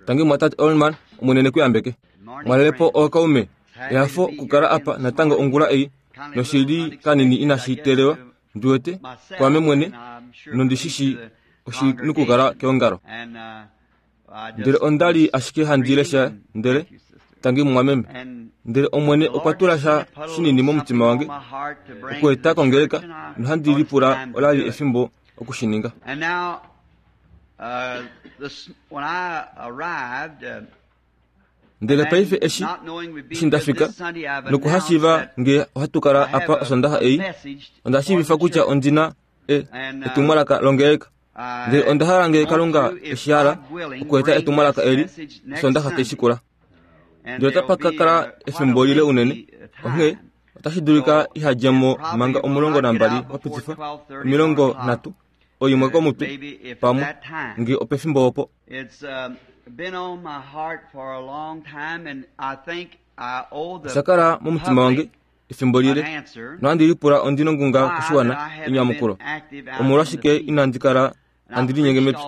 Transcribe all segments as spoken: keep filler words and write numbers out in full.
Tangi mwatate Olman omunene kuyambeke. Mwalelepo ookaume. Ehafo okukala apa natango ongula ei noshili kanini inashi teelelwa ndiwete kwaame mwene nondishishi oshinukukala keongalo. Ndele onda li ashike handi lesha ndele tangi mumwameme. Ndele Omwene okwa tula sha shinini momutima wange okueta kongeleka nohandi lipula ola li efimbo okushininga. Ndele paife eshi eshi ndafika nokuhashiiva nge ohatu kala apa osondaxa ei, onda shiivifa kutya ondina e etumwalaka longeleka. Ndele onda hala nge Kalunga eshi hala okueta etumwalaka eli osondaxa taishikula. Ndele otapa ka kala efimbo lile unene, onghee otashi dulika ihadje mo manga omulongo nambali wapitifa omilongo nhatu oimwe komutwe pamwe nge opefimbo opo. Osha kala momutima wange efimbo lile nohandi lipula ondi nongunga koshiwana enyamukulo. Omolwashike inandi kala handi linyenge mepya?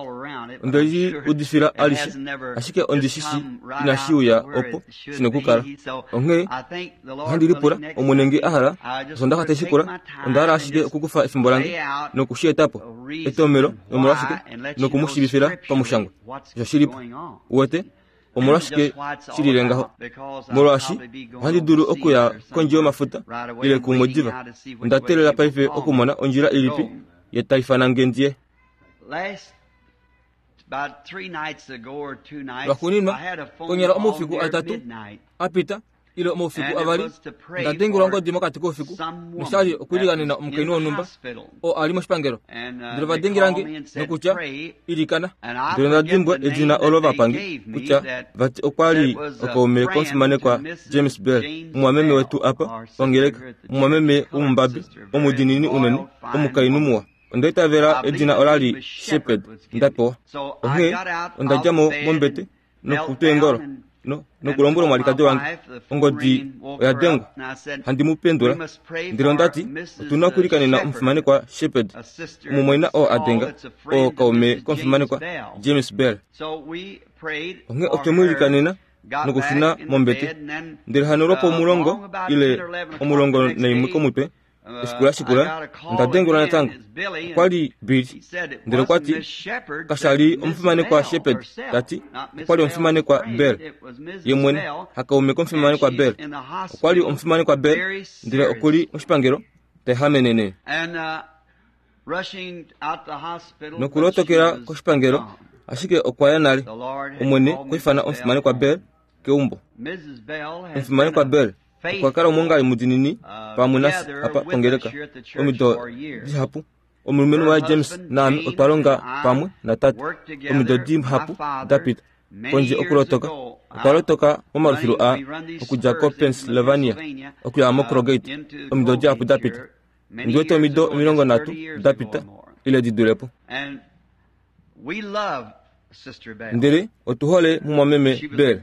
Onde li udifila alishe, ashike ondi shishi inashi uya opo shinokukala. Onghee ohandi lipula Omwene nge a hala osondaxa taishikula, onda hala ashike okukufa efimbo lange nokushi eta po etomelo nomolwashike noku mu shiivifila pamushangwa osho shilipo. Uwete omolwashike shilile ngaho? Molwaashi ohandi dulu okuya kondje yomafuta ile kumwe diva. Onda teelela paife okumona ondjila ilipi ye tai ifana nge ndiye. Lwaxuuninwa, konyala omaufiku atatu apita ile omaufiku avali, onda dengelwa ongodi mokati koufiku noshali okuliganena omukainhu wonhumba oo ali moshipangelo. Ndele ova dengela nge nokutya ilikana. Ndele onda dimbwa edina olo vapange kutya vati okwa li okaume komufimanekwa James Bell, mumwameme wetu apa ongeleka, mumwameme womumbabi omudiinini unene, omukainhu muwa. Onda itavela edina ola li Shepherd ndapewa. Onghee onda dja mo mombete nokutwa eengolo no nokulombwela omwalikadi wange ongodi oya dengwa handi mu pendula. Ndele onda ti otuna okulikanena omufimanekwa Shepherd, omumwaina oo a denga oo kaume komufimanekwa James Bell. Onghee otwe mu ilikanena nokushuna mombete. Ndele hano lwopomulongo ile omulongo naimwe komutwe efiku la shikula onda dengelwa natango. Okwa li Billy. Ndele okwa ti kasha li omufimanekwa Shepherd, tati okwa li omufimanekwa Bell ye mwene, hakaume komufimanekwa Bell. Okwa li omufimanekwa Bell, ndele oku li moshipangelo taehamenene. Nokulotokela koshipangelo, ashike okwa ya nale. Omwene okwa ifana omufimanekwa Bell keumbo. Omufimanekwa Bell okwa kala omwongali mudiinini pamwe nafye apa pongeleka omido dihapu. Omulumenhu waye James naame otwa longa pamwe natate omido dihapu dapita. Kondje okulotoka, okwa lotoka momalufilu a okudja koPennsylvania okuya moCrogate omido dihapu dapita. Ndiwete omido omilongo nhatu dapita ile di dulepo. Ndele otu hole mumwameme Bell.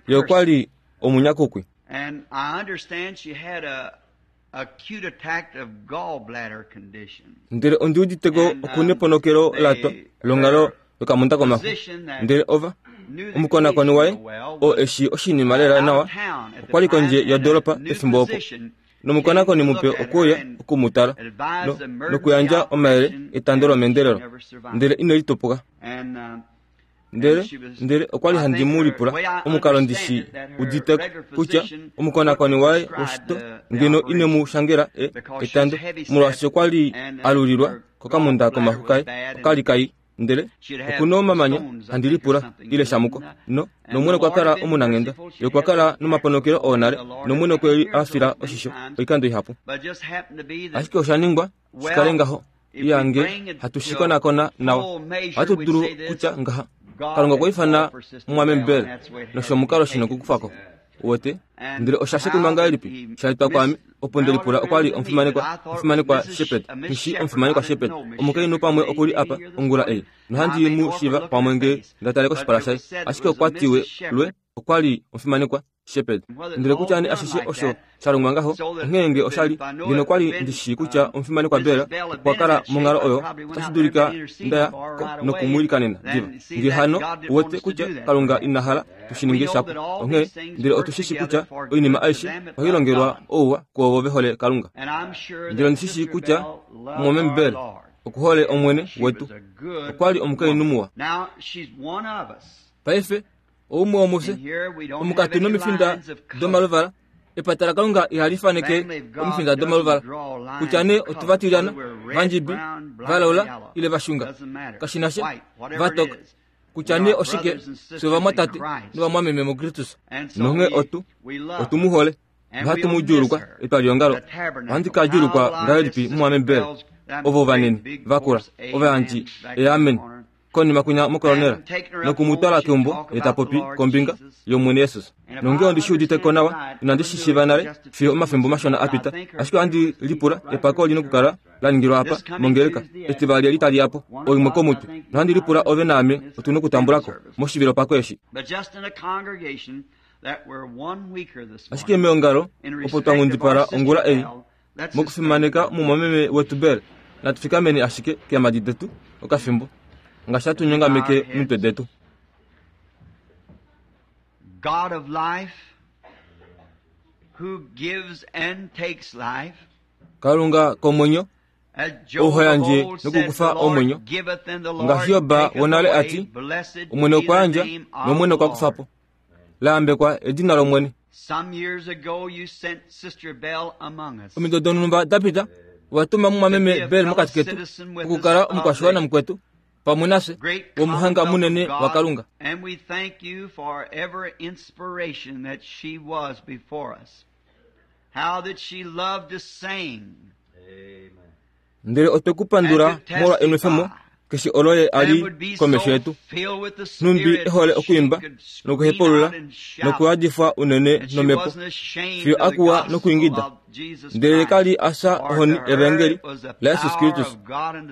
Ye okwa li omunyakukwi. And I understand she had a acute attack of gallbladder condition. Ndele ondi uditeko okuneponokelo latwa longhalo yokamunda komaxu. Ndele ova omukonakoni waye oo eshi oshinima lela nawa okwa li kondje yodolopa pefimbo opo. Nomukonakoni mupe okwe uya okumutala no, nokuyandja omayele etando lomeendelelo. Ndele ine litupuka. Ndele ndele okwa li handi mu lipula omukalo ndishi uditeko kutya omukonakoni waye woshito ngeno ine mu shangela e etando molwaashi okwa li alulilwa kokamunda komaxu kaye okali kai. Ndele okuna omamanya handi lipula ile shamuko no nomwene okwa kala omunanghenda. Ye okwa kala nomaponokelo oo nale nomwene okwe li a fila oshisho oikando ihapu. Ashike osha ningwa shikale ngaho iyange hatu shi konakona nawa. Ohatu dulu kutya ngaha Kalunga okwa ifana mumwameme Bell nosho omukalo shino okukufako. Uwete? Ndele osha shekunwa ngahelipi? Sha etwa kwaame opo nde lipula okwa li omufimanekwa omufimanekwa Shepherd. Nghishi omufimanekwa Shepherd. Omukainhu pamwe oku li apa ongula ei nohandi mu shiiva pamwe nge nda tale koshipala shaye. Ashike okwa tiwe lwe okwa li omufimanekwa Shepherd. Ndele kutya ne ashishe osho sha longwa ngaho, onghee nge osha li ngeno kwa li ndi shii kutya omufimanekwa Bell okwa kala monghalo oyo, otashi dulika ndaya ko nokumwiilikanena diva. Nge hano uwete kutya Kalunga ina hala tu shi ninge shapo. Onghee ndele otu shi shii kutya oinima aishe ohai longelwa ouwa kuovo ve hole Kalunga. Ndele ondi shi shii kutya mumwameme Bell okuhole Omwene wetu, okwa li omukainhu muwa. Paife oumwe womufye omukatu nomifinda domaluvala. Epata laKalunga ihali faneke omifinda domaluvala, kutya nee otuvatilana, vandjibi, valaula ile vashunga, kashinasha vatoka, kutya nee oshike, fye ovamwatate novamwameme muKristus. Nonghee otu otu mu hole nohatu mu djuulukwa etwaliongalo. Ohandi ka djuulukwa ngahelipi mumwameme Bell, ovo vanene vakula ovayandji eamen konima kunya mokolonela nokumutwala keumbo ye ta popi kombinga yOmwene Jesus. Nonge ondi shi udite ko nawa, inandi shi shiiva nale fiyo omafimbo mashona a pita, ashike ohandi lipula epako oli nokukala la ningilwa apa mongeleka etivali eli tali yapo oimwe komutwe, nohandi lipula ove naame otu nokutambulako moshivilo pako eshi. Ashike meongalo opo twa ngundipala ongula ei mokufimaneka mumwameme wetu Bell, natu fikameni ashike keemadi detu okafimbo ngaashi hatu nyongameke omitwe detu. God of life, who gives and takes life, Kalunga komwenyo, ou yandje nokukufa omwenyo, ngaashi Job wonale ati, Omwene okwa yandja nOmwene okwa kufa po. Laambekwa edina lOmwene. Omido donhumba da pita, owa tuma mumwameme Bell mokati ketu okukala omukwashiwana mukwetu pamwe nafye womuhanga munene wa Kalunga. And we thank you for every inspiration that she was before us. How that she loved to sing. Ndele otwe ku pandula molwa enwefemo keshe olo ye a li komesho yetu, nhumbi ehole okuimba nokuhepulula nokuyadifwa unene nomhepo fiyo akuwa nokuingida. Ndele ka li a fya ohoni evangeli laJesus Kristus,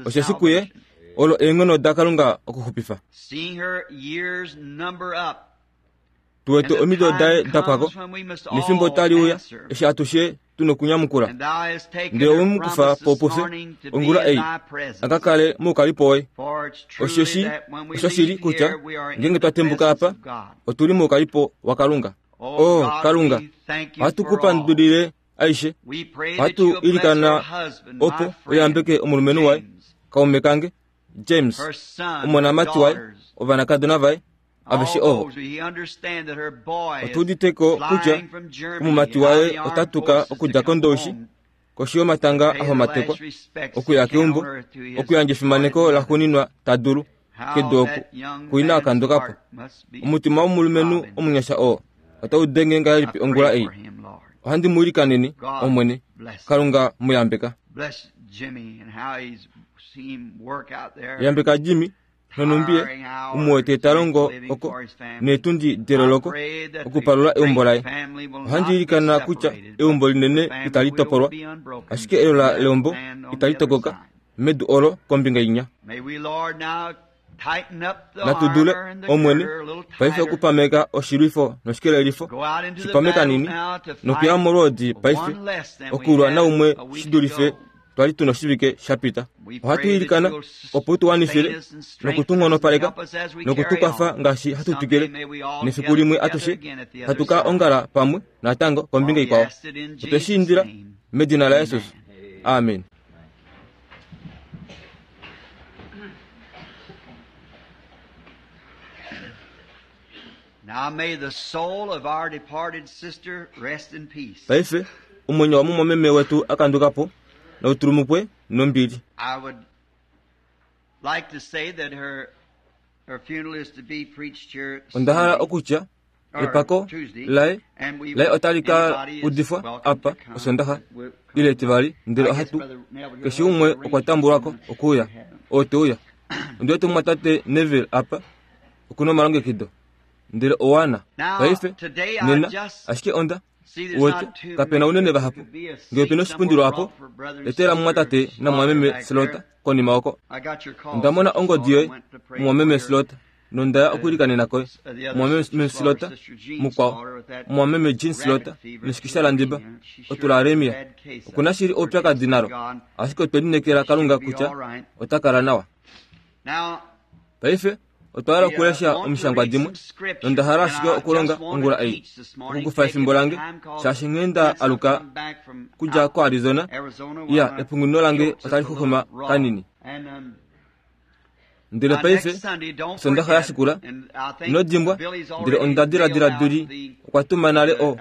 osheshi kuye olo eenghono daKalunga okuxupifa. Tuwete omido daye dapwako, nefimbo tali uya eshi atushe tu nokunyamukula. Ndele owe mu kufa po pufye ongula ei a ka kale moukalipo woye. Osheshi oshoshili kutya ngeenge twa tembuka apa otu li moukalipo waKalunga. O Kalunga, ohatu ku pandulile aishe. Ohatu ilikana opo uyambeke omulumenhu waye, kaume kange James, omonamati waye, ovanakadona vaye, aveshe ovo. Otu uditeko kutya omumati waye ota tuka okudja kondoushi koshi yomatanga ahomatekwa okuya keumbo okuyandja efimaneko laxuuninwa ta dulu kedu oku kuina akandukapo. Omutima womulumenhu omunyasha oo otau denge ngahelipi ongula ei. Ohandi mu ilikaneni, Omwene Kalunga mu yambeka. Yambeka Jimmy nonumbi umuwete ta longo oko neetundi deloloko okupalula eumbo laye. Ohandi ilikana kutya eumbo linene itali topolwa, ashike elola leumbo itali tokoka medu olo kombinga inya. Natu dule, Omwene, paife okupameka oshilwifo noshikelelifo shipameka nini nokuya molwoodi paife okulwa naumwe shi dulife twali tuna oshivike sha pita. Ohatu ilikana opo tu wanifile nokutunghonopaleka nokutukwafa ngaashi hatu twikile, nefiku limwe atushe hatu ka ongala pamwe natango kombinga ikwao. Otwe shi indila medina laJesus. Amen. Now may the soul of our departed sister rest in peace. Paife omwenyo wa mumwameme wetu akandukapo noutulumukwe nombili. I would like to say that her her funeral is to be preached here Onda hala okutya epako laye laye otali ka udifwa apa osondaxa ile etivali, ndele ohatu keshe umwe okwa tambulwako okuuya oo te uya. Ondi wete mumwatate Neville apa okuna omalongekido ndele owana paife nena ashike onda uwete kapena unene vahapu. Ngee opena oshipundilo apo etela mumwatate namwameme Slota konima oko. Onda mona ongodi yoye mumwameme Slota Nondaya okwiilikanena koye mwameme Slota mukwao mwameme Jean Slota neshikisha landiba otularemia okuna shili oupyakadi nalo ashike otwe lineekela Kalunga kutya ota kala nawa. Paife otwa hala okulesha omishangwa dimwe nonda hala ashike okulonga ongula ei okukufa efimbo lange shaashi nghee nda aluka kudja koArizona ya epunguno lange otali xuxuma kanini. Ndele paife Sondaxa ya shikula ino dimbwa ndele onda diladila Duli okwa tuma nale o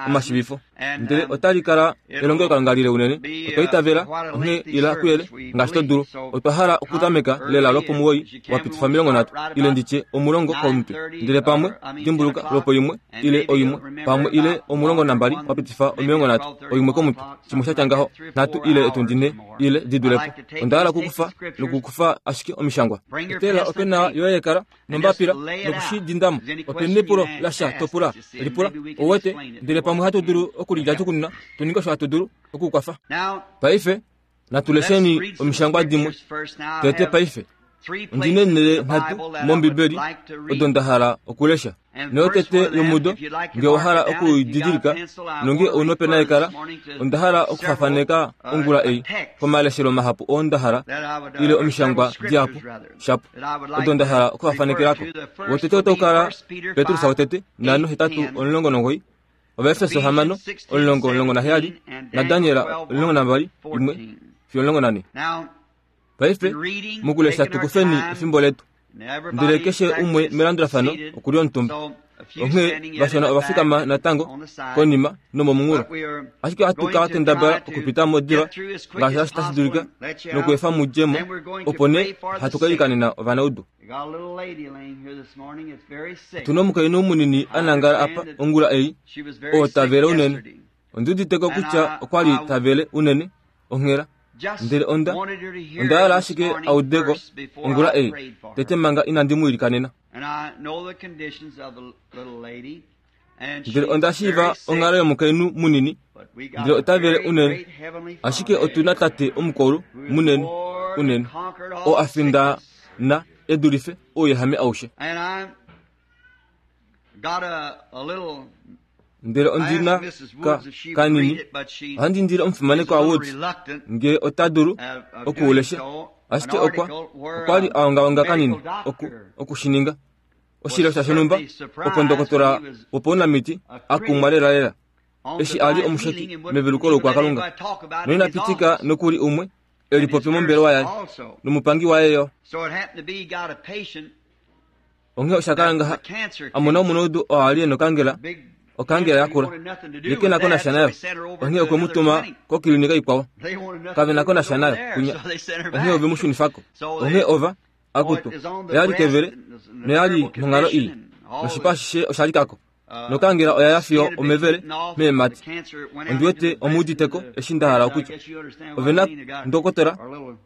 omashivifo ndele otali kala elongelokalunga lile unene. Otwa itavela onghee ila kuyele ngaashi to dulu. Otwa hala okutameka lela lwopomuwoi wa pitifa omilongo nhatu ile nditye omulongo komutwe ndele pamwe dimbuluka lwopo imwe ile oimwe pamwe ile omulongo nambali wa pitifa omilongo nhatu oimwe komutwe shimwe shatya ngaho nhatu ile etundi nhe ile di dulepo. Onda hala okukufa nokukufa ashike omishangwa. Etela opena yoye yekala nombapila nokushidindamo. Opena epulo lasha topula lipula owete ndele pamwe hatu dulu okulidja tukunina tuninge osho hatu dulu okukwafa. Paife natulesheni omishangwa dimwe tete. Paife ondine nele nhatu mOmbibeli odo nda hala okulesha. Neyotete yomudo nge owa hala okudidilika nonge ouna opena yekala onda hala okufafaneka ongula ei komaleshelo mahapu oo nda hala ile omishangwa dihapu shapu odo nda hala okufafanekelako. Wotete otau kala Petrus wotete nhano hetatu omulongo nongoi, Ovaefeso hamano omulongo omulongo naheyali naDaniel omulongo nambali imwe fiyo omulongo nane. Paife mokulesha tukufeni efimbo letu ndele keshe umwe melandulafano okuli omutumba. Onghee vashona ova fikama natango konima nomomunghulo, ashike ohatu ka kendabala okupita mo diva ngaashi tashi dulika nokuefa mudje mo, opo nee hatu ka ilikanena ovanaudu. Otuna omukainhu munini a nangala apa ongula ei oo tavele unene. Ondi uditeko kutya okwa li tavele unene onghela ndele onda onda hala ashike audeko ongula ei tete manga inandi mu ilikanena. Ndele onda shiiva onghalo yomukainhu munini ndele ota vele unene, ashike otuna tate omukulu munene unene oo a findana e dulife ouyehame aushe. Ndele ondina ka kanini ohandi indile omufimanekwa Woods nge ota dulu okuulesha, ashike okwa okwa li a ongaonga kanini oku okushininga oshilesha shonhumba opo ndokotola wopaunamiti a kumwa lelalela eshi a li omusheki meveluko loukwakalunga noina pitika nokuli umwe e lipopi mombelewa yaye nomupangi waye yo. Onghee osha kala ngaha a mona omunaudu oo a li e nokangela okangela yakula ye ke na ko nasha nayo, onghee okwe mu tuma kokilinika ikwao kave na ko nasha nayo kunya, onghee ove mu shunifako. Onghee ova akutu oya li kevele noya li monghalo ii noshipa ashishe osha likako nokangela oya ya fiyo omevele meemati. Ondi wete omuuditeko eshi nda hala okutya. Ove na ndokotola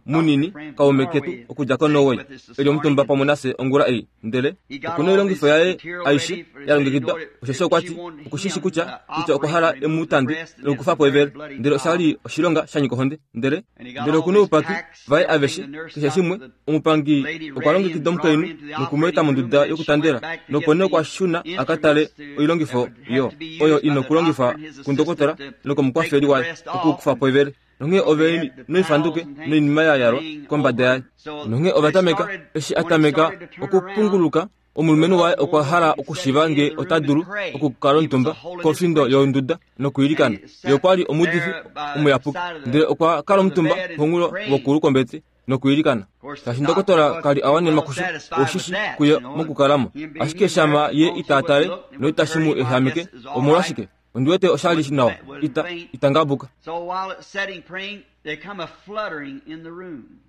munini kaume ketu okudja koNorway eli omutumba pamwe nafye ongula ei, ndele okuna oilongifo yaye aishe ya longekidwa osheshi okwa ti okushishi kutya kutya okwa hala emu tande nokukufa po evele, ndele osha li oshilonga sha nyika ohonde. Ndele ndele okuna oupaki vaye aveshe keshe shimwe. Omupangi okwa longekida omukainhu noku mu eta monduda yokutandela, nopo nee okwa shuna a ka tale oilongifo yo oyo ina okulongifwa kundokotola nokomukwafeli waye okukufa po evele. Nonghee ove noifanduke noinima ya yalwa kombada yaye. Nonghee ova tameka eshi a tameka okupunguluka omulumenhu waye okwa hala okushiva nge ota dulu okukala omutumba kofindo yonduda nokuilikana. Ye okwa li omuudifi omuyapuki, ndele okwa kala omutumba pomunghulo wokulu kombete nokuilikana. Shaashi ndokotola kali a wanenwa kusho oshishi kuye mokukalamo, ashike shama ye ita tale noitashi mu ehameke. Omolwashike ondi wete osha li nawa ita ita ngabuka.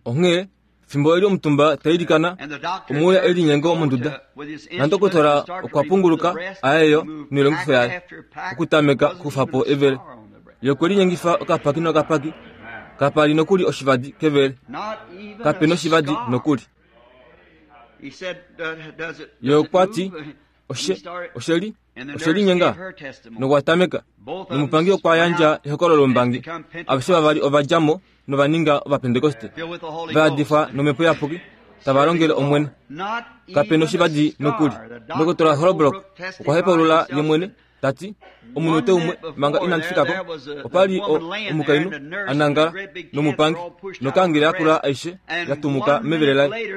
Onghee fimbo eli omutumba ta ilikana omuuya elinyengo monduda nandokotola okwa punguluka ayeyo noilongifo yaye okutameka okukufa po evele. Ye okwe linyengifa okapaki nokapaki kapa li nokuli oshivadi kevele, kape noshivadi nokuli. Ye okwa ti oshe osheli oshelinyenga nokwa tameka nomupangi okwa yandja ehokololo lombangi. Aveshe vavali ova dja mo nova ninga Ovapentekoste va yadifwa nomhepo iyapuki tava longele Omwene. Kape noshivadi nokuli. Ndokotola Holbrook okwa hepaulula ye mwene tati omunute umwe manga inandi fikako opa li omukainhu a nangala nomupangi nokangela yakula aishe ya tumuka mevele laye,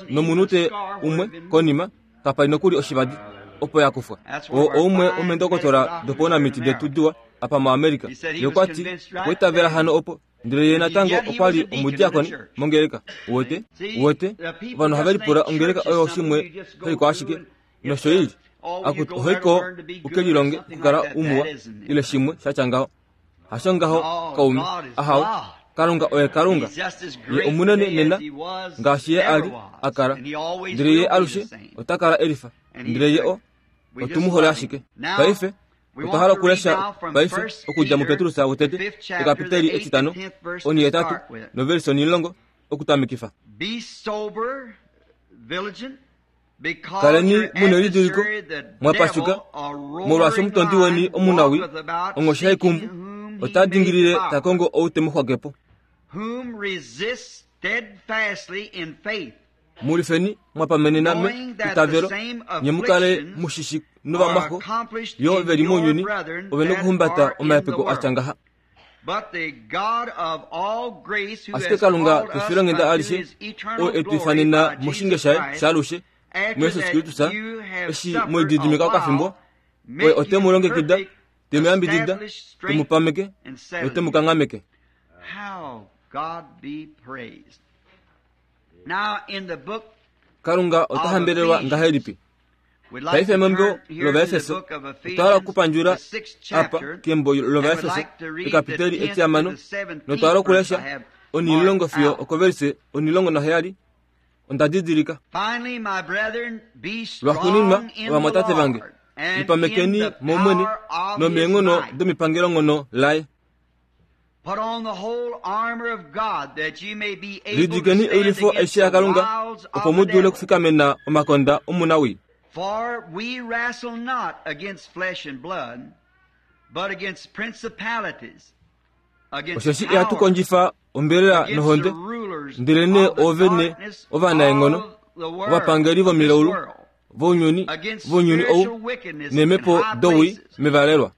nomunute umwe konima kapa li nokuli oshivadi opo ya kufwa. Oo oumwe womeendokotola dopaunamiti detu diwa apa muAmerica. Ye okwa ti okwa itavela hano opo, ndele ye natango okwa li omudiakoni mongeleka. Uwete uwete ovanhu ohave lipula ongeleka oyo shimwe hoiko ashike nosho ili akuti ohoiko uke lilonge okukala umuwa ile shimwe shatya ngaho. Hasho ngaho kaume, ahawe, Kalunga oye Kalunga. Ye omunene nena ngaashi ye ali a kala, ndele ye alushe ota kala elifa, ndele ye o otu mu hole ashike. Paife otwa hala okulesha paife okudja muPetrus wotete ekapiteli etitano onihetatu novelisi onimulongo okutamikifa. Kaleni muna elidiliko mwapashuka, molwaashi omutondi weni omunawi onghoshi haikumbu ota dingilile ta kongo ou te mu xwakepo. Mulifeni mwapamenena me itavelo, nye mukale mushishi novamwaxo yo veli mounyuni ove nokuhumbata omahepeko atya ngaha. Ashike Kalunga kefilonghenda alishe oo e tu ifanena moshinge shaye shaalushe muJesus Kristus, eshi mwelididimika okafimbo, oye ote mu longekida, te mu yambidida, te mu pameke note mu kanghameke. Kalunga ota hambelelwa ngahelipi? Paife membo lOvaefeso otwa hala okupandjula apa kembo lOvaefeso ekapiteli etihamano notwa hala okulesha onimulongo fiyo okovelise onimulongo naheyali. Onda didilika. Lwaxuuninwa, ovamwatate vange, lipamekeni mOmwene nomeenghono domipangelonghono laye. Lidikeni oilwifo aishe yaKalunga opo mu dule okufikamena omakonda omunawii. For we wrestle not against flesh and blood, but against principalities, against Osheshi ihatu kondjifa ombelela nohonde, ndelenee oovene ovanaenghono, ovapangeli vomilaulu vounyuni vounyuni ou neemhepo dowii mevalelwa.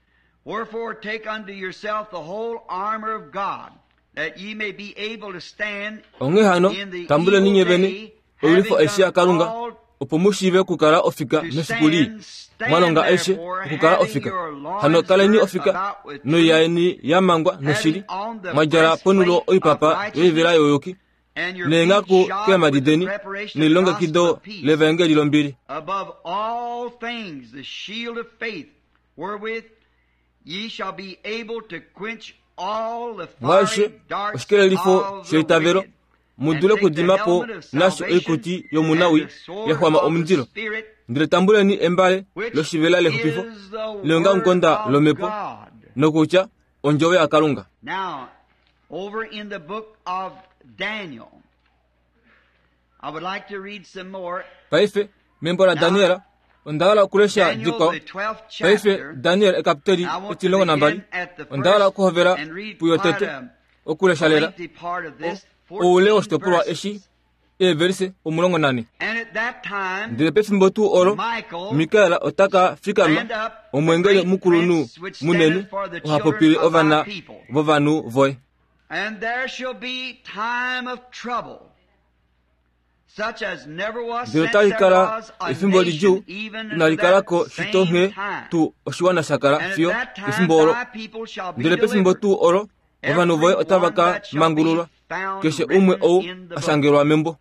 Wherefore take unto yourself the whole armor of God, that ye may be able to stand Onghee hano in the tambuleni nye evil vene day, oilwifo having aishe done yaKalunga all opo mu shiive okukala ofika to mefiku lii, stand, stand mwalonga aishe therefore, okukala having ofika. your loins Hano kaleni girt ofika about with truth, noiyaeni ya mangwa noshili, having on the mwadjala ponulo breastplate of oipapa yoivela righteousness, youyuki, and your feet neenghaku shod keemhadi with the deni preparation of the gospel nelilongekido of peace. levaengeli lombili. Above all things, the shield of faith, wherewith ye shall be able to quench all the Mwaishe fiery darts oshikelelifo of the sheitavelo wicked, mu and dule take the okudima po helmet of nasho salvation oikuti and yomunawi the sword ya xwama of the omundilo. Spirit, Ndele tambuleni embale which loshivela lexupifo is the Word leongamukonda of lomhepo God. nokutya ondjovo yaKalunga. Now, over in the book of Daniel, I would like to read some more. Paife membo la Daniel onda hala okulesha Daniel, dikwao. the twelfth Paife chapter. Daniel ekapiteli I want to etilongo nambali begin at the onda hala first okuhovela and read puyo quite tete a okulesha lela lengthy part of this, oule fourteen woshitopolwa verses. eshi eevelise omulongo nane. And at that time, Ndele pefimbo tuu olo Michael Mikael ota ka fikama stand up, the omwengeli great mukulunhu prince which munene standeth for the oha children popile of thy ovana people. vovanhu voye. And there shall be time of trouble, such as never was Ndele since otali there kala was a efimbo lidjuu nation, even unto inali that kalako shito same nghee time. tuu oshiwana sha kala And at fiyo that time efimbo olo. thy people shall be Ndele pefimbo delivered, tuu olo ovanhu voye every otava one ka that shall be mangululwa, found keshe umwe written ou in the a book. shangelwa membo.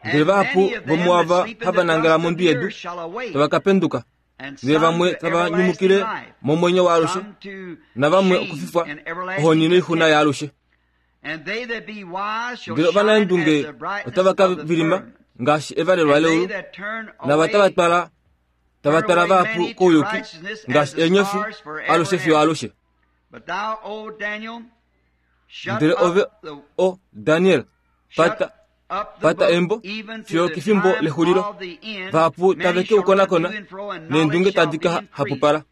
Ndele And vahapu many of them that vomuava sleep in hava the nangala dust of mondwi the yedu earth shall awake, tava ka penduka, and ndele some vamwe to tava everlasting nyumukile life, momwenyo waalushe, some to navamwe shame okufifwa and ohoni everlasting noixuna contempt. yaalushe. And they that be wise shall Ndele shine as ovanaendunge the brightness otava ka of the vilima firmament. ngaashi evalelwa And they leulu, that turn nava tava away twala tava turn twala away vahapu many to kouyuki righteousness as ngaashi the eenyofi stars forever alushe and fiyo ever. alushe. But thou, O Daniel, shut Ndele ove up the o Daniel shut pata up the pata book embo even to fiyo the kefimbo time lexulilo. of the end. Vahapu Many tave ke shall u run konakona to and fro, and neendunge knowledge shall tadi be ka increased. hapupala.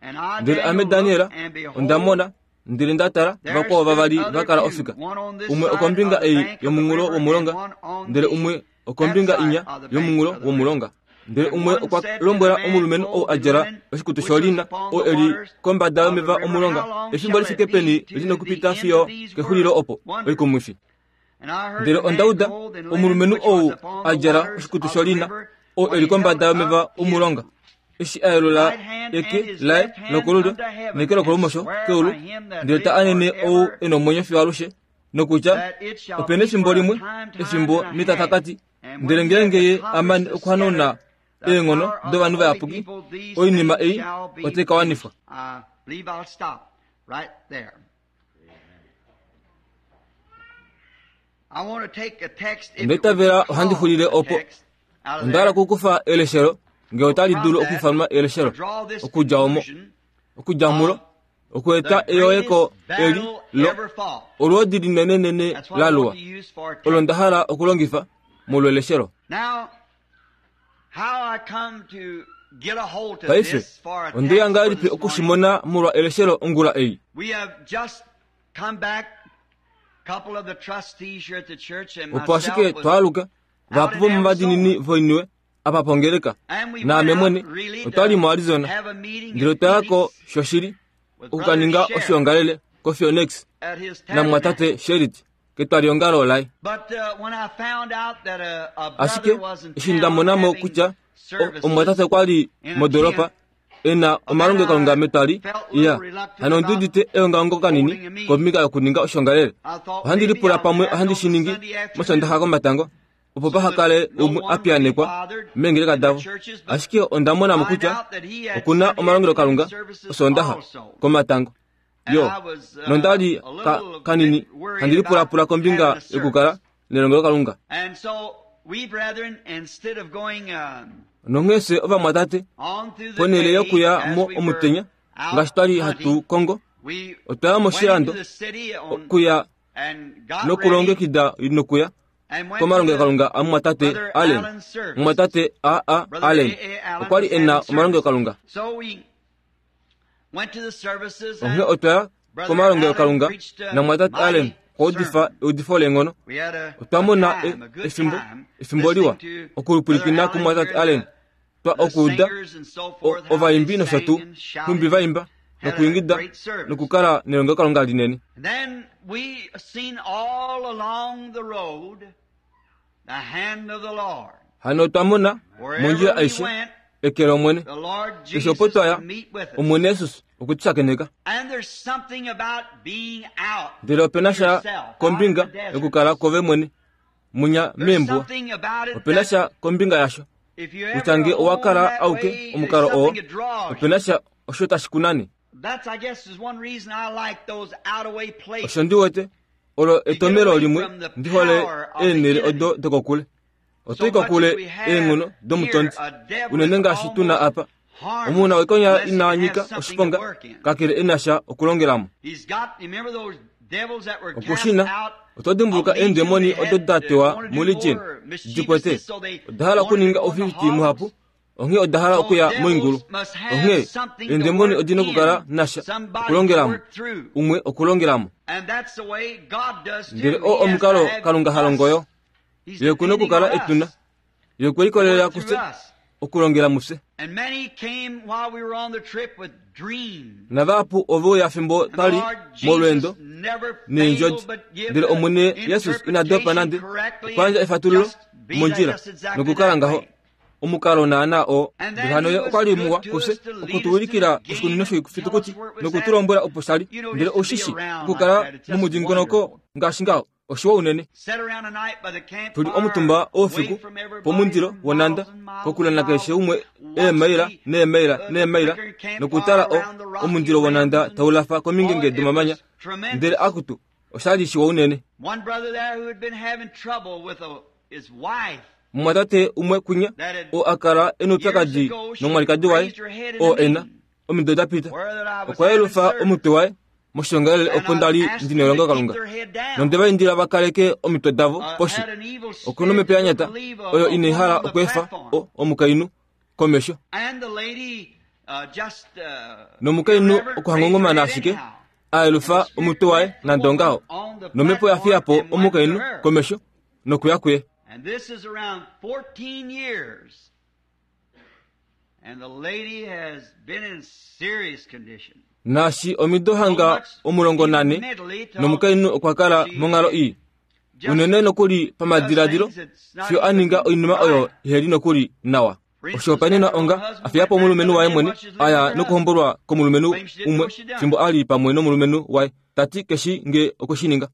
And I, Ndele ame Daniel, Daniel looked, and behold, onda mona ndele nda tala there vakwao stood vavali other va kala two, ofika, one on this umwe side okombinga of the ei bank of the yomunghulo river, and womulonga one on ndele the umwe okombinga inya yomunghulo womulonga. Ndele umwe okwa lombwela omulumenhu ou a djala oshikutu sholina oo eli kombada yomeva omulonga, efimbo li fike peni li nokupita fiyo kexulilo opo oikumwifi. Ndele onda uda omulumenhu ou a djala oshikutu sholina oo eli kombada yomeva omulonga, eshi a yelula eke laye lokolulyo neke lokolumosho keulu, ndele ta anene ou e nomwenyo fiyo alushe, nokutya opena efimbo limwe, efimbo netatakati, ndele ngeenge ye amane okuhanauna eenghono dovanhu vayapuki, oinima ei otai ka wanifwa. Ondaitavela ohandi xulile opo. Onda hala okukufa eleshelo ngee otali dulu okuifanwa eleshelo, okudja omo, okudja mulo, okueta eyoeko eli lo olwoodi linenenene la luwa, olo nda hala okulongifa molweleshelo. Paife ondeya ngahelipi okushimona molwa eleshelo ongula ei? Opo ashike twaaluka vahapu vomovadinini voiniwe apa pongeleka, naame mwene otwali moArizona, ndele otwayako shoshili okukaninga oshiongalele koPhoenix namwatate Sherit ketwaliongalo laye. Ashike eshi nda monamo kutya omwatate okwali modoropa ena omalongelokalunga metwali, iya hano ondi udite eongaongo kanini kombinga yokuninga oshiongalele. Ohandi lipula pamwe ohandi shi ningi mOsondaxa komatango, opo paha kale umwe a piyanekwa meengeleka davo. Ashike onda monamo kutya okuna omalongelokalunga Osondaxa komatango. Yo, nondali ka, kanini handi lipulapula kombinga yokukala nelongelokalunga. Nonghee fye ovamwatate, ponhele yokuya mo omutenya ngaashi twali hatu kongo, otwa ya moshilando okuya nokulongekida nokuya komalongelokalunga amumwatate Allen. Mumwatate A A Allen okwali e na omalongelokalunga. Onghee otwa ya komalongelokalunga namwatate Allen okwa udifa eudifo leenghono. Otwa mona efimbo efimbo liwa okulipwilikina kumwatate Allen, twa okuuda ovaimbi nosho tuu nhumbi vaimba nokuingida nokukala nelongelokalunga linene. Hano otwa mona mondjila aishe eke lOmwene. Keshe opo twaya, Omwene Jesus okwe tu shakeneka. Ndele opena sha kombinga yokukala kwove mwene munya meembuwa, opena sha kombinga yasho kutya nge owa kala auke omukalo oo, opena sha osho tashi kunane. Osho ndi wete olo etomelo limwe ndi hole eenhele odo dokokule. Otoi kokule eenghono domutondi, unene ngaashi tuna apa. Omuna wekonya ina nyika oshiponga kakele ena sha okulongelamo. Okushina oto dimbuluka eendemoni odo da tewa muLegion dikwete oda hala okuninga oufifiti muhapu, onghee oda hala okuya moingulu. Onghee eendemoni odina okukala nasha okulongelamo, umwe okulongelamo. Ndele oo omukalo Kalunga ha longo yo. Ye okuna okukala etuna, ye okwe likolelela kufye okulongela mufye. Navahapu ove uya fimbo twali molweendo neendjodi, ndele Omwene Jesus ina dopa nande okuyandja efatululo mondjila nokukala ngaho omukalo naana oo. Ndele hano ye okwa li muwa kufye okutuulikila oshikunino shoifitukuti nokutulombwela opo shali. Ndele oushishi okukala momudingonoko ngaashi ngaho oshiwa unene. Tuli omutumba oufiku pomundilo wonanda kokule nakeshe umwe eemaila neemaila neemaila nokutala o omundilo wonanda taulafa komingenge domamanya. Ndele akutu oshali shiwa unene. Mumwatate umwe kwinya oo akala e noupyakadi nomwalikadi waye oo ena omido da pita, okwa yelufa omutwe waye moshiongalele opo ndali ndi nelongelokalunga, nonde va indila va kaleke omitwe davo poshi. Okuna omhepo ya nyata oyo inai hala okweefa omukainhu komesho, nomukainhu okuhangongomana ashike a yelufa omutwe waye nande ongaho, nomhepo ya fiya po omukainhu komesho nokuya kuye. And this is around fourteen years. And the lady has been in serious condition. Naashi omido hanga omulongo nane nomukainhu okwa kala monghalo ii unene nokuli pamadiladilo fiyo a ninga oinima oyo iheli nokuli nawa. Oshihopaenenwa onga afiya po omulumenhu waye mwene aya nokuhombolwa komulumenhu umwe fimbo ali pamwe nomulumenhu waye tati keshi nge okweshininga.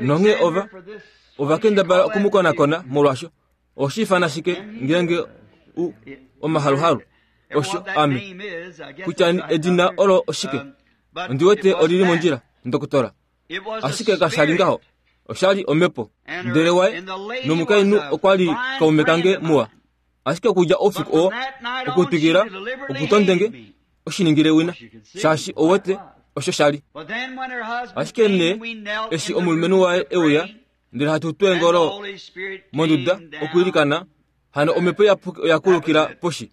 Nonghee ova ova kendabala okumukonakona molwaasho oshiifana shike ngeenge u omahaluhalu osho ame kutya edina olo oshike ondi wete olili mondjila ndokotola ashike kashali ngaho oshali omhepo ndele waye nomukainhu okwa li kaume kange muwa ashike okudja oufiku oo okutwikila okutondenge oshiningile wina shaashi owete osho shali. Ashike nee eshi omulumenhu waye euya ndele hatu tweengolo monduda okwiilikana hano omhepo oya kulukila poshi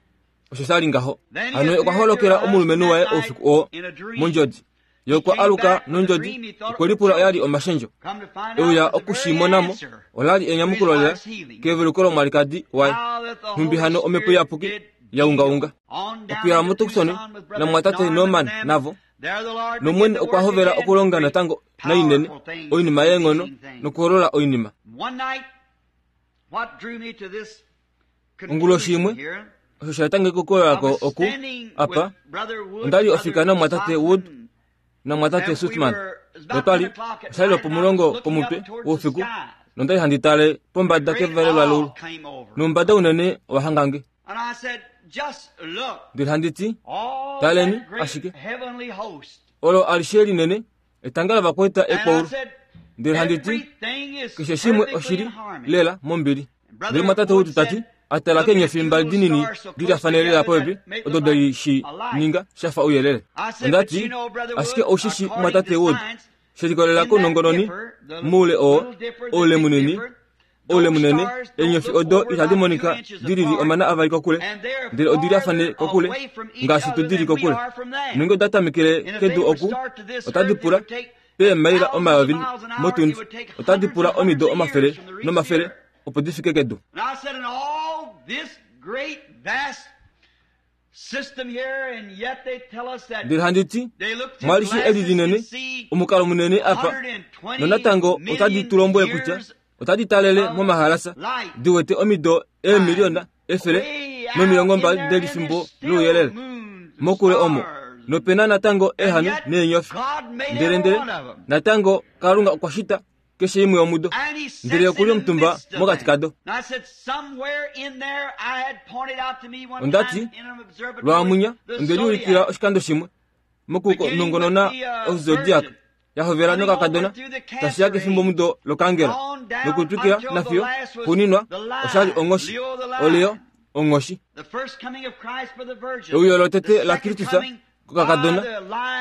osho shali ngaho. Hano okwa holokela omulumenhu waye oufiku oo mondjodi ye okwa aluka nondjodi okwe lipula oyali omashendjo euya okushimonamo olali enyamukulo lela keveluko lomwalikadi waye nhumbi hano omhepo iyapuki yaungaunga okuya moTucson namwatate Norman navo nomwene okwa hovela okulonga natango nainene oinima yeenghono nokuholola oinima. Onguloshi imwe osho shaetange kokolako oku apa ondali ofika namwatate Wood namwatate Sutman notwali oshali lwopomulongo pomutwe woufiku nondali handi tale pombada kevalelwa leulu nomumbada unene owahangange ndele handi ti taleni ashike olo alishe linene etanga lavakweta ekwaulu ndele handi ti keshe shimwe oshili lela mombili. Ndele mwatate Wood tati atala keenyofi mbali dinini dilafane lela popepi odo dali shi ninga shafa ouyelele. Ondati ashike oushishi mwatate Wood shelikolela kounongononi moule oo oule munini oule munene eenyofi odo itadi monika dilili omana avali kokule ndele odilafane kokule ngaashi tudili kokule. Nonge oda tamekele kedu oku otadi pula peemaila omayovi motundi otadi pula omido omafele nomafele opo difike kedu. Ndele handi ti mwalishi eli linene omukalo munene apa nonatango otadi tulombwele kutya otadi talele momahalasa diwete omido eemiliona efele nomilongo mbali delifimbo louyelele mokule omo nopena natango ehani neenyofi ndele ndele natango Kalunga okwa shita keshe imwe yomudo ndele okuli omutumba mokati kado. Ondati lwamunya ondeliulikila oshikando shimwe mokunongonona ozodiac yahovela nokakadona tashiya kefimbo mudo lokangela nokutwikila nafiyo xuuninwa oshali onghoshi oleo onghoshi. Euyo lotete la Kristus kokakadona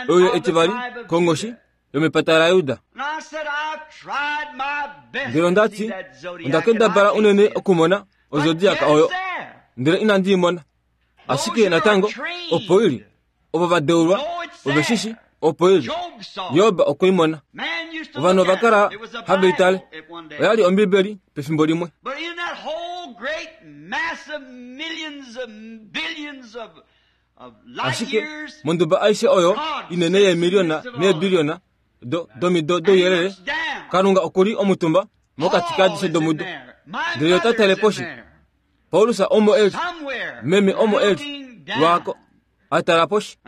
euyo etivali konghoshi yomepata laYuda. Ndele ondati ondakendabala unene okumona ozodiaka oyo ndele inandi imona ashike natango opo ili ovo vadeulwa oveshishi opo ili Job okweimona. Ovanhu ovakala have itale oyali Ombibeli pefimbo limwe. Ashike monduba aishe oyo inene yeemiliona neebiliona do domido douyelele Kalunga okuli omutumba mokati kadishe domudo ndele ota tale poshi. Paulus omo eli meme omo eli lwako atala poshi.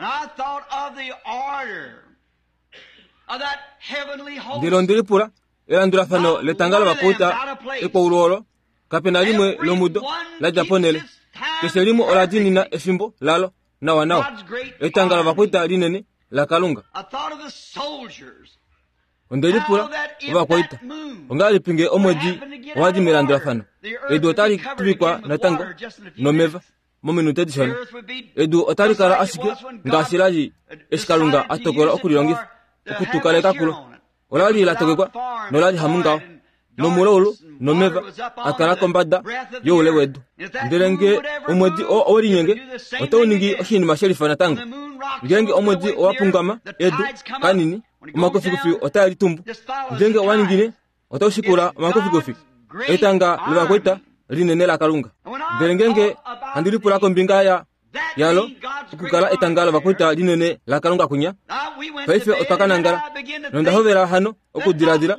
Ndele ondelipula elandulafano letanga lovakuta ekwaulu olo kapena limwe lomudo ladja ponele keshe limwe ola dinina efimbo lalo nawa nawa etanga lovakuta linene la Kalunga. Ondelipula ovakwaita ongahelipi nge omwedi owadi melandulafano edu otali tuvikwa natango nomeva mominute dishona edu otali kala ashike ngaashi lali eshi Kalunga a tokola okulilongifa okutukaleka kulo. Olali la tokekwa nolali hamungaho nomulaulu nomeva akala kombada youle wedu. Ndele nge omwedi oo owelinyenge otau ningi oshinima shelifa natango. Ngeenge omwedi owapungama edu kanini Omakufikufi otaa litumbu. Ngenge owaningine otau shikula omakufikufi. Etanga lovakwaita linene laKalunga. Ndele ngenge handi lipula kombinga ya yalo okukala etanga lovakwaita linene laKalunga kwinya. Paife otwa ka nangala nonda hovela hano okudiladila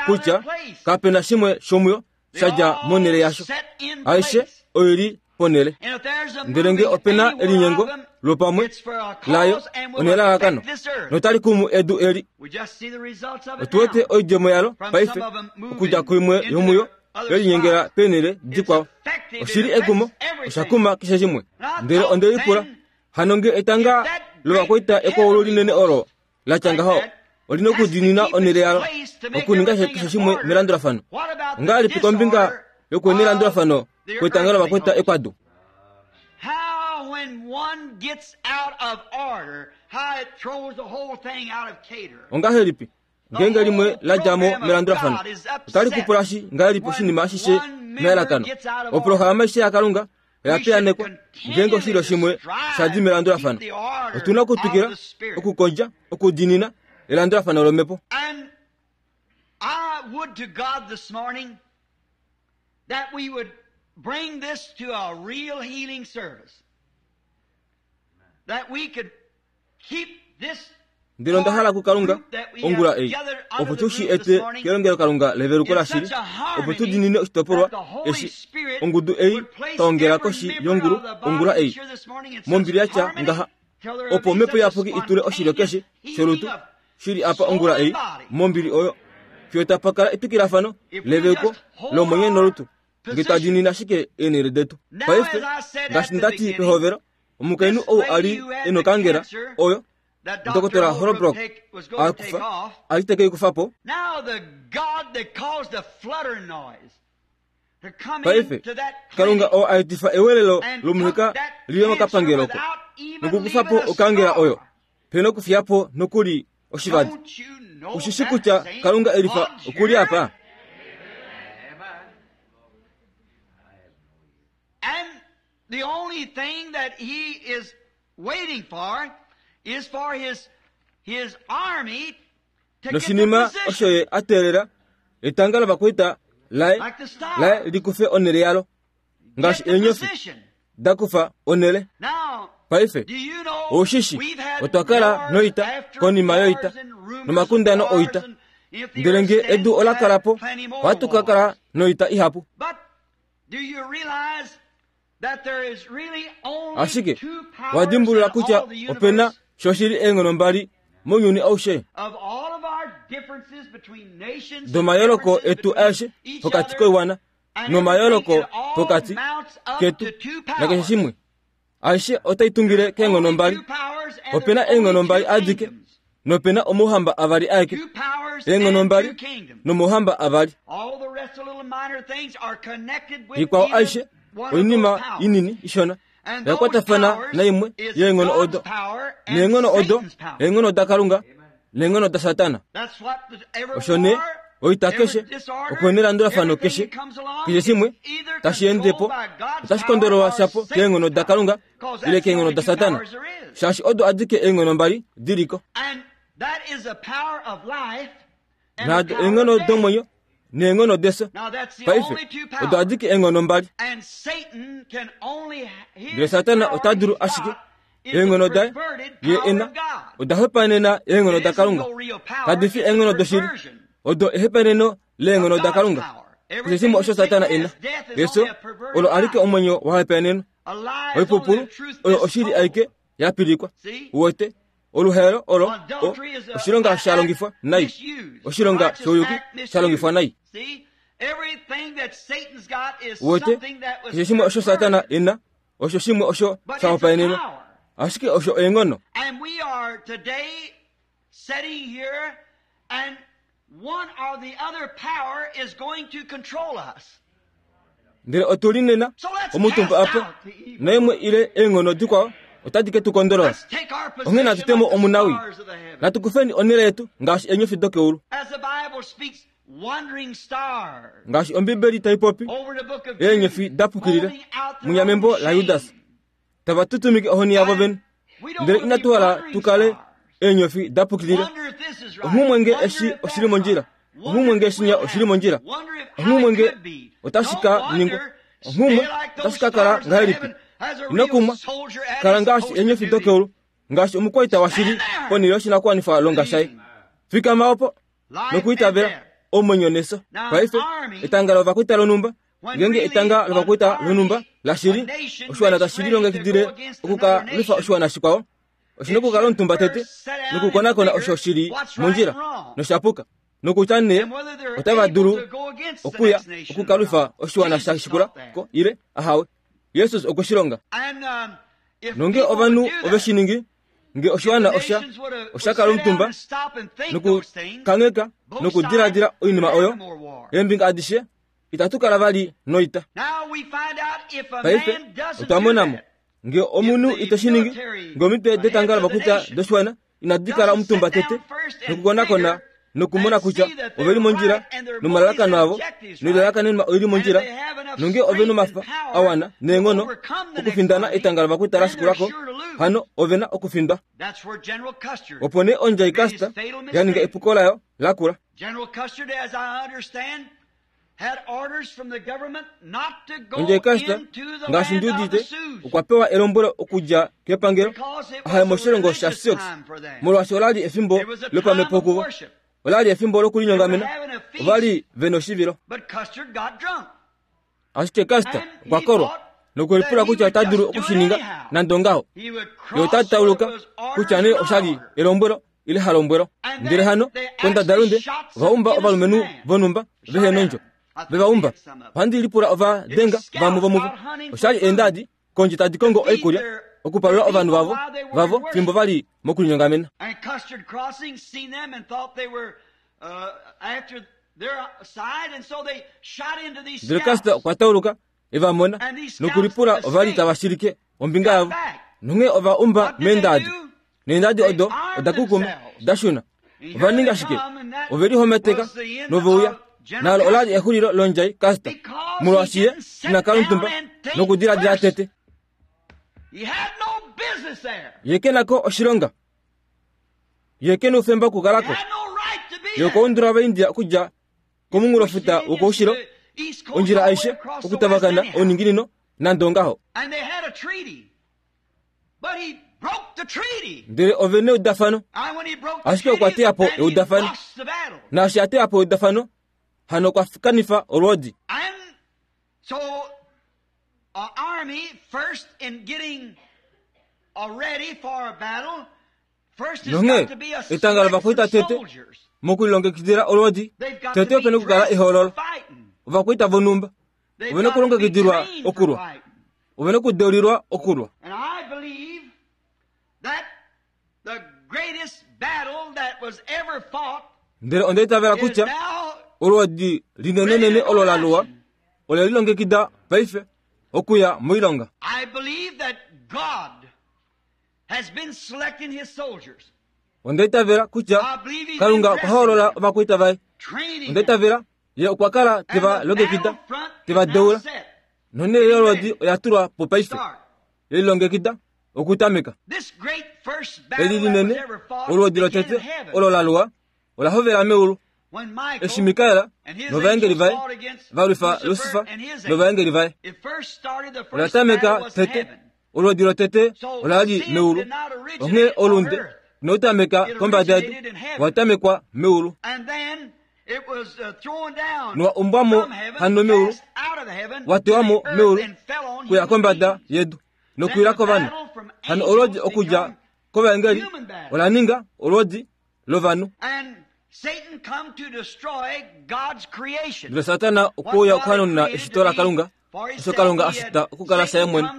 kutya kapena shimwe shomuyo shadja monhele yasho. Aishe oili ponhele. Ndele nge opena elinyengo lopamwe layo onelalakano notali kumu edu eli. Otu wete oidjemo yalo paife okudja kuimwe yomuyo yelinyengela peenhele dikwao. Oshili ekumo oshakuma keshe shimwe. Ndele onde lipula hano nge etanga lovakwaita ekwaulu linene olo latya ngaho olina okudiinina onhele yalo okuninga keshe shimwe melandulafano. Ongahelipi kombinga yokunelandulafano kwetanga lovakwaita ekwadu? How when one gets out of order, how it throws the whole thing out of cater. Ongahelipi ngenge limwe ladjamo melandulafano otali kupulashi ngahelipi oshinima ashishe melalakano. Oprograma aishe yaKalunga oya piyanekwa ngenge oshilyo shimwe shadi melandulafano. Otuna okutwikila okukondja okudiinina elandulafano lomhepo. And I would to God this morning that we would bring this to a real healing service. That we could keep this Ndele onda hala kuKalunga ongula ei opo tu shi ete kelongelokalunga leveluko lashili, opo tu diinine oshitopolwa eshi ongudu ei taongela koshi yongulu ongula ei mombili yatya ngaha, opo omhepo iyapuki itule oshilyo keshe sholutu shili apa ongula ei mombili oyo fiyo tapa kala etwikilafano leveluko lomwenyo nolutu nge twa diinina ashike eenhele detu. Paife ngaashi ndati pehovelo, omukainhu ou ali ena okangela oyo Dokotela Holbrook akufa ali teke ikufapo. Paife Kalunga oo aetifa ewelelo lomuheka liye mokapangeloko nokukufapo okangela oyo pena okufiyapo nokuli oshivadi. Ushishi kutya Kalunga elifa okuli apa? And the only thing that he is waiting for is for his his army to get the Noshinima position. osho ye ateelela etanga lovakwaita laye Like the star. laye likufe onhele yalo ngaashi Get the eenyofi position. dakufa onhele. Now, Paife do you know oshishi we've had otwa kala wars noita after konima wars yoita and rumors nomakundano of wars oita. and if the Ndele earth nge stands, edu we'll ola have kala po plenty more ohatu ka wars. kala noita ihapu. But do you realize that there is really only Ashike two powers wadimbulula in kutya all the opena universe shoshili eenghono mbali mounyuni aushe of all of our differences between nations and domayoloko differences etu between aeshe each pokati other koiwana and nomayoloko everything, it all pokati mounts up ketu to two nakeshe powers. shimwe. Aishe otai tungile keenghono Only mbali. two powers and Opena there's only eenghono mbali two adike kingdoms. nopena omauhamba avali aeke. Two powers Eenghono and mbali two kingdoms. nomauhamba avali. All the rest of the little minor things are connected with Ikwao either aishe one of oinima those powers. inini ishona And those yakwatafana powers naimwe is yeenghono God's odo. power and Neenghono odo Satan's power. eenghono daKalunga neenghono daSatana. That's what the, every Osho nee war, oita every keshe disorder, okwenelandulafano everything keshe that comes along keshe shimwe is either tashi endepo controlled by God's otashi power kondololwa or shapo Satan's keenghono power. daKalunga Because ile that's the keenghono only two daSatana. powers there is. Shaashi odo adike eenghono mbali diliko. And that is the power of life and the Naado power eenghono of death. domwenyo neenghono deso. Now that's the Paife only two odo powers. adike eenghono mbali. And Satan can only Ndele his Satana power ota dulu he's ashike got is the eenghono daye perverted ye power ena of God. oda hopaenena eenghono It isn't daKalunga. no real power, Kadi fi it's a eenghono doshili perversion odo ehepaneno leenghono of God's daKalunga. power. Keshe Everything shimwe osho that Satan Satana ena is, death is yeso only a perverted olo alike lie. omwenyo wa hopaenenwa. A lie is only Oipupulu the truth oyo oshili mistold. aike yapilikwa. See? Uwete oluhelo olo o Adultery is a, oshilonga an sha act longifwa nai. misused. A Oshilonga righteous shouyuki act sha longifwa misused. nai. See? Everything that Satan's got is Uwete something that was keshe shimwe osho Satana perverted. ena osho shimwe osho But sha it's a hopaenenwa. power. Ashike osho eenghono. And we are today sitting here, and one or the other power is going to control us. Ndele otuli nena So let's omutumba cast apa out the evil. naimwe ile eenghono dikwao otadi ke tu kondolola. Let's take our Onghee natu position temo like the omunawi. stars of the heaven. Natu kufeni onhele yetu ngaashi eenyofi dokeulu. As the Bible speaks, wandering stars Ngaashi Ombibeli tai popi over the book of eenyofi Jude, dapukilila holding out their munya own membo la Judas shame. tava tutumike ohoni yavo And vene. we don't Ndele want to inatu be hala wandering tu kale stars. Eenyofi dapukilila. Onghumwe nge eshi oshili mondjila. Onghumwe nge shinya oshili mondjila. Onghumwe nge otashi ka ningwa. Onghumwe otashi ka kala ngahelipi. Ino kumwa kala ngaashi eenyofi dokeulu, ngaashi omukwaita washili ponhele yoshinakuwanifwa longa shaye. Fikama opo nokuitavela omwenyo neso. Paife etanga lovakwaita lonhumba, ngenge etanga lovakwaita lonhumba lashili, oshiwana tashi lilongekidile okukalwifa oshiwana shikwao, oshina okukala omutumba tete nokukonakona osho shili mondjila noshapuka, nokutya nee otava dulu okuya okukalwifa oshiwana sha shikula ko ile ahawe. Jesus okwe shi longa. Nonge ovanhu ove shi ningi, nge oshiwana osha osha kala omutumba nokukangheka nokudiladila oinima oyo, eembinga adishe itatu kala vali noita. Paife otwa monamo nge omunhu ite shi ningi, nge omitwe detanga lovakwaita doshiwana inadi kala omutumba tete nokukonakona nokumona kutya oveli mondjila nomalalakano avo noilalakanenwa oili mondjila, nonge ove nomafa awana neenghono okufindana etanga lovakwaita la shikulako, hano ovena okufindwa. Opo nee ondjai Custer ya ninga epuko layo lakula. Ondjai Custer, ngaashi ndi udite, okwa pewa elombwelo okudja kepangelo ahaye moshilongo sha Sioux, molwaashi olali efimbo lopamhepo kuvo. Olali efimbo lokulinyongamena, ovali vena oshivilo. Ashike Custer okwa kolwa nokwelipula kutya ota dulu okushininga nande ongaho. Ye ota tauluka kutya nee oshali elombwelo ile halombwelo. Ndele hano kondadalunde ovaumba ovalumenhu vonhumba vehe nondjo vevaumba. Ohandi lipula ova denga vamwe vomuvo. Oshali eendadi kondje tadi kongo oikulya okupalula ovanhu vavo vavo fimbo vali mokulinyongamena. Ndele Custer okwa tauluka evamona nokulipula ovali tava shilike ombinga yavo, nonghee ova umba meendadi. Neendadi odo oda kukuma dashuna. Ova ninga shike? Ove lihometeka noveuya. Nalo olali exulilo londjai Custer, molwaashi ye ina kala omutumba nokudiladila tete. Ye ke nako oshilonga. Ye ke noufemba okukalako. Ye okwa undula Ovaindia okudja komunghulofuta wokoushilo, ondjila aishe okutavakana ouninginino nande ongaho. Ndele ove neudafano, ashike okwa teya po eudafano. Naashi a teya po eudafano, hano okwa kanifa olwoodi. Nonghee etanga lovakwaita tete mokulilongekidila olwoodi, tete ope nokukala ehoololo. Ovakwaita vonhumba ove nokulongekidilwa okulwa, ove nokudeulilwa okulwa. Ndele onda itavela kutya olwoodi linenenene olo la luwa ole lilongekida paife okuya moilonga. Onda itavela kutya Kalunga okwa hoolola ovakwaita vaye. Onda itavela ye okwa kala teva longekida, teva deula. Nonhele yolwoodi oya tulwa po paife, ye lilongekida okutameka. Eli linene olwoodi lotete olo la luwa ola hovela meulu, eshi Mikael novaengeli vaye va lwifa Lusifa novaengeli vaye. Ola tameka tete, olwoodi lotete ola li meulu, onghee olunde inautameka kombada yedu, owatamekwa meulu. Nowa umbwamo hano meulu, watewamo meulu kuya kombada yedu nokuwila kovanhu. Hano olwoodi okudja kovaengeli ola ninga olwoodi lovanhu. Ndele Satana okwa okuhanuna eshito laKalunga, osho Kalunga a shita okukala shaye mwene.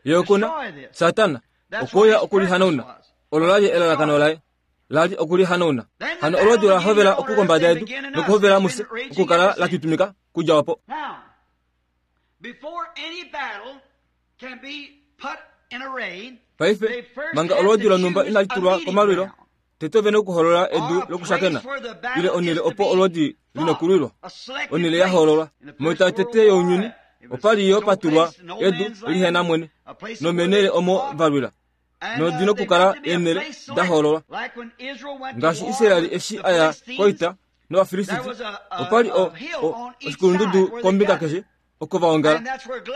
Ye okuna Satana okwa okulihanuna. Olo lali elalakano laye, lali okulihanuna. Hano olwoodi ola hovela okukombada yedu nokuhovela mufye okukala la tutumika kudja opo. Paife manga olwoodi lonhumba inali tulwa komalwilo, tete ove nokuholola edu lokushakena ile onhele opo olwoodi linokulwilwa, onhele ya hoololwa. Moita yotete younyuni opali yo patulwa edu lihena mwene nomenhele omo va lwila. Nodina okukala eenhele da hoololwa. Ngaashi Israel eshi aya koita nOvafilisiti, opa li oshikulundudu kombinga keshe oko va ongala.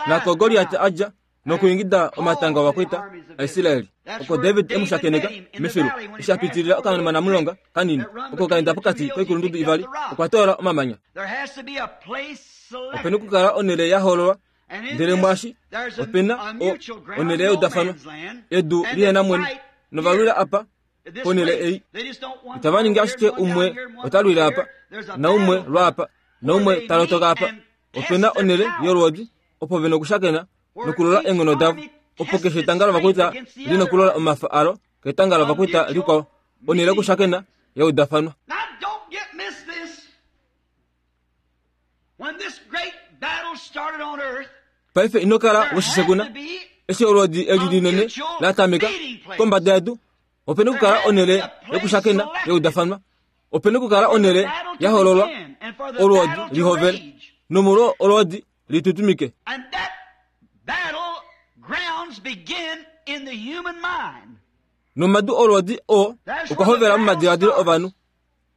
Nako Goliat a dja nokuingida omatanga ovakwaita aIsraeli. Oko David e mu shakeneka mefilu eshi a pitilila okanamulonga kanini oko kaenda pokati koikulundudu ivali, okwa toola omamanya. Opena okukala onhele ya hoololwa, ndele mwaashi opena onhele yeudafanwa, edu lihena mwene, novalwila apa ponhele ei. Itava ningi ashike umwe ota lwile apa, naumwe lwaapa, naumwe ta lotoka apa. Opena onhele yolwoodi opo vena okushakena nokulola eenghono davo, opo keshe etanga lovakwaita lina okulola omafa alo ketanga lovakwaita likwao. Onhele yokushakena yeudafanwa. Paife ino kala weshisekuna eshi olwoodi eli linene la tameka kombada yedu. Opena okukala onhele yokushakena yeudafanwa. Opena okukala onhele ya hoololwa olwoodi lihovele, nomolwo olwoodi litutumike. Nomadu olwoodi oo okwa hovela momadiladilo ovanhu.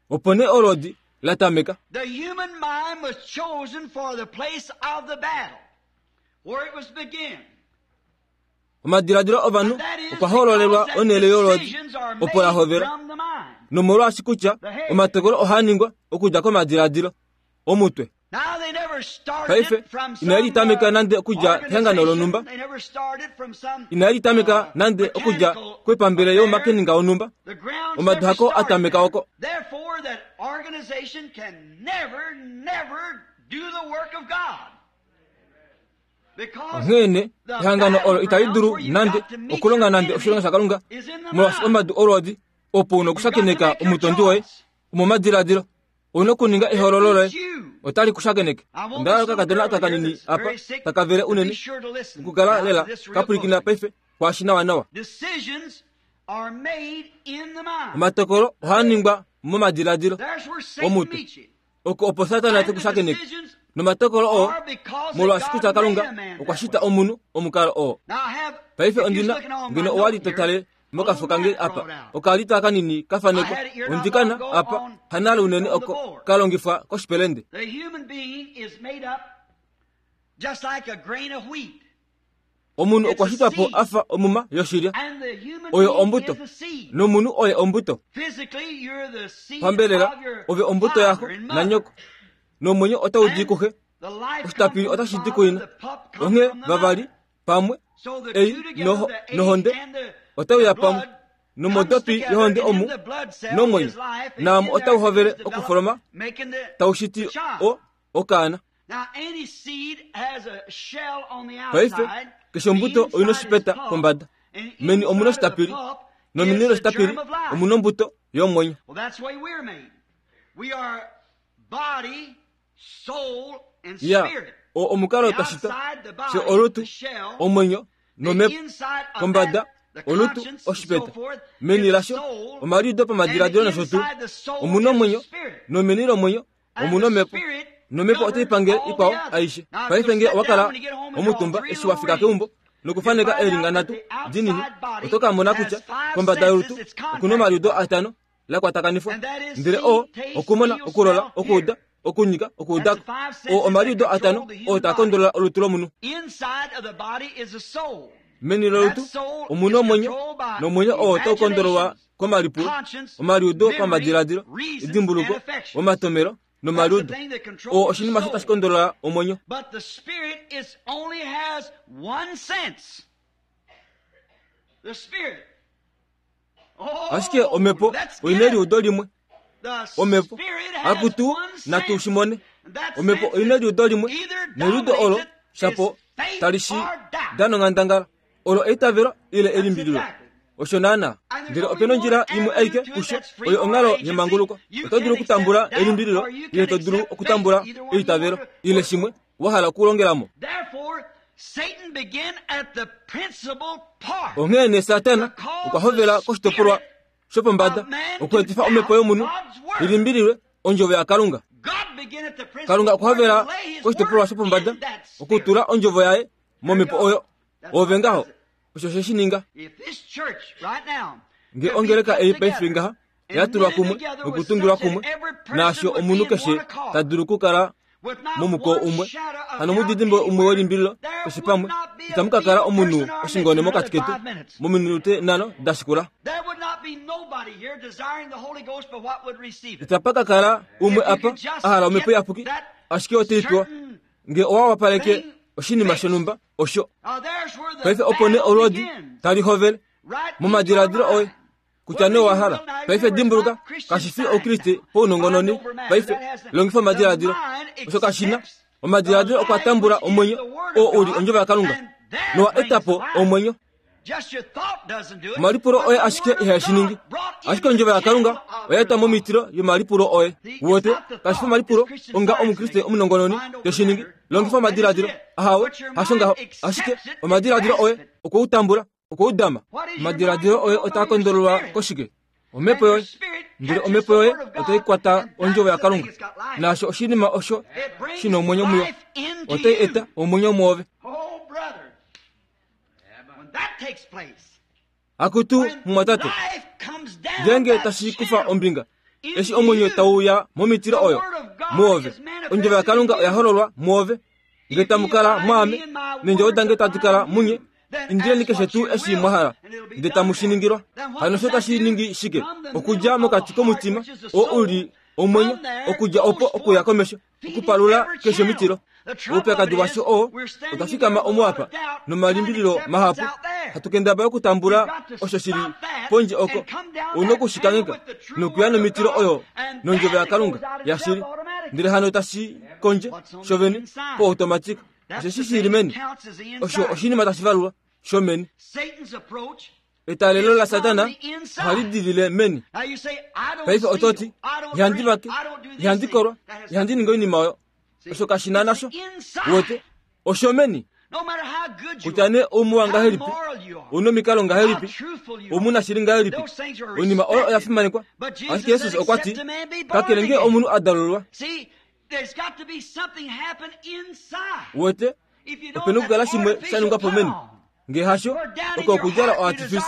Opo nee olwoodi la tameka. The human mind was chosen for the place of the battle, where it was begin. Omadiladilo ovanhu okwa hoololelwa onhele yolwoodi opo la hovela, nomolwaashi kutya omatokolo ohaa ningwa okudja komadiladilo omutwe. Paife inali tameka nande okudja kehangano lonhumba, inali tameka nande okudja koipambele youmakeninga wonhumba. Omadu hako a tameka oko. Onghee ehangano olo itali dulu nande okulonga nande oshilonga shaKalunga, molwaashi omadu olwoodi opo una okushakeneka omutondi woye omomadiladilo. Ouna okuninga ehoololo loye, otali kushakeneke. Onda kakadona aka kanini apa takavele unene okukala lela kapwilikina paife kwaashi nawanawa. Omatokolo ohaa ningwa momadiladilo omutwe, oko opo Satana te kushakeneke. Nomatokolo oo molwaashi kutya Kalunga okwa shita omunhu omukalo oo. Paife ondina ngeno owa li to tale mokafo kange apa okalita kanini kafanekwa ondikana apa hanale unene oko kalongifwa koshipelende. Omunhu okwa shitwa po afa omuma yoshilya, oyo ombuto, nomunhu oye ombuto. Pambelela ove ombuto yako nanyoko, nomwenyo otau di kuxe, oshitapili otashi di kuina. Onghee vavali pamwe ei nohonde otau ya pamwe, nomodopi yohonde omu nomwenyo, naamo otau hovele okufoloma tau shiti o okaana. Paife keshe ombuto oina oshipeta kombada, meni omuna oshitapili, nomeni loshitapili omuna ombuto yomwenyo. Ya o omukalo twa shitwa, fye olutu, omwenyo nomhepo. Kombada olutu oshipeta, meni lasho omaliudo pamadiladilo nosho tuu omuna omwenyo, nomeni lomwenyo omuna omhepo, nomhepo otai pangele ikwao aishe. Paife ngee owa kala omutumba eshi wa fika keumbo nokufaneka eelinga nhatu dinini, oto ka mona kutya kombada yolutu okuna omaliudo atano la kwatakanifwa, ndele oo okumona, okulola, okuuda, okunyika, okuudako. Oo omaliudo atano oo taa kondolola olutu lomunhu. Meni lolutu omuna omwenyo, nomwenyo oo otau kondololwa komalipulo, omaliudo pamadiladilo, edimbuluko, omatomelo nomaliudo. Oo oshinima osho tashi kondolola omwenyo. Ashike omhepo oina eliudo limwe. Omhepo akutu natu shi mone. Omhepo oina eliudo limwe, neliudo olo shapo tali shi dana onghandangala. Olo eitavelo ile elimbililo. Osho naana. Ndele opena ondjila imwe aike kusho, oyo onghalo yemanguluko. Oto dulu okutambula elimbililo ile to dulu okutambula eitavelo ile shimwe wa hala okulongelamo. Onghee nee Satana okwa hovela koshitopolwa shopombada okweetifa omhepo yomunhu ilimbililwe ondjovo yaKalunga. Kalunga okwa hovela koshitopolwa shopombada okutula ondjovo yaye momhepo oyo. Ove ngaho Osho she shi ninga. Nge ongeleka ei paife ngaha yatulwa kumwe nokutungilwa kumwe, naasho omunhu keshe ta dulu okukala momuko umwe, hano mudidimbo umwe welimbililo keshe pamwe, itamu ka kala omunhu oshingone mokati ketu mominute nhano dashikula. Itapa ka kala umwe apa a hala omhepo iyapuki, ashike otei pewa nge owa wapaleke oshinima shonhumba osho. Paife opo nee olwoodi tali hovele momadiladilo oye kutya nee owa hala. Paife dimbuluka, kashi fi oukriste pounongononi. Paife longifa omadiladilo, osho kashina. Omadiladilo okwa tambula omwenyo oo uli ondjovo yaKalunga nowa eta po omwenyo. Omalipulo oye ashike ihashi ningi, ashike ondjovo yaKalunga oya eta momitilo yomalipulo oye. Wote kashi fi omalipulo onga omukriste omunongononi teshi ningi. Longifa omadiladilo, ahawe, hasho ngaho, ashike omadiladilo oye okwe u tambula, okwe u dama. Omadiladilo oye otaa kondololwa koshike? Omhepo yoye. Ndele omhepo yoye otai kwata ondjovo yaKalunga, naasho oshinima osho shina omwenyo muyo, otai eta omwenyo mwoove. Akutu mumwatate, ngeenge tashi kufa ombinga, eshi omwenyo tau ya momitilo oyo mwoove, ondjovo yaKalunga oya hololwa mwoove. Nge tamu kala mwaame, neendjovo dange tadi kala munye, indileni keshe tuu eshi mwa hala, ndele tamu shi ningilwa. Hano osho tashi ningi shike? Okudja mokati komutima oo uli omwenyo, okudja opo okuya komesho, okupalula keshe omitilo. Oupyakadi washo oo otwa fikama omu apa nomalimbililo mahapu, hatu kendabala okutambula osho shili pondje oko. Ouna okushikangheka nokuya nomitilo oyo nondjovo yaKalunga yashili, ndele hano tashi kondje shovene po-automatic. Osheshi shili meni, osho oshinima tashi valulwa shomeni. Etalelo laSatana ohali dilile meni. Paife ototi, ihandi vake, ihandi kolwa, ihandi ningi oinima oyo. Osho kashina nasho. Wote, osho meni. Kutya nee oumuwa ngahelipi, ouna omikalo ngahelipi, oumunashili ngahelipi, oinima oyo oya fimanekwa. Ashike Jesus okwa ti, kakele nge omunhu a dalululwa. Wote, opena okukala shimwe sha ningwa po meni. Nge hasho, oko okudjala oartifice.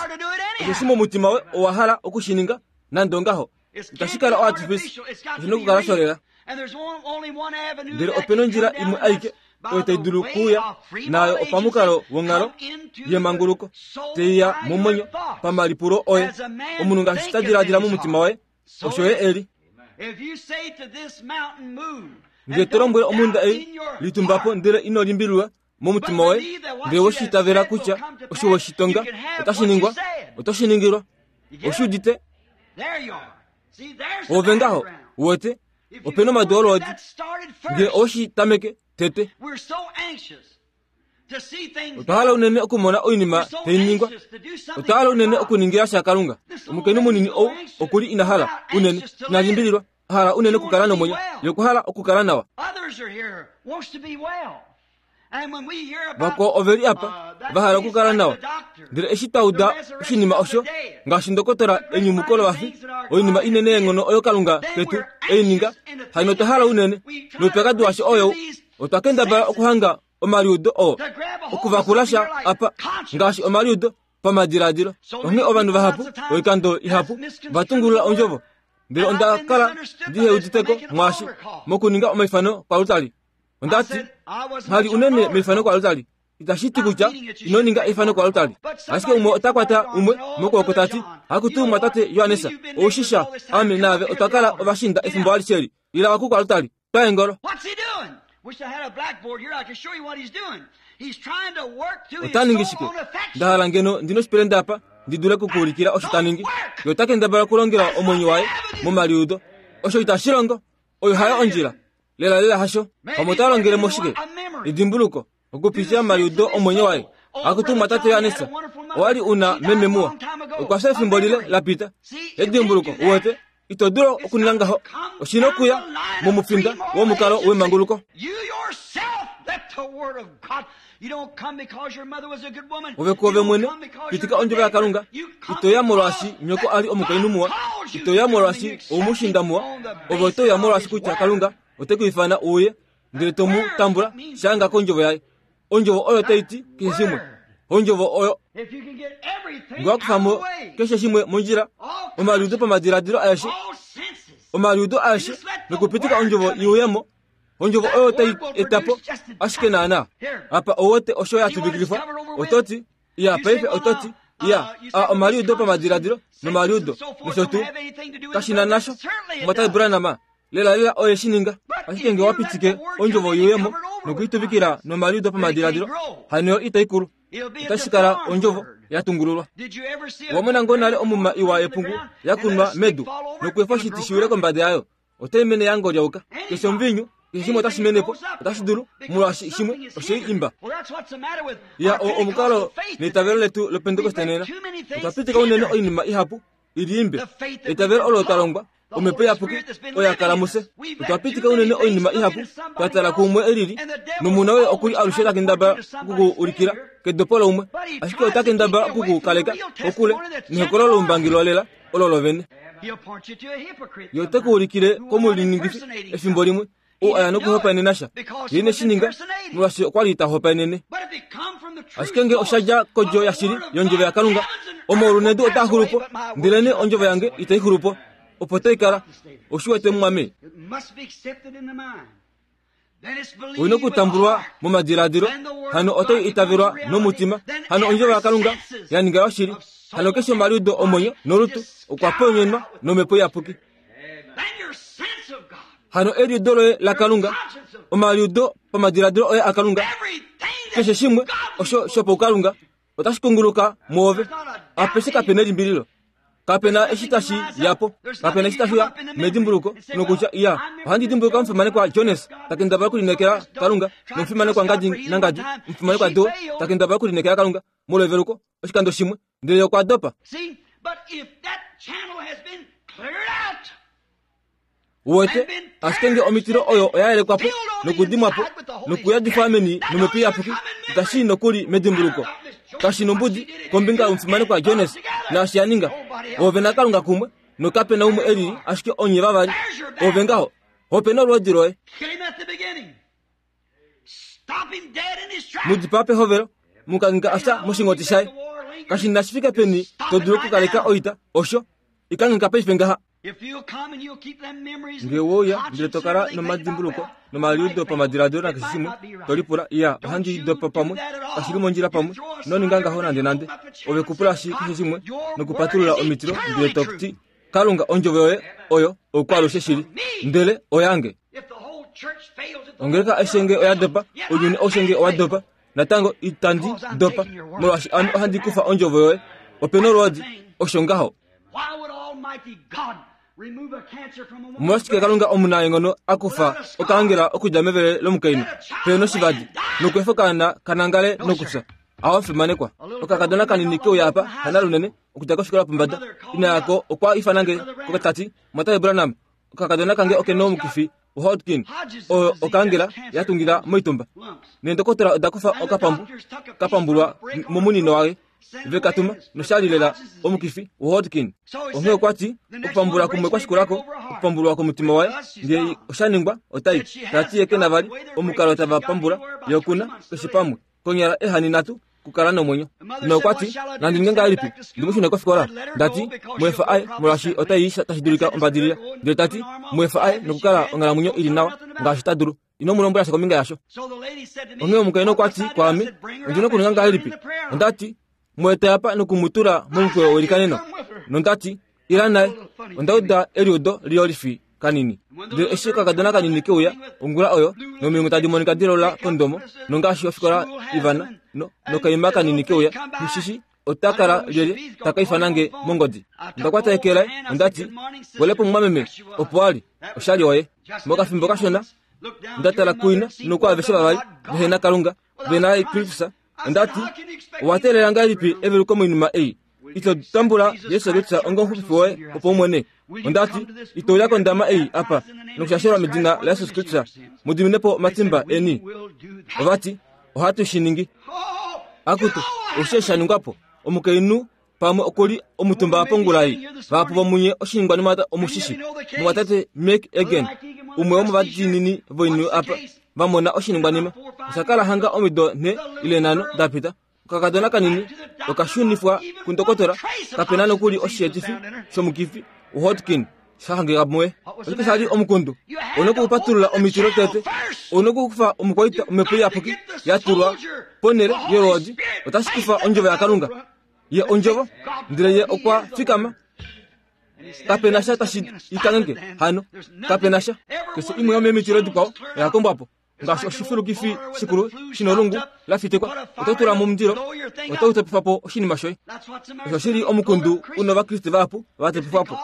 Osheshi momutima we owa hala okushininga nande ongaho. Itashi kala oartifice, oshina okukala sholela. Ndele opena ondjila imwe aike oyo tai dulu okuuya nayo opamukalo wonghalo yemanguluko, teiya momwenyo pamalipulo oye. Omunhu ngaashi ta diladila momutima waye, osho ye eli. Nge to lombwele omhunda ei, litumba po, ndele ino limbililwa momutima woye, ndele we shi itavela kutya osho we shi tonga otashi ningwa, oto shi ningilwa. Oshi udite? Ove ngaho, wote, opena omadu olwoodi. Nge oweshi tameke tete. Otwa hala unene okumona oinima tai ningwa. Otwa hala unene okuningila sha Kalunga. Omukainhu munini ou okuli ina hala unene, ina limbililwa, a hala unene okukala nomwenyo, ye okwa hala okukala nawa. Vakwao oveli apa va hala okukala nawa, ndele eshi twa uda oshinima osho, ngaashi ndokotola enyumuko lovafi, oinima inene yeenghono oyo Kalunga ketu ei ninga, hano otwa hala unene. Noupyakadi washo oyou, otwa kendabala okuhanga omaliudo oo, okuvakula sha apa, ngaashi omaliudo pamadiladilo. Onghee ovanhu vahapu, oikando ihapu, va tungulula ondjovo. Ndele onda kala ndiheuditeko mwaashi mokuninga omaifano kwalutali. Onda ti, nghali unene meifano kwalutali. Itashi ti kutya ino ninga eifano kwalutali. Ashike umwe ota kwata umwe mokwooko ta ti, akutu mwatate Johanesa, oushisha ame naave otwa kala ovashinda efimbo alishe eli. Ila waku kwalutali, twa engolo. Ota ningi shike? Nda hala ngeno ndina oshipelende apa ndi dule okukuulikila osho ta ningi. Ye ota kendabala okulongela omwenyo waye momaliudo. Osho itashi longo. Oyo hayo ondjila. Lela lela hasho. Pamwe ota longele moshike? Edimbuluko, okupitila momaliudo omwenyo waye. Akutu mwatate Johanesa, owa li una meme muwa. Okwa fya efimbo lile la pita. Edimbuluko, uwete, ito dulu okuninga ngaho. Oshina okuya momufinda womukalo wemanguluko. Ove kuove mwene, pitika ondjovo yaKalunga. Ito ya molwaashi nyoko a li omukainhu muwa. Ito ya molwaashi oumushinda muwa. Ove oto ya molwaashi kutya Kalunga ote ku ifana uye, ndele to mu tambula shanga kondjovo yaye. Ondjovo oyo tai ti keshe shimwe. Ondjovo oyo nge wakufamo keshe shimwe mondjila omaliudo pamadiladilo aeshe omaliudo aeshe nokupitika ondjovo iuyemo ondjovo oyo tai etapo ashike naana apa owote osho yatuvikilifwa ototi iya paife ototi iya a omaliudo pamadiladilo nomaliudo nosho tuu kashina nasho mwatai Branham lela lela oye shininga ashike nge wapitike ondjovo iuyemo nokuituvikila nomaliudo pamadiladilo hano itaikulu otashi kala ondjovo yatungululwa. Wamona ngoo nale omuma iwa yepungu yakunwa medu nokwefa oshiti shiwile kombada yayo otai mene yangolyauka keshe omuvinyu keshe shimwe otashi menepo otashi dulu molwaashi shimwe oshei imba. Ya omukalo neitavelo letu lopentekoste nena otwa pitika unene oinima ihapu iliimbe eitavelo olo talongwa omhepo iyapuki oya kala muse. Otwa pitika unene oinima ihapu twatala kuumwe elili nomuna oye okuli alushe takendabala okuku ulikila kedopo loumwe ashike ota kendabala okuku kaleka kokule nehokolo loumbangi lwalela olo lovene. Ye ote ku ulikile komuliningifi efimbo limwe ou aya nokuhopaenena sha ye ineshininga molwaashi okwali ta hopaenene. Ashike nge oshadja kodjo yashili yondjovo yaKalunga omaulu nedu otaa xulupo ndelene ondjovo yange itai xulupo opo tai kala oshiwete mumwame. Oina okutambulwa momadiladilo hano otai itavelwa nomutima hano ondjovo yaKalunga yaninga yoshili hano keshe omaliudo omwenyo nolutu okwa ponyenwa nomhepo iyapuki. Hano eliudo loye laKalunga omaliudo pamadiladilo oye aKalunga keshe shimwe osho shopaukalunga otashi kunguluka mwoove apeshe kapena elimbililo kapena eshi tashi yapo kapena eshi tashiya medimbuluko nokutya iya ohandi dimbuluka omufimanekwa Jones takendabala okulinekela Kalunga nomufimanekwa ngadi nangadi omufimanekwa Do takendabala okulinekela Kalunga molweveluko oshikando shimwe ndele okwa dopa. Uwete ashike nge omitilo oyo oya yelekwapo nokudimwapo nokuyadifwa meni nomhepo iyapuki itashi nokuli medimbuluko kashi nombudi kombinga yomufimanekwa Jones naashi yaninga ove naKalunga kumwe nokapena umwe elili ashike onye vavali ove ngaho opena olwoodi loye mudipaa pehovelo mukanghika afya moshingoti shaye kashi shifike peni to dulu okukaleka oita osho ikanghika paife ngaha. Nge wouya ndele tokala nomadimbuluko nomaliudo pamadiladilo nakeshe shimwe tolipula iya ohandi dopa pamwe kashili mondjila pamwe noninga ngaho nande nande ove kupulashi keshe shimwe nokupatulula omitilo ndele toti Kalunga ondjovo yoye oyo okwalushe shili ndele oyange. Ongeleka eshenge oya dopa ounyuni oushenge owa dopa natango itandi dopa molwaashi ame ohandi kufa ondjovo yoye opena olwoodi osho ngaho. Omolwashike Kalunga omunaenghono akufa okaangela okudja mevele lomukainhu peno shivadi nokwefa okaana kanangale nokufya aho fimanekwa. Okakadona kanini keuya apa hana lunene okudja kofikola pombada ina yako okwa ifanange kokatati Mwatai Branham okakadona kange okena omukifi Hodgkin oyo okaangela yatungila moitumba neendokotola oda kufa okapambu kapambulwa momunino waye vekatuma noshalilela omukifi Hodgkin. Onghee okwati okupambulwa kumwe kwashikulako okupambulwa komutima waye ndele oshaningwa otai tati ye kena vali omukalo tava pambula yokuna keshe pamwe konyala ehani nhatu kukala nomwenyo. Nokwati nandi ninge ngahelipi ndimushune kofikola ndati mwefa aye molwaashi otai tashi dulika ombadilila ndele tati mwefa aye nokukala onghalamwenyo ili nawa ngaashi ta dulu ino mulombwela sha kombinga yasho. Onghee omukainhu okwati kwaame ondina okuninga ngahelipi ondati mweta apa nokumutula momukweyo welikaneno nondati ila naye onda uda eliudo liyolifi kanini ndele eshi okakadona kanini keuya ongula oyo nomilungu tadi monika dilola kondomo nongaashi ofikola Ivana no nokaima kanini keuya mushishi otakala lyelye takaifanange mongodi. Ndakwata eke laye ondati welepo mumwameme opo ali oshali oye mokafimbo kashona ndatala kuina nokwaaveshe vavali vehena Kalunga vena Kristus ondati owatelela ngahelipi eveluko moinima ei ito tambula Yesu Kristus onga omuxupifi woye opo umwene ondati itouya kondama ei apa nokushashelwa medina la Yesu Kristus mudiminepo omatimba eni. Ovati ohatu shiningi akutu oshe shaningwapo omukainhu pamwe okuli omutumba pongulai vapo vomunye oshiningwanima omushishi mumwatate Make Again umwe womovadiinini voinhu apa vamona oshiningwanima oshakala hanga omido nhe ile nhano dapita Okakadona kanini okashunifwa kundokotola kapena nokuli oshietifi shomukifi Hodgkin shahangika muye. Oshike shali omukundu onokupatulula omitilo tete onokukufa omukwaita omhepo iyapuki yatulwa ponele yolwoodi otashi kufa ondjovo yaKalunga. Ye ondjovo ndele ye okwa fikama kapena sha tashi ikange hano kapena sha keshe imwe yomemitilo dikwao oya kombwapo ngaashi oshifilukifi shikulu shinolungu lafitikwa oto tula momundilo oto utepifapo oshinima shoye. Osho shili omukundu una ovakriste vahapu vatepifwapo.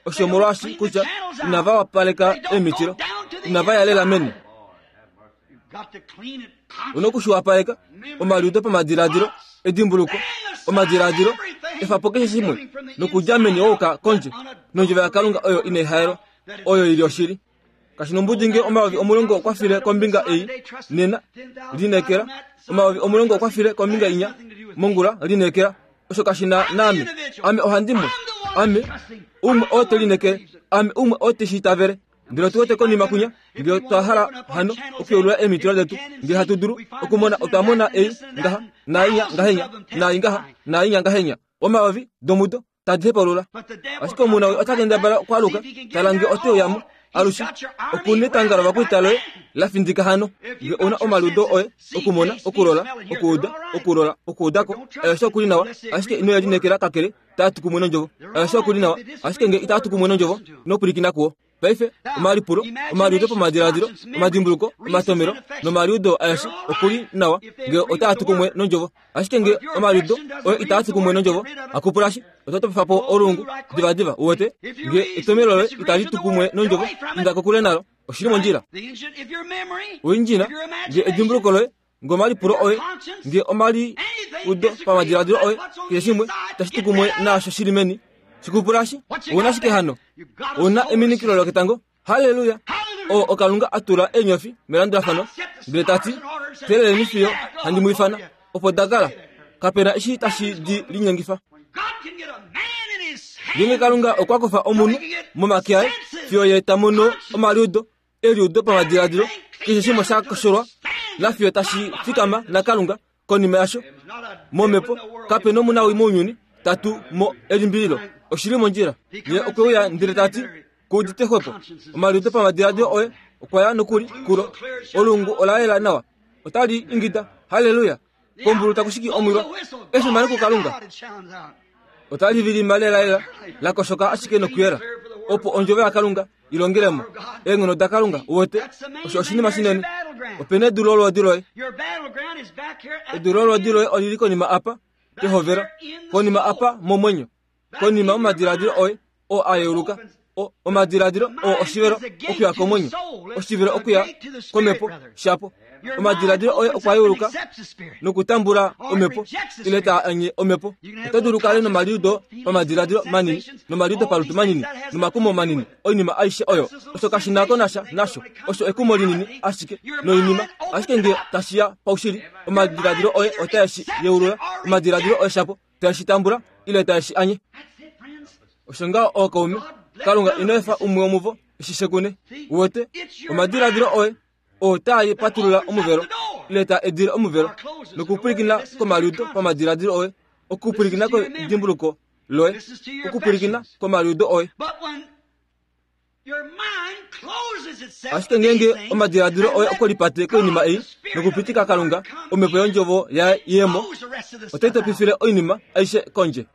Osho omolwaashi kutya inava wapaleka emitilo inava yalela meni. Onokushiwapaleka omaliudo pamadiladilo edimbuluko omadiladilo efapo keshe shimwe nokudja meni wouka kondje nondjovo yaKalunga oyo inaihaelwa oyo ili oshili. Kashi nombudi nge omayovi omulongo okwa file kombinga ei nena linekela omayovi omulongo okwa file kombinga inya mongula linekela osho kashi na naame ame ohandimwe ame umwe oo te linekele ame umwe oo te shiitavele. Ndele otu wete konima kunya ngele twa hala hano okuyeulula emitilo detu ngele hatu dulu okumona otwa mona ei ngaha nainya ngahenya nai ngaha nainya ngahenya omayovi domudo tadi hepaulula. Ashike omunawi ota kendabala okwaluka tala nge ote uyamo alushe okunetanga lovakwita loye lafindika hano nge una omaliudo oye okumona okulola okuuda okulola okuudako aeshe okuli nawa ashike ino yalinekela kakele taa kumwe nondjovo aeshe okuli nawa ashike nge itaa kumwe nondjovo inopulikina kuwo. Paife omalipulo omaliudo pamadiladilo omadimbuluko omatomelo nomaliudo aeshe okuli nawa nge otaa kumwe nondjovo ashike nge omaliudo oye itaa kumwe nondjovo akupulashi oto topifapo olungu divadiva uwete nge etomelo loye itali tukumwe nondjovo inda kokule nalo oshili mondjila. Oindjina nge edimbuluko loye nge omalipulo oye nge omaliudo pamadiladilo oye keshe shimwe tashi tukumwe naasho shili meni shikupulashi una shike hano una eminikilo loketango. Haleluya! O okalunga atula enyofi melandulafano ndele tati teleleni fiyo handi mu ifana opo dakala kapena eshi tashi di linyengifa. Ngenge Kalunga okwa kufa omunhu momake aye fiyo ye ta mono omaliudo eliudo pamadiladilo keshe shimwe sha kosholwa nafiyo tashi fikama naKalunga konima yasho momhepo kapena omunawi mounyuni tatu mo elimbililo oshili mondjila. Ye okwe uya ndele tati kuudite xwepo omaliudo pamadiladilo oye okwa ya nokuli kulo olungu ola yela nawa otali ingida haleluya kombulu takushiki omwilwa efimano kuKalunga otali vilima lelalela lakoshoka ashike nokuyela opo ondjovo yaKalunga ilongelemo eenghono daKalunga uwete osho oshinima shinene. Opena edu lolwoodi loye edu lolwoodi loye olili konima apa pehovelo konima apa momwenyo konima omadiladilo oye oo ayeuluka omadiladilo oo oshivelo okuya komwenyo oshivelo okuya komhepo shapo omadiladilo oye okwa yeuluka nokutambula omhepo ile taa anye omhepo. Oto dulu kale nomaliudo pamadiladilo manini nomaliudo palutu manini nomakumo manini oinima aishe oyo osho kashi nako nasha nasho osho ekumo linini ashike noinima ashike nge tashiya paushili omadiladilo oye otaeshi yeulula omadiladilo oye shapo taeshi tambula ile taeshi anye. Osho ngaho ookaume Kalunga ino efa umwe womuvo eshishekune uwete omadiladilo oye oo taa patulula omuvelo ile taa edile omuvelo nokupulikina komaliudo pamadiladilo oye okupulikina kedimbuluko loye okupulikina komaliudo oye. Ashike ngenge omadiladilo oye okolipate koinima ei nokupitika Kalunga omhepo yondjovo yaye yemo otai topifile oinima aishe kondje.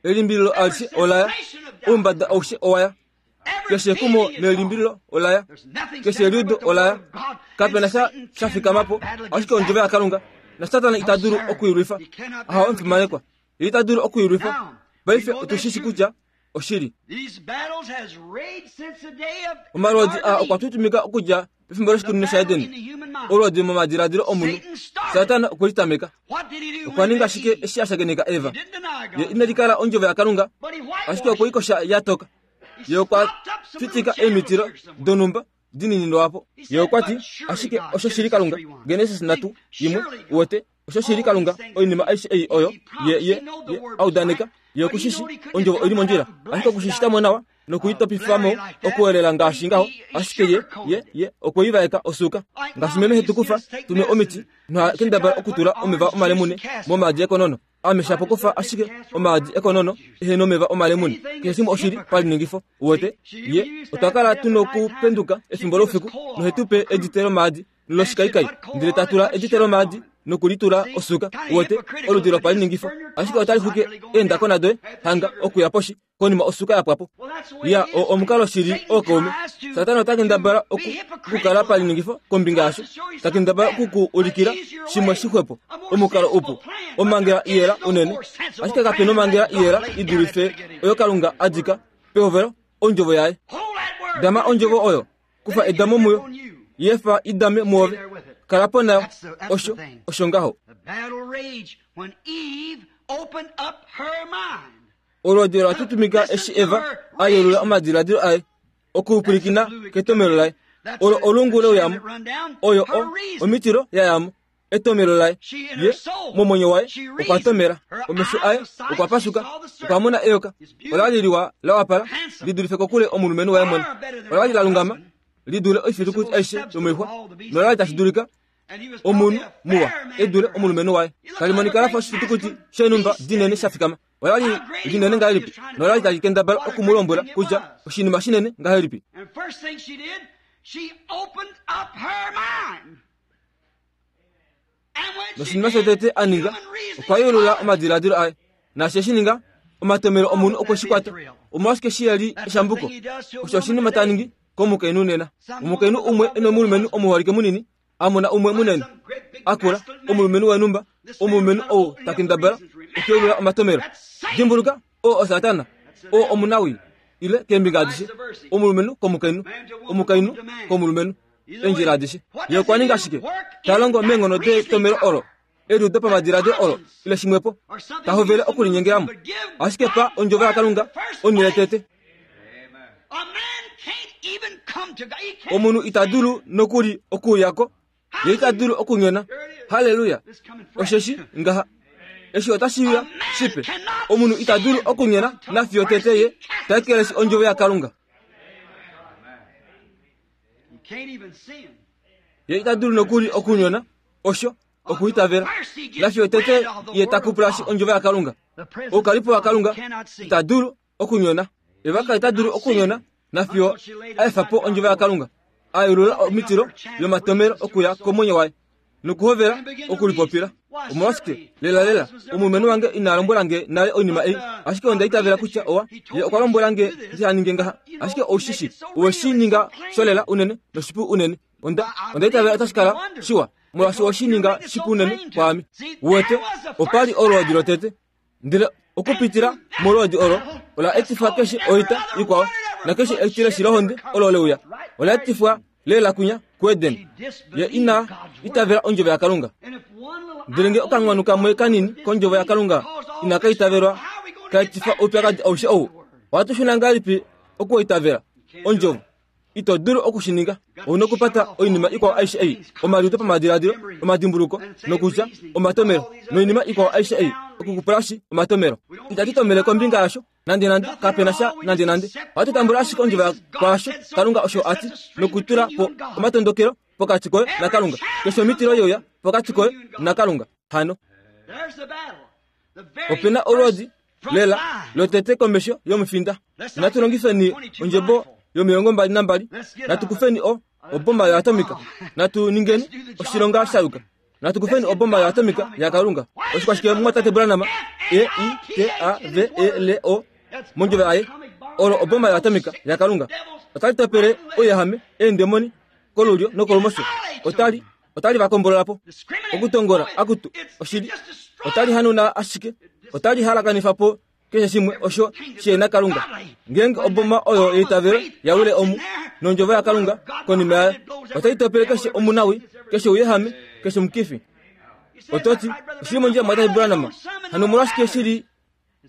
Elimbililo alishe olaya oumbada aushe owaya keshe ekumo nelimbililo olaya keshe eliudo olaya kapena sha shafikamapo ashike ondjovo yaKalunga na Satana ita dulu okuilwifa. Aha omufimanekwa ye ita dulu okuilwifa. Paife otushishi kutya oshili. Omalwoodi aa okwa tutumika okudja pefimbo loshikunino shaEden olwoodi momadiladilo omunhu. Satana okwe litameka. Okwa ninga shike eshi a shakeneka Eva? Ye ina likala ondjovo yaKalunga ashike okwe ikosha ya toka. Ye okwa fitika emitilo donhumba dinini lwapo. Ye okwa ti ashike osho shili Kalunga. Genesis nhatu yimwe uwete Osho shili Kalunga oinima aishe ei oyo ye ye ye audaneka ye okushishi ondjovo oili mondjila ashike okushishitamo nawa nokuitopifamo okuwelela ngaashi ngaho ashike ye ye ye okwoivaeka osuka ngaashi meme hetukufa tume omiti nohakendabala okutula omeva omalemune momaadi ekonono ame shapo kufa ashike omaadi ekonono ehe nomeva omalemune keshe shimwe oshili paliningifo uwete ye otwa kala tunokupenduka efimbo loufiku nohetupe edite lomaadi loshikaikai ndele tatula edite lomaadi nokulitula osuka uwete oludi lopaliningifo ashike otali xuke eendakona doye hanga okuya poshi konima osuka yapwapo ya omukalo shili ookaume Satana ota kendabala okukala paliningifo kombinga yasho ta kendabala okuku ulikila shimwe shixwepo omukalo upu omangela iyela unene ashike kapena omangela iyela idulife oyo Kalunga adika pehovelo ondjovo yaye dama ondjovo oyo kufa edamo muyo yefa idame muove kala po nayo osho osho ngaho. Olwoodi ola tutumika eshi Eva a yelula omadiladilo aye okupwilikina ketomelo laye olo olungu leuyamo oyo o omitilo yayamo etomelo laye ye momwenyo waye okwa tomela omesho aye okwa pasuka okwa mona eyoka ola li liwa la wapala lidulife kokule omulumenhu waye mwene ola li la lungama lidule oifitukuti aishe yomoixwa nola li tashi dulika omunhu muwa edule omulumenhu waye talimonika lafa oshifitukuti shenumba dinene sha fikama ola li linene ngahelipi nola li tali kendabala okumulombwela kutya oshinima shinene ngahelipi. Noshinima shotete a ninga okwa yelula omadiladilo aye naashi eshi ninga omatomelo omunhu okwe shi kwata omolwashike shi yali eshambuko osho oshinima ta ningi komukainhu nena omukainhu umwe enomulumenhu omuholike munini amona umwe munene akula omulumenhu wenumba omulumenhu ou takendabala okuyelula omatomelo dimbuluka oo osatana oo omunawi ile keembinga adishe omulumenhu komukainhu omukainhu komulumenhu endjila adishe ye okwa ninga shike ta longo meenghono detomelo olo eliudo pamadiladilo olo ile shimwepo ta hovele okulinyengelamo ashike pa ondjovo yaKalunga onhele tete omunhu ita dulu nokuli okuuyako ye ita dulu okunyona. Haleluya osheshi ngaha eshi otashi uya shipe omunhu ita dulu okunyona nafiyo tete ye ta ekeleshi ondjovo yaKalunga ye ita dulu nokuli okunyona osho okuitavela nafiyo tete ye ta kupulashi ondjovo yaKalunga oukalipo waKalunga ita dulu okunyona evaka ita dulu okunyona nafiyo aefa po ondjovo yaKalunga ayelula omitilo yomatomelo okuya komwenyo waye nokuhovela okulipopila omolwashike lela lela omulumenhu wange ina lombwela nge nale oinima ei ashike onda itavela kutya owa ye okwa lombwela nge ndihaninge ngaha ashike oushishi oweshi ninga sholela unene noshipu unene onda onda itavela otashi kala shiwa molwaashi oweshi ninga shipu unene kwaame wete opali olwoodi lotete ndele okupitila molwoodi olo ola etifwa keshe oita ikwao nakeshe etileshi lohonde olo leuya ola etifwa lela kunya kuEden ye ina itavela ondjovo yaKalunga ndele nge okangwanu kamwe kanini kondjovo yaKalunga ina kaitavelwa kaetifa oupyakadi aushe ou ohatu shuna ngahelipi okuitavela ondjovo ito dulu okushininga ouna okupata oinima ikwao aishe ei omaliudo pamadiladilo omadimbuluko nokutya omatomelo noinima ikwao aishe ei okukupulashi omatomelo itatu tomele kombinga yasho nande nande kapena sha nande nande ohatu tambula ashike ondjovo kwaasho Kalunga osho ati nokutula po omatondokelo pokati koye naKalunga keshe omitilo youya pokati koye naKalunga hano opena olwoodi lela lotete komesho yomufinda natu longifeni ondjebo yomilongo mbali nambali natu kufeni o obomba yoatomika natu ningeni oshilonga shayuka natu kufeni obomba yoatomika yaKalunga oshikwashike mwatate Branham E I T A V E L O mondjovo yaye olo obomba yoatomika yaKalunga otali topele ouyahame eendemoni kolulyo nokolumosho otali otali vakombolola po okutongola akutu oshili otali hanuna ashike otali halakanifa po keshe shimwe osho shena Kalunga ngenge oboma oyo yeitavelo yawile omu nondjovo yaKalunga konima yayo otai topele keshe omunawi keshe ouyehame keshe omukifi ototi oshili mondjila mwatate Branham hano omolwashike shili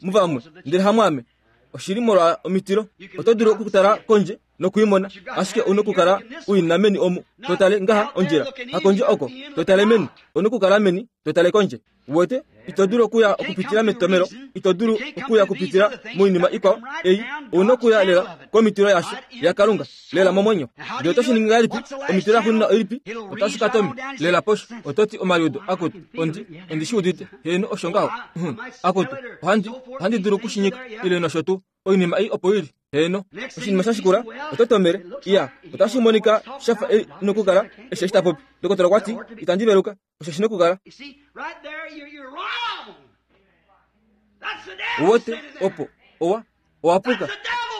muvamwe ndele hamwaame Oshili molwa omitilo. Oto dulu okutala kondje nokuimona, ashike una okukala uina meni omu. Totale ngaha ondjila, hakondje oko, totale meni. Una okukala meni, totale kondje. Uwete, ito dulu okuya okupitila metomelo, ito dulu okuya okupitila moinima ikwao ei, una okuya lela komitilo yasho yaKalunga, lela momwenyo. Ndele oto shi ningi ngahelipi? Omitilo yaxuuninwa oilipi? Otashi ka tomi lela posho. Ototi omaliudo akutu, ondi ondi shi udite, heeno osho ngaho. Akutu, ohandi ohandi dulu okushinyika ile nosho tuu. Oinima ei opo ili. Heeno, oshinima sha shikula, oto tomele, iya, otashi monika shafa ei nokukala eshi eshi ta popi. Dokotola okwa ti, itandi veluka, osho shi nokukala. Uwete, opo, owa, owa puka.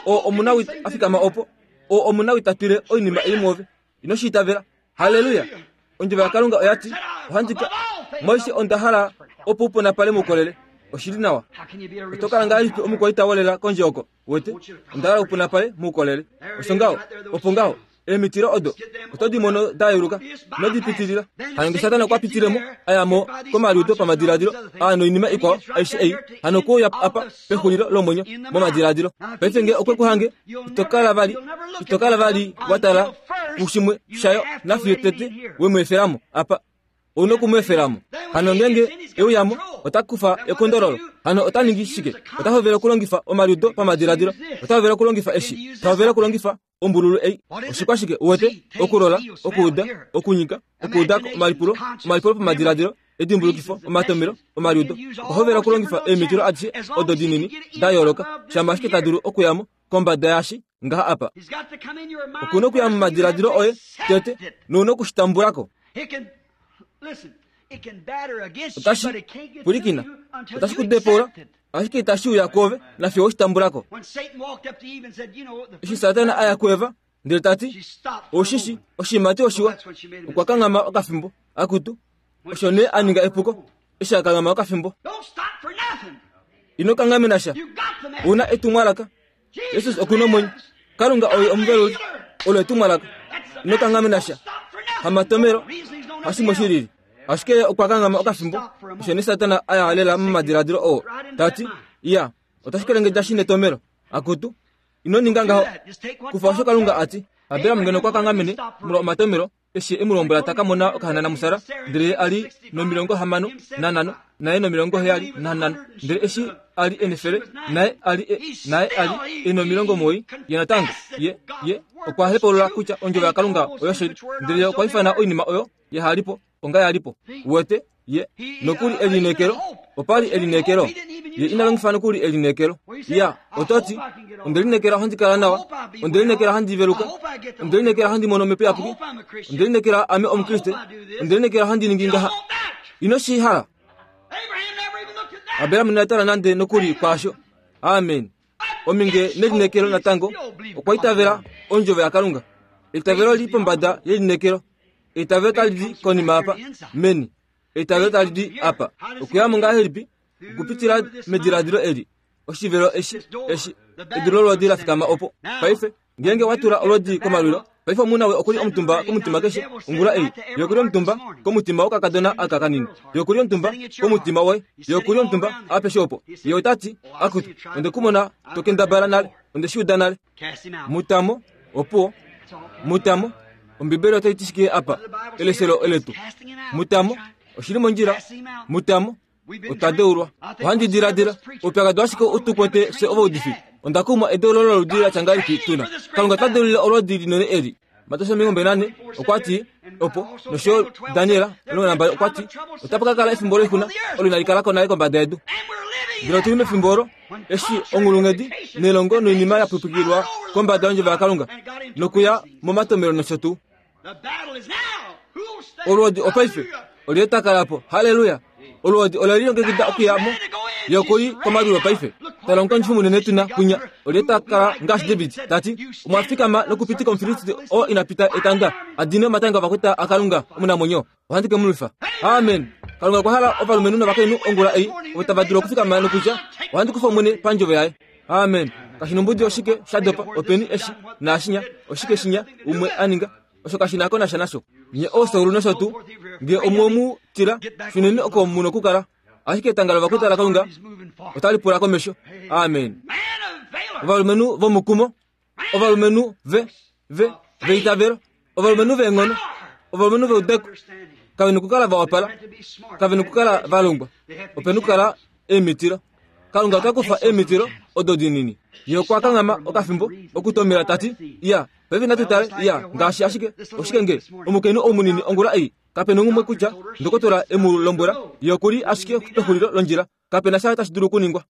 O omunawi afikama opo, o omunawi ta twile oinima ei muove. Ino shi itavela. Haleluya. Ondjovo yaKalunga oya ti, ohandi ka moishe onda hala opo uponapale moukolele. Oshili nawa. Oto kala ngahelipi omukwaita wolela kondje oko? Wete, onda hala uponapale moukolele. Osho ngaho, opo ngaho. Emitilo odo oto di mono da yeuluka nodipitilila. Hano nge Satana okwa pitilemo aya mo komaliudo pamadiladilo aa noinima ikwao aishe ei, hano okuuya apa pexulilo lomwenyo momadiladilo. Paife nge okwe ku hange, ito kala vali, ito kala vali wa tala kushimwe shayo nafiyo tete we mu efelamo apa. Ouna oku mu efelamo. Hano ngenge euyamo ota kufa ekondololo. Hano ota ningi shike? Ota hovele okulongifa omaliudo pamadiladilo. Ota hovele okulongifa eshi. Ota hovele okulongifa ombululu ei. Oshikwashike? Uwete, okulola, okuuda, okunyika, okuudako, omalipulo, omalipulo pamadiladilo, edimbulukifo, omatomelo, omaliudo. Okwa hovela okulongifa eemitilo adishe odo dinini da yooloka, shama ashike ta dulu okuyamo kombada yashi ngaha apa. Okuna okuya momadiladilo oye tete, nouna okushitambulako. Otashi pulikina, otashi ku depoula, ashike itashi uya kuove nafiyo oshitambulako. Eshi Satana aya kuEva ndele ta ti, oshishi oshiimati oshiwa, okwa kanghama okafimbo. Akutu, osho nee a ninga epuko eshi a kanghama okafimbo. Ino kanghamena sha. Una etumwalaka. Jesus okuna omwenyo. Kalunga oye omuveluli. Olo etumwalaka. Ino kanghamena sha. Hamatomelo hashimwe shilili. Ashike okwa kanghama okafimbo. Osho nee Satana aya lela momadiladilo oo ta ti, iya, otashi kelengedja shi netomelo. Akutu, ino ninga ngaho. Kufa osho Kalunga a ti. Abraham ngeno okwa kanghamene molwa omatomelo eshi e mu lombwela ta ka mona okahanana musara, ndele ye a li nomilongo hamano nanhano, naye nomilongo heyali nanhano, ndele eshi a li enefele, naye a li naye a li e nomilongo omuwoi, ye natango ye ye okwa hepaulula kutya ondjovo yaKalunga oyoshili, ndele ye okwa ifana oinima oyo yahalipo onga yalipo. Uwete, ye nokuli elineekelo, opa li elineekelo, ye ina longifa nokuli elineekelo. Ya, oto ti, onde lineekela handi kala nawa, onde lineekela handi veluka, onde lineekela handi mono omhepo iyapuki, onde lineekela ame Omukriste, onde lineekela handi ningi ngaha. Ino shi hala. Abraham ina tala nande nokuli kwaasho. Amen. Ominge nelineekelo natango okwa itavela ondjovo yaKalunga. Eitavelo li pombada yelineekelo. Eitavelo tali di konima apa, meni. Eitavelo tali di apa. Okuyamo ngahelipi? Okupitila mediladilo eli. Oshivelo eshi, eshi, edulo lolodi la fikama opo. Paife, ngenge wa tula olodi komalwilo, paife omunawe okuli omutumba komutima keshe ongula ei. Ye okuli omutumba komutima wokakadona aka kanini. Ye okuli omutumba komutima woye. Ye okuli omutumba apeshe opo. Ye ota ti, akutu, onde kumona tokendabala nale, onde shi uda nale. Mutamo, opuwo, mutamo, Ombibeli otai ti shike apa? Eleselo eletu. Mutamo, oshili mondjila. Mutamo, otwa deulwa. Ohandi diladila, oupyakadi washike u tu kwete fye ovaudifi? Onda kumwa edeulo loludi la tya ngahelipi tuna. Kalunga ota deulile olodi linene eli. Mateus omilongo mbali nane okwa ti opo, nosho Daniel omulongo nambali okwa ti, otapa ka kala efimbo loixuna olo inali kala ko nale kombada yedu. Ndele otuli mefimbo olo eshi onghulunghedi nelongo noinima ya pwipwikilwa kombada yondjovo yaKalunga nokuya momatomelo nosho tuu. Olwoodi opaife olye ta kala po. Haleluya! Olwoodi ola lilongekida okuya mo. Ye okuli komalwilo paife. Tala omukondjifi munene tuna kwinya. Olye ta kala ngaashi David ta ti, omwa fikama nokupitika Omufilisti oo ina pita etanda a dine omatanga ovakweta aKalunga omunamwenyo. Ohandi ke mu lwifa. Amen. Kalunga okwa hala ovalumenhu novakainhu ongula ei ovo tava dulu okufikama nokutya, ohandi kufa Omwene pandjovo yaye. Amen. Kashi nombudi oshike sha dopa, openi eshi naashinya, oshike shinya umwe a ninga, osho kashi na ko nasha nasho. Nye oosaulu nosho tuu, nge omwe mu tila, shuneni oko mu nokukala. Ashike etanga lovakweta laKalunga otali pula komesho. Amen. Ovalumenhu vomukumo, ovalumenhu ve ve veitavelo, ovalumenhu veenghono, ovalumenhu veudeko. Kave nokukala va wapala, kave nokukala va longwa, ope nokukala eemitilo. Kalunga ota kufa eemitilo odo dinini. Ye okwa kanghama okafimbo okutomela tati, ya, paife natu tale, ya, ngaashi ashike, oshike nge omukainhu ou munini ongula ei, kape nongumwe kutya ndokotola e mu lombwela, ye okuli ashike pexulilo londjila, kape na sha tashi dulu okuningwa.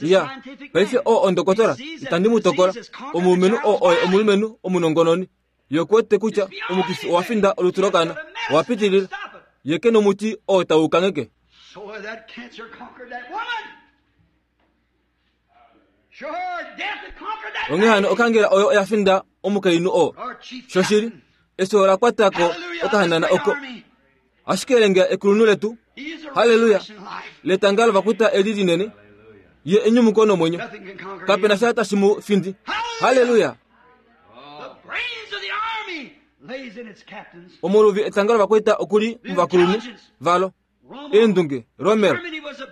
Ya, paife oo ondokotola, itandi mu tokola, omulumenhu oo oye omulumenhu omunongononi. Ye okuwete kutya omukifi owa finda olutu lokaana, owa pitilila. Ye ke nomuti oo tau kangheke. Onghee hano okangela oyo oya finda omukainhu oo. Shoshili, efyo ola kwata ko okahanana oko. Ashike elenga ekulunhu letu, haleluya, letanga lovakuta eli linene, ye enyumuko nomwenyo. Kape na sha tashi mu findi. Haleluya. Omuluvi etanga lovakweta okuli muvakulunhu valo. Eendunge, Rommel,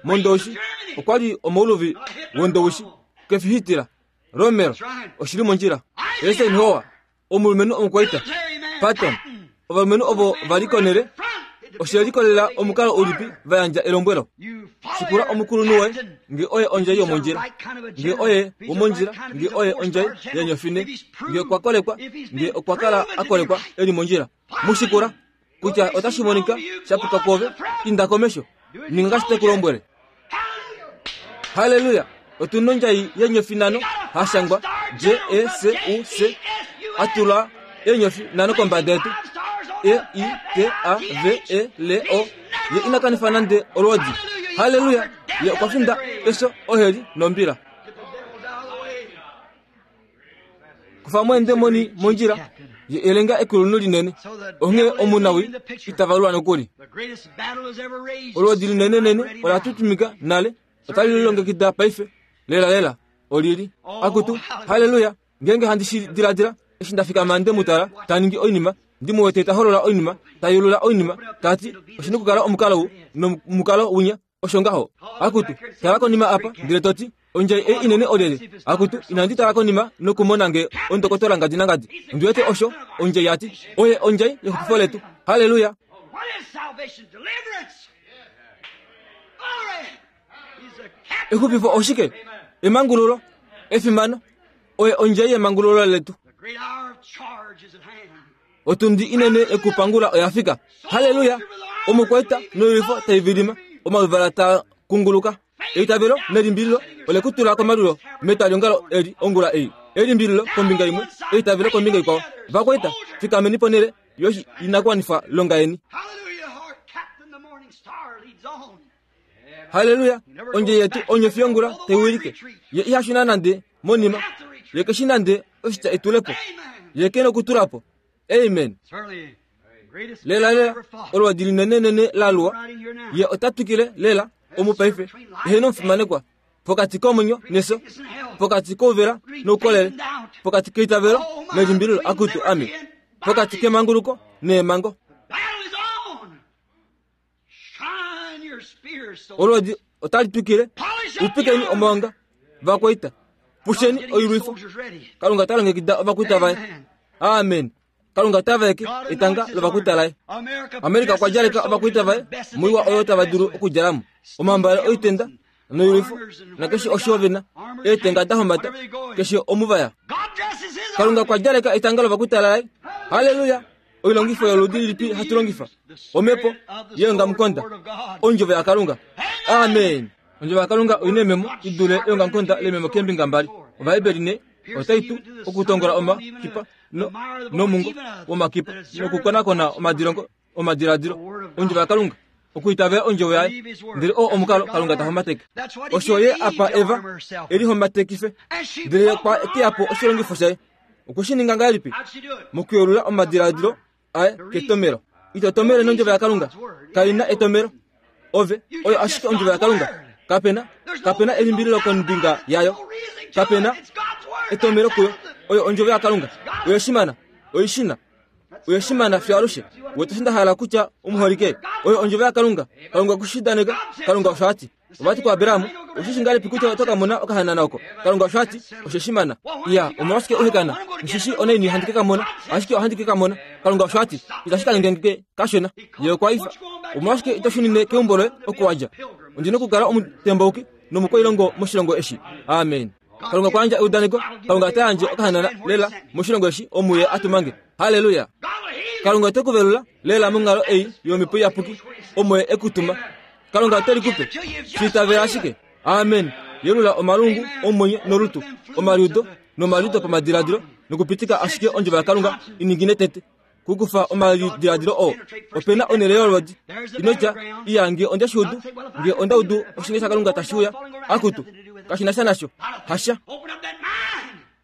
Mondoushi, okwa li omouluvi wondoushi, kefihitila, Rommel, oshili mondjila. Eisenhower, omulumenhu omukwaita, Patton, ovalumenhu ovo va li konele, oshe likolelela omukalo ulipi va yandja elombwelo. Shikula omukulunhu woye, nge oye ondjai yomondjila, nge oye womondjila, nge oye ondjai yenyofine, nge okwa kolekwa, nge okwa kala a kolekwa e li mondjila. Mushikula kutya otashi monika shapuka kwoove, inda komesho, ninga ngaashi te ku lombwele. Haleluya! Otu nondjai yenyofi nano hashangwa J E S U S, a tula eenyofi nano kombada yetu, E I T A V E L O. Ye ina kanifa nande olwoodi. Haleluya! Ye okwa finda efyo, oheli nombila. Kufa mo eendemoni mondjila, ye elenga ekulunhu linene, onghee omunawi ita valula nokuli. Olwoodi linenenene ola tutumika nale, otali lilongekida paife, lela lela, olili. Akutu, haleluya! Ngeenge handi shi diladila, eshi nda fikama nde mu tala ta ningi oinima, ndi mu wete ta holola oinima, ta yulula oinima, ta ti, oshi nokukala omukalo ou nomukalo winya, osho ngaho. Akutu, tala konima apa, ndele to ti, ondjai ei inene olyelye? Akutu, inandi tala konima nokumona nge ondokotola ngadi nangadi. Ondi wete osho ondjai ya ti, oye ondjai yexupifo letu. Haleluya! Exupifo oshike? Emangululo, efimano, oye ondjai yemangululo letu. Otundi inene yokupangula oya fika. Haleluya! Omukwaita noilwifo tai vilima, omaluvala taa kunguluka. Eitavelo nelimbililo ole ku tula komalulo metwaliongalo eli ongula ei. Elimbililo kombinga imwe, eitavelo kombinga ikwao. Vakwaita, fikameni ponhele yoshi inakuwanifwa longa yeni. Haleluya! Ondje yetu onyofi yongula tai wilike. Ye iha shuna nande monima. Ye keshi nande oshitya etulepo. Ye ke nokutula po. Amen. Lela lela, olwoodi linenenene la luwa. Ye ota twikile lela omupaife, eheno omufimanekwa, pokati komwenyo nefyo, pokati kouvela noukolele, pokati keitavelo nelimbililo, akutu ame, pokati kemanguluko neemango. Olwoodi otali twikile, upikeni omaonga, vakwaita, pusheni oilwifo. Kalunga ta longekida ovakwita vaye. Amen. Kalunga ta vaeke etanga lovakwita laye. Amerika okwa djaleka ovakwita vaye moiwa oyo tava dulu okudjalamo, omambale oitenda noilwifo, nakeshe osho vena, eetenga da hombata, keshe omuvaya. Kalunga okwa djaleka etanga lovakwita laye. Haleluya! Oilongifo yoludi lilipi hatu longifa? Omhepo yeongamukonda, ondjovo yaKalunga. Amen. Ondjovo yaKalunga oina ememo i dule eongamukonda lememo keembinga mbali. Ovaheberi ne otai tu okutongola omakipa no, nomungo womakipa nokukonakona omadilongo omadiladilo. Ondjovo yaKalunga, okuitavela ondjovo yaye, ndele oo omukalo Kalunga ta hombateke. Osho ye apa Eva e lihombatekife, ndele ye okwa teya po oshilongifo shaye. Okwe shi ninga ngahelipi? Mokuyelula omadiladilo aye ketomelo. Ito tomele nondjovo yaKalunga, kai na etomelo. Ove, oyo ashike ondjovo yaKalunga. Kapena, kapena elimbililo kombinga yayo. Kapena etomelo kuyo. Oyo ondjovo yaKalunga. Oyo shimana, oishina, oyo shimana fiyo alushe. Wete osho nda hala kutya omuholike. Oyo ondjovo yaKalunga. Kalunga okushidaneka, Kalunga osho a ti. Ovati ku Abrahamu, oshishi ngalipi kutya oto ka mona okahanana oko? Kalunga osho ati, osheshimana. Iya, omolwashike uhekana? Nshishi onaini handi ke ka mona, ashike ohandi ke ka mona. Kalunga osho ati, itashi ka ningenge kashona. Ye okwa ifa. Omolwashike ito shunine keumbo loye oko wadja? Ondina okukala omutembauki nomukwailongo moshilongo eshi. Amen. Kalunga kwa yandja eudaneko, Kalunga ota yandje okahanana lela moshilongo eshi omuye atumange. Haleluya. Kalunga ote kuvelula lela monghalo ei yomhepo iyapuki omo ye ekutuma. Kalunga ote likupe. Shiitavela ashike. Amen. Yelula omalungu omwenyo nolutu, omaliudo nomaliudo pamadiladilo, nokupitika ashike ondjovo yaKalunga iningine tete. Kukufa omalidiladilo oo. Opena onhele yolodi. Inotya, iya nge onde shuudu, nge onda udu oshinge shaKalunga tashi uya. Akutu, kashi na sha nasho. Hasha.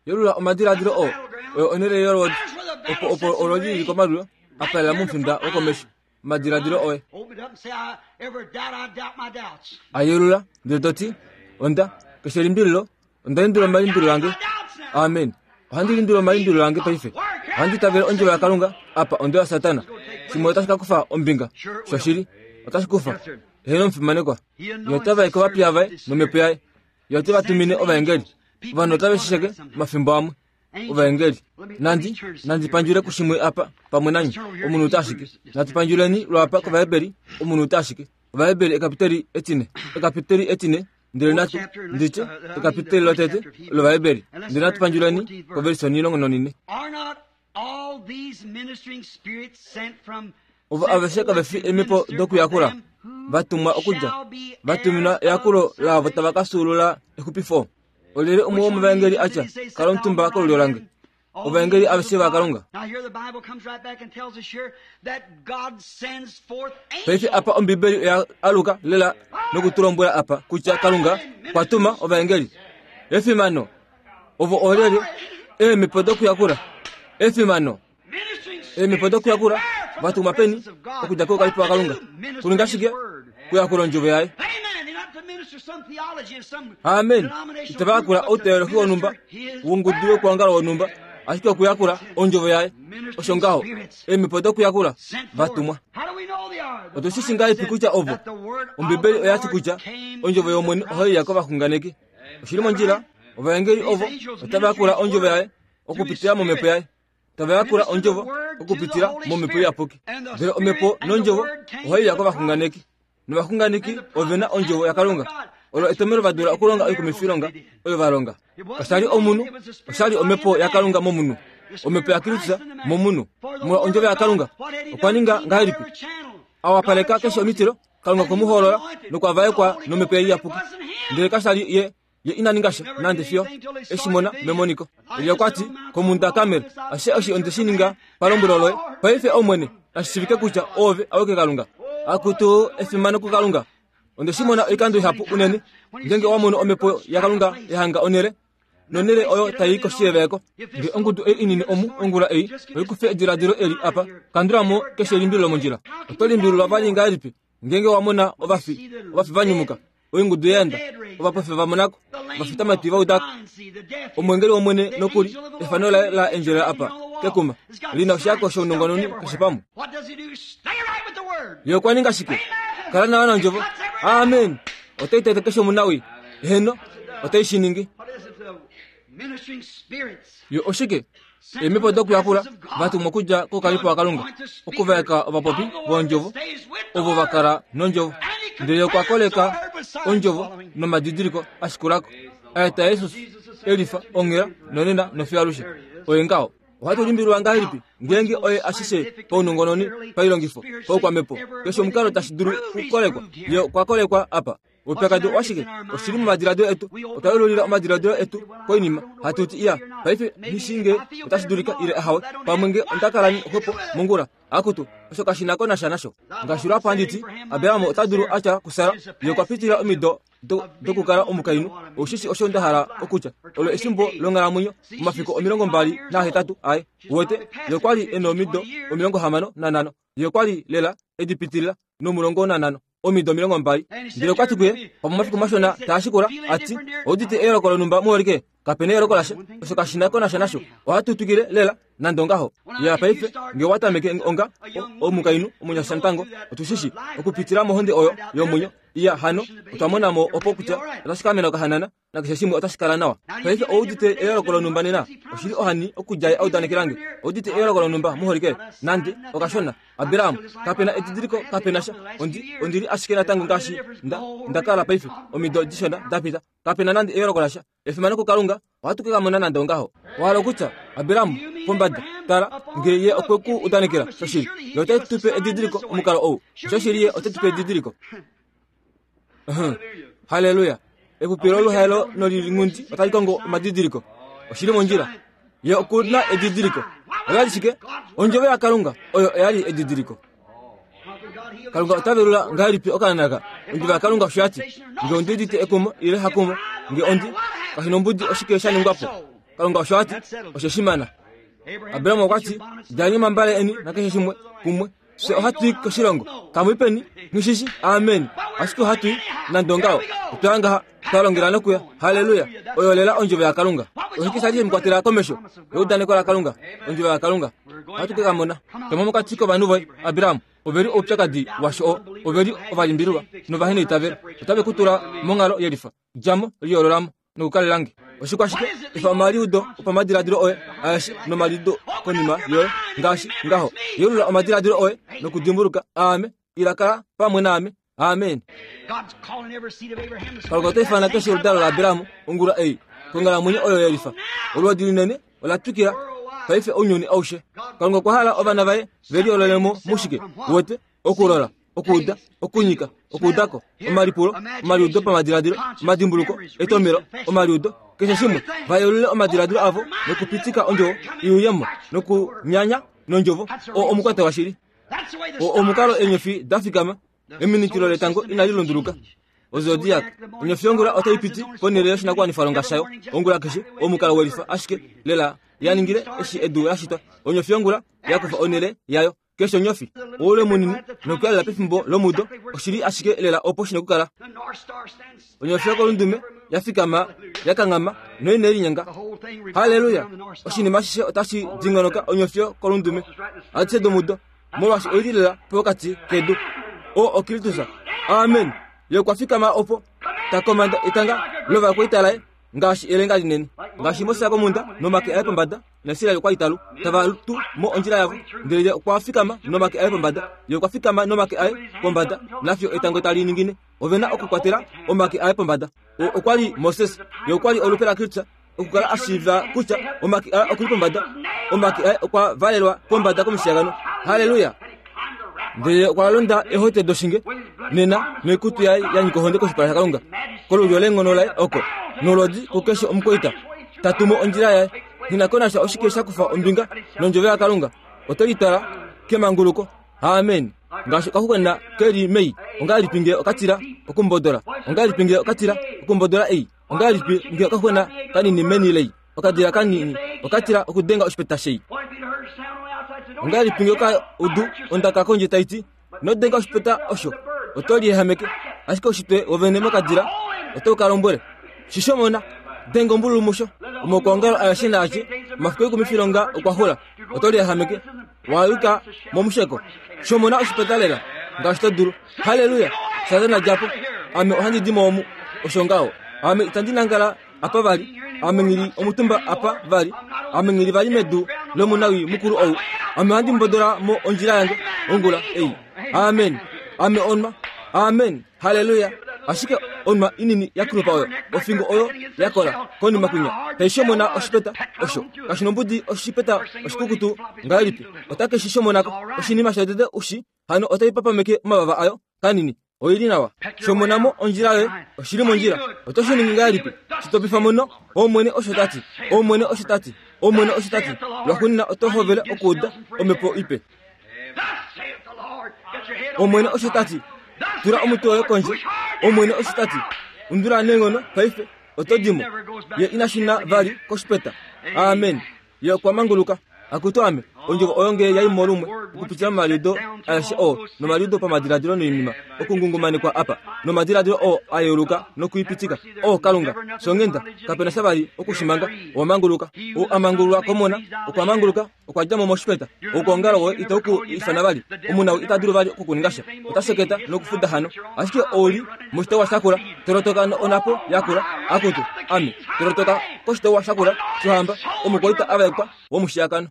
Yelula omadiladilo oo. Oyo onhele yolodi. Opo opo olodi lili komalulo, apalela momufinda wokomesho. Omadiladilo oye. Ayelula, ndele toti, onda, keshe limbililo, onda lindula omalimbililo ange. Amen. Ohandi lindula omalimbililo ange paife. Ohandi tavele ondjovo yaKalunga, apa ondo yaSatana. Shimwe otashi ka kufa ombinga. Shoshili, otashi kufa. Eheno omufimanekwa. Ye ota vaeke ovapiya vaye nomhepo yaye. Ye ote va tumine ovaengeli. Ovanhu otave shi sheke omafimbo amwe. Ovaengeli. Nandi, nandi pandjule kushimwe apa pamwe nanyi. Omunhu ota ashike. Natu pandjuleni lwapa kOvaheberi, omunhu ota ashike. Ovaheberi ekapiteli etine. Ekapiteli etine. Ndele natu nditye ekapiteli lotete lOvaheberi. Ndele natu pandjuleni koversi onilongo nonine. Ovo aveshe kave fi eemhepo dokuyakula, vatumwa okudja, vatuminwa eyakulo laavo tava ka fyuulula exupifo. Olyelye umwe womovaengeli atya, kala omutumba kolulyo lange? Ovaengeli aveshe vaKalunga. Paife apa Ombibeli oya aluka lela nokutulombwela apa kutya Kalunga okwa tuma ovaengeli. Efimano! Ovo olyelye? Eemhepo dokuyakula. Efimano! Eemhepo dokuyakula vatumwa peni okudja koukalipo waKalunga? Kuninga shike? Kuyakula ondjovo yaye. Amen. Itava yakula outeolohi wonhumba, wongudu yokuongala wonhumba, ashike okuyakula ondjovo yaye. Osho ngaho, eemhepo dokuyakula vatumwa. Otu shi shi ngahelipi kutya ovo? Ombibeli oya ti kutya ondjovo yOmwene ohai ya kovaxunganeki. Oshili mondjila, ovaengeli ovo otava yakula ondjovo yaye okupitila momhepo yaye. Tava yakula ondjovo okupitila momhepo iyapuki. Ndele omhepo nondjovo ohai ya kovaxunganeki. Novaxunganeki ove na ondjovo yaKalunga. Olo etomhelo va dula okulonga oikumifilonga oyo va longa. Kasha li omunhu, osha li omhepo yaKalunga momunhu. Omhepo yaKristus momunhu. Molwa ondjovo yaKalunga, okwa ninga ngahelipi? Awapaleka keshe omitilo, Kalunga okwe mu hoolola nokwa vaekwa nomhepo iyapuki. Ndele kasha li ye ye ina ninga sha nande fiyo eshi mona memoniko. Elia okwa ti komhunda Karmel, ashishe eshi onde shi ninga palombwelo loye. Paife Omwene, nashi shiivike kutya oove awike Kalunga. Akutu efimano kuKalunga. Onde shi mona oikando ihapu unene. Ngeenge owa mono omhepo yaKalunga ya hanga onhele, nonhele oyo tai koshiyeveeko. Nge ongudu ei inini omu ongula ei oikufe ediladilo eli apa, kandula mo keshe elimbililo mondjila. Oto limbililwa vali ngahelipi ngeenge wa mona ovafi, ovafi va nyumuka, oingudu ya enda, ovapofi va monako, ovafitamatwi va udako. Omwengeli wOmwene nokuli efano laye la endjelela apa kekuma lina oshihako shounongononi keshe pamwe. Ye okwa ninga shike? Kala nawa nondjovo. Amen. Otai tete keshe omunawii. Eheno, otai shi ningi. Yo oshike? Eemhepo dokuyakula vatumwa okudja koukalipo waKalunga, okuvaeka ovapopi vondjovo ovo va kala nondjovo. Ndele okwa koleka ondjovo nomadidiliko ashikulako. Aeta Jesus elifa onghela nonena nofiyo alushe. Oye ngaho. Ohatu limbililwa ngahelipi ngeenge oye ashishe paunongononi, pailongifo, paukwamhepo, keshe omukalo tashi dulu okukolekwa. Ye okwa kolekwa apa. Oupyakadi owashike? Oshili momadiladilo etu. Otwa yelulila omadiladilo etu koinima. Hatu ti iya, paife nghishi nge otashi dulika ile ahawe, pamwe nge onda kala xwepo mongula. Akutu, osho kashi na ko nasha nasho. Ngaashi lwapo handi ti, Abraham ota dulu atya kuSara, ye okwa pitila omido dokukala omukainhu. Oshishi osho nda hala okutya, olo efimbo longhalamwenyo, omafiku omilongo mbali nahetatu aye. Uwete, ye okwa li e nomido omilongo hamano nanhano. Ye okwa li lela edi pitilila nomulongo nanhano. Omido omilongo mbali. Ndele okwa ti kuye, pamwe omafiku mashona taa shikula, ati, oudite eyooloko lonhumba muholike? Kapena eyooloko lasha, osho kashi na ko nasha nasho. Ohatu twikile lela nande ongaho. Ya paife nge watameke onga omukainhu omunyasha natango, otushishi okupitila mohonde oyo yomwenyo. Iya hano otwa mona mo opo kutya otashi kamena okahanana nakeshe shimwe otashi kala nawa. Paife oudite eyooloko lonhumba nena, oshili ohani okudja audanekelange. Oudite eyooloko lonhumba muholike nande okashona. Abraham kapena edidiliko, kapena sha. Ondi ondili ashike natango ngaashi nda ndakala paife omido dishona dapita. Kapena nande eyooloko lasha. Efimano kuKalunga, ohatu ke kamona nande ongaho. Owa hala kutya Abraham pombada tala nge ye okwe ku udanekela shoshili, ye ote tu pe edidiliko omukalo ou. Shoshili ye ote tu pe edidiliko. Haleluya. Epupilo luhaelo nolilingundi otali kongo omadidiliko. Oshili mondjila. Ye okuna edidiliko. Oyali shike? Ondjovo yaKalunga oyo oyali edidiliko. Kalunga ota velula ngahelipi okaana? Ondjovo yaKalunga osho yati, nge ondi udite ekumo ile hakumo, nge ondi kashinombudi oshike sha ningwa po. Kalunga osho ati, osho shimana. Abraham okwa ti, djali omambale eni nakeshe shimwe kumwe. Fye ohatu i koshilongo. Kamwipeni, nghishishi, amen. Ashike ohatu i nande ongaho. Otwa ngaha twa longela nokuya. Haleluya. Oyo lela ondjovo yaKalunga. Oshike sha li shemukwatela komesho? Eudaneko laKalunga, ondjovo yaKalunga. Ohatu ke kamona. Toma mokati kovanhu voye, Abraham. Oveli oupyakadi washo, oveli ovalimbililwa novaheneitavelo. Otave ku tula monghalo yelifa. Djamo, liyoololamo nokukalelange. Oshikwashike? Efa omaliudo opamadiladilo oye aeshe nomaliudo konima yoye ngaashi ngaho. Yeulula omadiladilo oye nokudimbuluka aame, ila kala pamwe naame. Amen. Kalunga ota ifana keshe oludalo laAbraham ongula ei konghalamwenyo oyo yelifa. Olwoodi linene ola twikila paife ounyuni aushe. Kalunga okwa hala ovana vaye ve liyoololemo mushike? Wete okulola, okuuda, okunyika, okuudako, omalipulo, omaliudo pamadiladilo, omadimbuluko, etomelo, omaliudo, keshe shimwe. Vayeulule omadiladilo avo nokupitika ondjovo iuyemo nokunyanya nondjovo o omukwate washili. O omukalo eenyofi da fikama, eminikilo letango inali lunduluka. Ozodiac, onyofi yongula otai piti ponhele yoshinakuwanifwalonga shayo ongula keshe, omukalo welifa ashike lela ya ningile eshi edu la shitwa. Onyofi yongula yakufa onhele yayo. Keshe onyofi oule munini nokuyalela pefimbo lomudo oshili ashike lela opo shina okukala. Onyofi yokolundume ya fikama yakanghama noine linyenga. Haleluya. Oshinima ashishe otashi dingonoka onyofi yokolundume adishe domudo, molwaashi oili lela pokati kedu. O Okristusa. Amen. Ye okwa fikama opo ta komanda etanga lovakwaita laye ngaashi elenga linene, ngaashi Moses komhunda nomake aye pombada naIsrael okwa italu tava tu mo ondjila yavo. Ndele ye okwa fikama nomake aye pombada, ye okwa fikama nomake aye pombada nafiyo etango tali ningine. Ove na okukwatela omake aye pombada. Okwa li Moses, ye okwa li olupe laKristus, okukala a shiiva kutya omake aye okuli pombada, omake aye okwa valelwa pombada komushiyakano. Haleluya. Ndele okwa londa ehote doshinge nena noikutu yaye ya nyika ohonde koshipala shaKalunga kolulyo leenghono laye oko nolodi kukeshe omukwaita ta tumo ondjila yaye. Nghi ko nasha oshike sha kufa ombinga nondjovo yaKalunga, ote litwala kemanguluko. Amen. Ngaashi okaxuxwena keli mei, ongahelipi nge okatila okumbodola? Ongahelipi nge okatila okumbodola ei? Ongahelipi nge okaxuxwena kanini meni lei? Okadila kanini okatila okudenga oshipeta shei. Ongahelipi nge okaudu ondaka kondje tai ti, nodenga oshipeta osho, oto liyehameke. Ashike oshitwe wovene mokadila otau ka lombwele, shishomona, denga ombululu musho. Omaukwaongalo aeshe naashe omafiku oikumifilonga okwa xula, oto liyehameke, wa yuka momusheko. Shomona oshipeta lela ngaashi to dulu. Haleluya. Satana djapo, ame ohandi di mo omu. Osho ngaho. Ame itandi nangala apa vali, ame ngili omutumba apa vali, ame ngili vali medu lomunawi mukulu ou. Ame ohandi mbodola mo ondjila yange ongula ei. Amen. Ame onwa. Amen. Haleluya. Ashike onwa inini yakulupa oyo, ofingo oyo yakola konima kunya taishomona oshipeta osho kashinombudi oshipeta oshikukutu ngahelipi otake shi shomonako. Oshinima shotete ushi hano otai papameke omavava ayo kanini. Oili nawa. Shomonamo ondjila yoye oshili mondjila. Oto shi ningi ngahelipi? Shitopifa muno. Omwene osho tati, Omwene osho tati, Omwene osho tati. Lwaxuuninwa oto hovele okuuda omhepo ipe. Omwene osho tati, tula omutwe woye kondje. Omwene osho tati, undula neenghono paife oto dimo. Ye ina shuna vali koshipeta. Amen. Ye okwa manguluka. Akutu ame, ondjovo oyo nge yai mo lumwe Okupitila momaliudo aeshe oo nomaliudo pamadiladilo noinima okungungumanekwa apa nomadiladilo oo a yeuluka nokuipitika. O Kalunga, shonghenda, kapena sha vali okushimanga. Owa manguluka. Ou a mangululwa komona okwa manguluka, okwa dja mo moshipeta. Oukuongalo woye itau ku ifana vali. Omunau ita dulu vali okukuninga sha. Ota sheketa nokufuda hano. Ashike ou li moshitauwa shakula, tolotoka onapo yakula, akutu, ame, tolotoka koshitauwa shakula shohamba, omukwaita a vaekwa womushiyakano.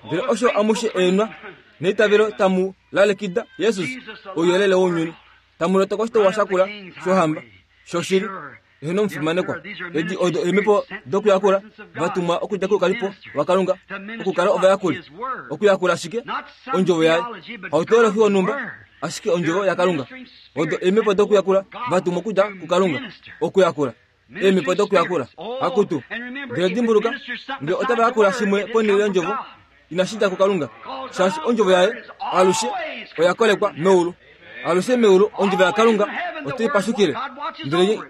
Ndele osho amushe eenwa neitavelo tamu lalekida Jesus, ouyelele wounyuni, tamu lotoka oshitauwa shakula shohamba shoshili. Eheno omufimanekwa, edi odo eemhepo dokuyakula vatumwa okudja koukalipo waKalunga okukala ovayakuli. Okuyakula shike? Ondjovo yaye. Hauteolohi wonhumba, ashike ondjovo yaKalunga. Odo eemhepo dokuyakula vatumwa okudja kuKalunga okuyakula. Eemhepo dokuyakula. Akutu. Ndele dimbuluka, ngele otava yakula shimwe ponhele yondjovo, inashi dja kuKalunga, shaashi ondjovo yaye alushe oya kolekwa meulu. Alushe meulu ondjovo yaKalunga otai pashukile. Ndele ye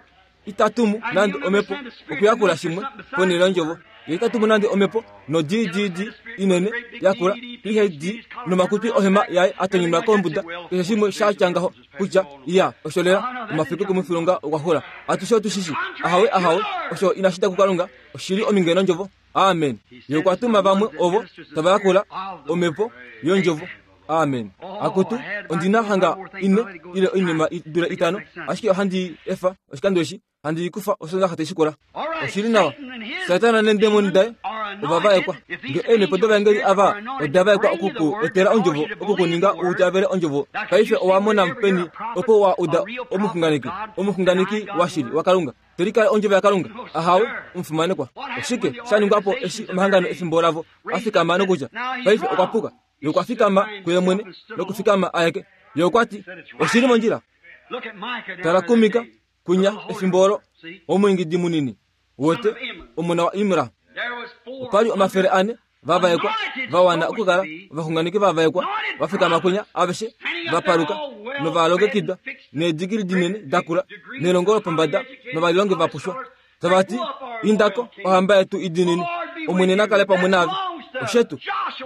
itatumu nande omhepo okuyakula shimwe ponhele yondjovo. Ye itatumu nande omhepo no D D D inene yakula P H D nomakutwi ohema yaye atonyunwa kombuda, keshe shimwe sha tya ngaho kutya iya osho lela omafiku kumufilonga okwa xula. Atushe otushishi ahawe ahawe osho inashi dja kuKalunga, oshili ominge nondjovo. Amen. Ye okwa tuma vamwe ovo tava yakula omhepo yondjovo. Amen. Akutu, ondina hanga ine ile oinima i dule itano, ashike ohandi efa oshikando eshi handi kufa osonda hate shikola. Oshili nawa. Satana nendemoni daye ova vaekwa. Nge eemhepo dovaengeli ava oda vaekwa okuku etela ondjovo, okukuninga uitavele ondjovo. Paife owa mona peni opo wa uda omuxunganeki, omuxunganeki washili waKalunga. Tolikale ondjovo yaKalunga. Ahawe, omufimanekwa. Oshike sha ningwa po eshi omahangano efimbo lavo a fikama nokutya paife okwa puka. Ye okwa fikama kuye mwene nokufikama aeke. Ye okwa ti oshili mondjila. Tala kuMika kunya efimbo olo omwiingidi munini wote omona wa Imra. Opali omafele ane vavaekwa vawana okukala ovaxunganeki vavaekwa vafikama kunya aveshe vapaluka novalongekidwa needigili dinene dakula nelongo lopombada novalilongi vapushwa. Tavati indako ohamba yetu idinini, Omwene nakale pamwe naave. Oshetu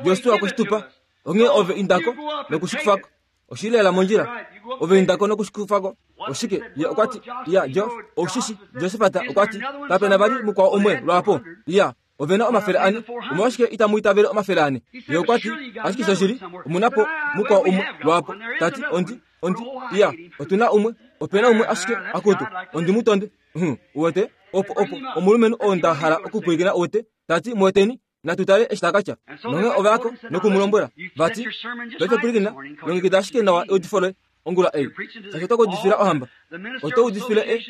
Josua okweshitupa, onghee ove indako nokushikufako. Oshilela mondjila, ove indako nokushikufako. Oshike ye okwati ya Jo oshishi Josefata okwati kapena vali mukwao umwe lwapo. Ya ovena omafele ane, omolwashike itamu itavele omafele ane? Ye okwati ashike shoshili omunapo mukwao umwe lwapo. Tati ondi ondi ya otuna umwe, opena umwe ashike akutu ondi mutonde. Hm, uwete opo opo omulumenhu oo nda hala okupwilikina uwete. Tati muweteni natutale eshi takatya. Nonge ovayako nokumulombwela vati paife pwilikina, longekida ashike nawa eudifo loye ongula ei, shaashi oto kaudifila ohamba. Oto udifile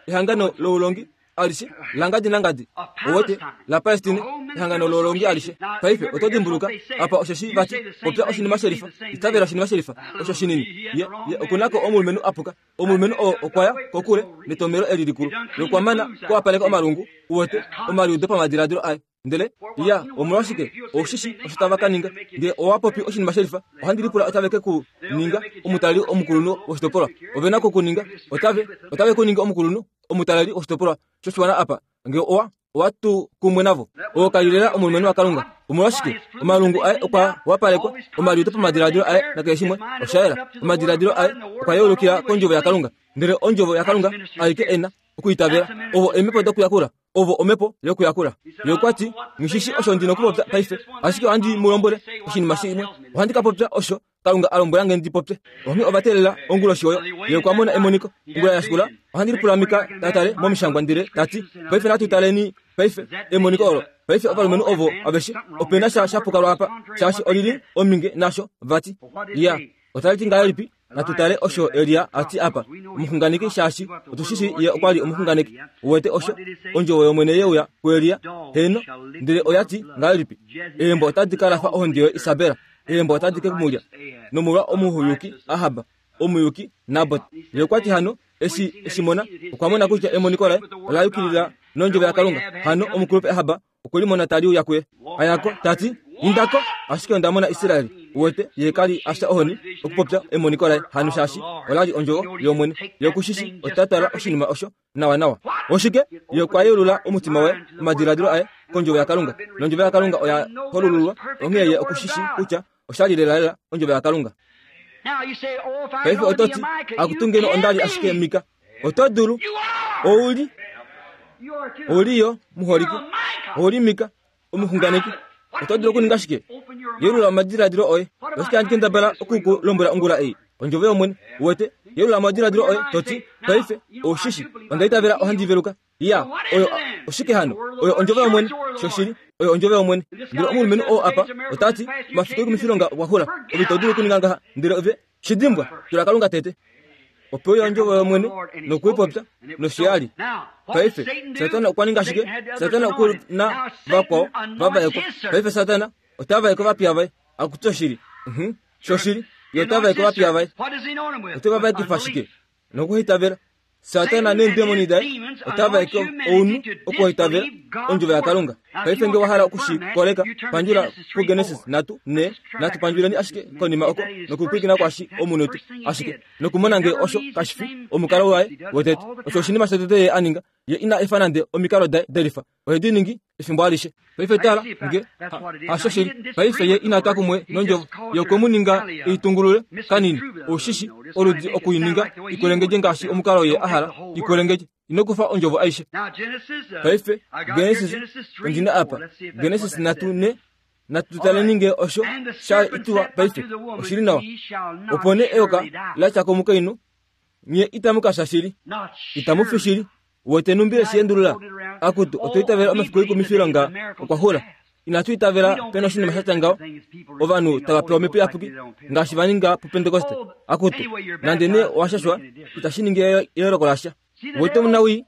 ehangano loulongi alishe langadi nangadi, owete la Palestine, ehangano loulongi alishe. Paife oto dimbuluka apa osheshi vati popya oshinima shelifa, itavela oshinima shelifa osho shinini. Ye ye okunako omulumenhu apuka. Omulumenhu oo okwaya kokule netomelo eli likulu lokwamana kuwapaleka omalungu, uwete omaliudo pamadiladilo aye. Ndele ya omolwashike oshishi osho tava ka ninga nge owa popi oshinima shelifa, ohandi lipula otave ke ku ninga omutaleli omukulunhu woshitopolwa. Ove nako kuninga otave otave ku ninga omukulunhu omutaleli woshitopolwa shoshiwana apa nge owa owa tu kumwe navo. Oo kalilela omulumenhu waKalunga. Omolwashike omalungu aye okwa wapalekwa, omaliudo pamadiladilo aye nakeshe shimwe osha yela. Omadiladilo aye okwa yeulukila kondjovo yaKalunga. Ndele ondjovo yaKalunga aike ena okuitavela. Ovo eemhepo dokuyakula, ovo omhepo yokuyakula. Ye okwati ngishishi osho ndi nokupopya paife, ashike ohandi mu lombwele oshinima shimwe. Ohandi ka popya osho Kalunga a lombwela nge ndi popye. Onghee ova teelela onguloshi oyo. Ye okwa mona emoniko ongula ya shikula. Ohandi lipula Mika ta tale momishangwa ndele tati paife natu taleni paife emoniko olo. Paife ovalumenhu ovo aveshe opena sha shapuka lwapa, shaashi olili ominge nasho vati. Ya otali ti ngahelipi? Natu tale osho Elia ati apa, omuxunganeki, shaashi otushishi ye okwa li omuxunganeki. Uwete osho ondjovo yOmwene yeuya kuElia? Heeno, ndele oya ti ngahelipi? Eembo otadi ka lafa ohonde yoye Isabel, eembo otadi ke kumulya nomolwa omuhuyuki Ahab, omuyuki Nabot. Ye okwa ti hano eshi eshi mona, okwa mona kutya emoniko laye ola yukilila nondjovo yaKalunga. Hano omukulupe Ahab okwe limona tali uya kuye. Ayako tati indako, ashike onda mona Israel. Uwete ye kali afya ohoni okupopya emoniko laye hano shaashi olali ondjovo yOmwene. Ye okushishi ota twala oshinima osho nawa nawa. Oshike? Ye okwa yeulula omutima waye, omadiladilo aye kondjovo yaKalunga, nondjovo yaKalunga oya hololulwa. Onghee ye okushishi kutya oshali lelalela ondjovo yaKalunga. Paife oto ti, akutu ngeno onda li ashike Mika. Oto dulu. Ouli. Ouli yo muholike. Ouli Mika, omuxunganeki. Oto dulu okuninga shike? Yeulula omadiladilo oye. Oshike handi kendabala oku ku lombwela ongula ei? Ondjovo yOmwene. Uwete? Yeulula omadiladilo oye, to ti, paife, oushishi, onda itavela ohandi veluka. Ya, oyo, oshike hano? Oyo ondjovo yOmwene. Shoshili, oyo ondjovo yOmwene. Ndele omulumenhu oo apa, ota ti, omafiku ekumifilonga okwa xula. Ove ito dulu okuninga ngaha. Ndele ove, shidimbwa, tula Kalunga tete. Ope uya ondjovo yOmwene nokuipopya noshiyali. Paife, Satana okwa ninga shike? Satana oku na vakwao va vaekwa. Paife Satana ota vaeke ovapiya vaye. Akutu oshili. Mhm. Shoshili, ye ota vaeke ovapiya vaye. Ote va vaekifa shike? Nokuhitavela. Satana neendemoni daye ota vaeke ounhu okuhitavela ondjovo yaKalunga. Paife nge wa hala okushikoleka, pandjula kuGenesis nhatu ne, natu pandjuleni ashike konima oko nokupwilikina kwashi omunhu ashike nokumona nge osho kashi fi omukalo waye wotete. Osho oshinima shotete ye a ninga. Ye ina efa nande omikalo daye delifa. Ohe di ningi efimbo alishe. Paife tala nge hasho shili. Paife ye ina twa kumwe nondjovo. Ye okwe mu ninga eitungulule kanini. Oushishi oludi okuininga ikwelengedje ngaashi omukalo ye a hala ikwelengedje. Ino kufa ondjovo aishe. Paife Genesis ondina apa. Genesis nhatu ne, natu taleni nge osho sha ituwa paife. Oshili nawa. Opo nee eyoka la tya komukainhu, nye itamu ka fya shili. Itamu fi shili. Uwete numbi eshi endulula? Akutu, otwa itavela omafiku ekumifilonga okwa xula. Inatu itavela pena oshinima sha tya ngaho. Ovanhu tava pewa omhepo iyapuki ngaashi va ninga puPentekoste. Akutu, nande nee owa shashwa, itashi ningi eyooloko lasha. Uwete omunawii?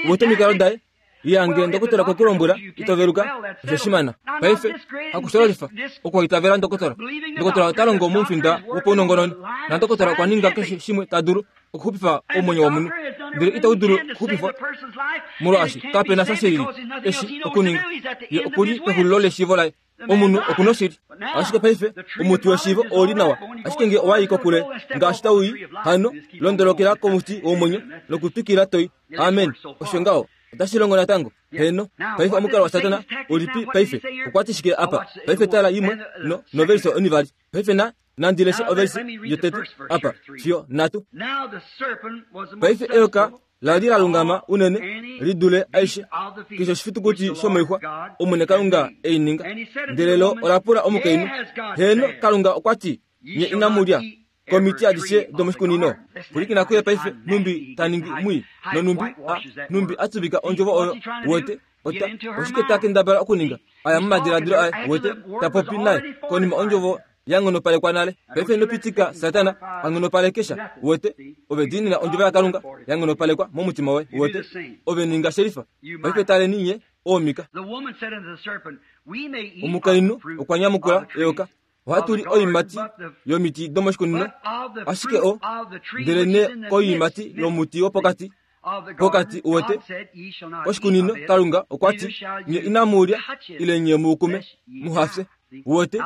Uwete omikalo daye? Yange ndokotola kwe ku lombwela ito veluka, osho shimana. Paife, hakushololifa okuitavela ndokotola. Ndokotola ota longo momufinda wopaunongononi, na ndokotola okwa ninga keshe shimwe ta dulu okuxupifa omwenyo womunhu, ndele itau dulu okuxupifwa molwaashi kape na sha shilili eshi okuninga. Ye okuli pexulilo leshiivo laye. Omunhu oku noshili. Ashike paife omuti weshiivo ouli nawa, ashike nge owa i kokule ngaashi tau i, hano londolokela komuti womwenyo nokutwikila toi. Amen. Osho ngaho. Otashi longo natango. Heno. Paife omukalo waSatana ulipi paife? Okwa ti shike apa? Paife tala imwe no noverse onivali. Paife na nandi leshe overse yotete apa fiyo nhatu. Paife eyoka la li la lungama unene li dule aishe keshe oshifitukuti shomoixwa Omwene Kalunga ei ninga. Ndele lo ola pula omukainhu, heno Kalunga okwa ti, nye inamu lya komiti adishe domoshikunino. Pwilikina kuye paife, numbi ta ningi mwii nonumbi a numbi a tuvika ondjovo oyo. Wete ota oshike ta kendabala okuninga? Aya momadiladilo aye, wete ta popi naye konima ondjovo ya nghonopalekwa nale. Paife ino pitika Satana a nghonopalekesha. Wete ove diinina ondjovo yaKalunga ya nghonopalekwa momutima woye. Wete ove ninga shelifa. Paife taleni nye oomika. Omukainhu okwa nyamukula eyoka, ohatu li oiimati yomiti domoshikunino, ashike o ndele ne koiimati yomuti wopokati pokati uwete koshikunino Kalunga okwa ti, nye inamu lya ile nye muukume muhafye. Uwete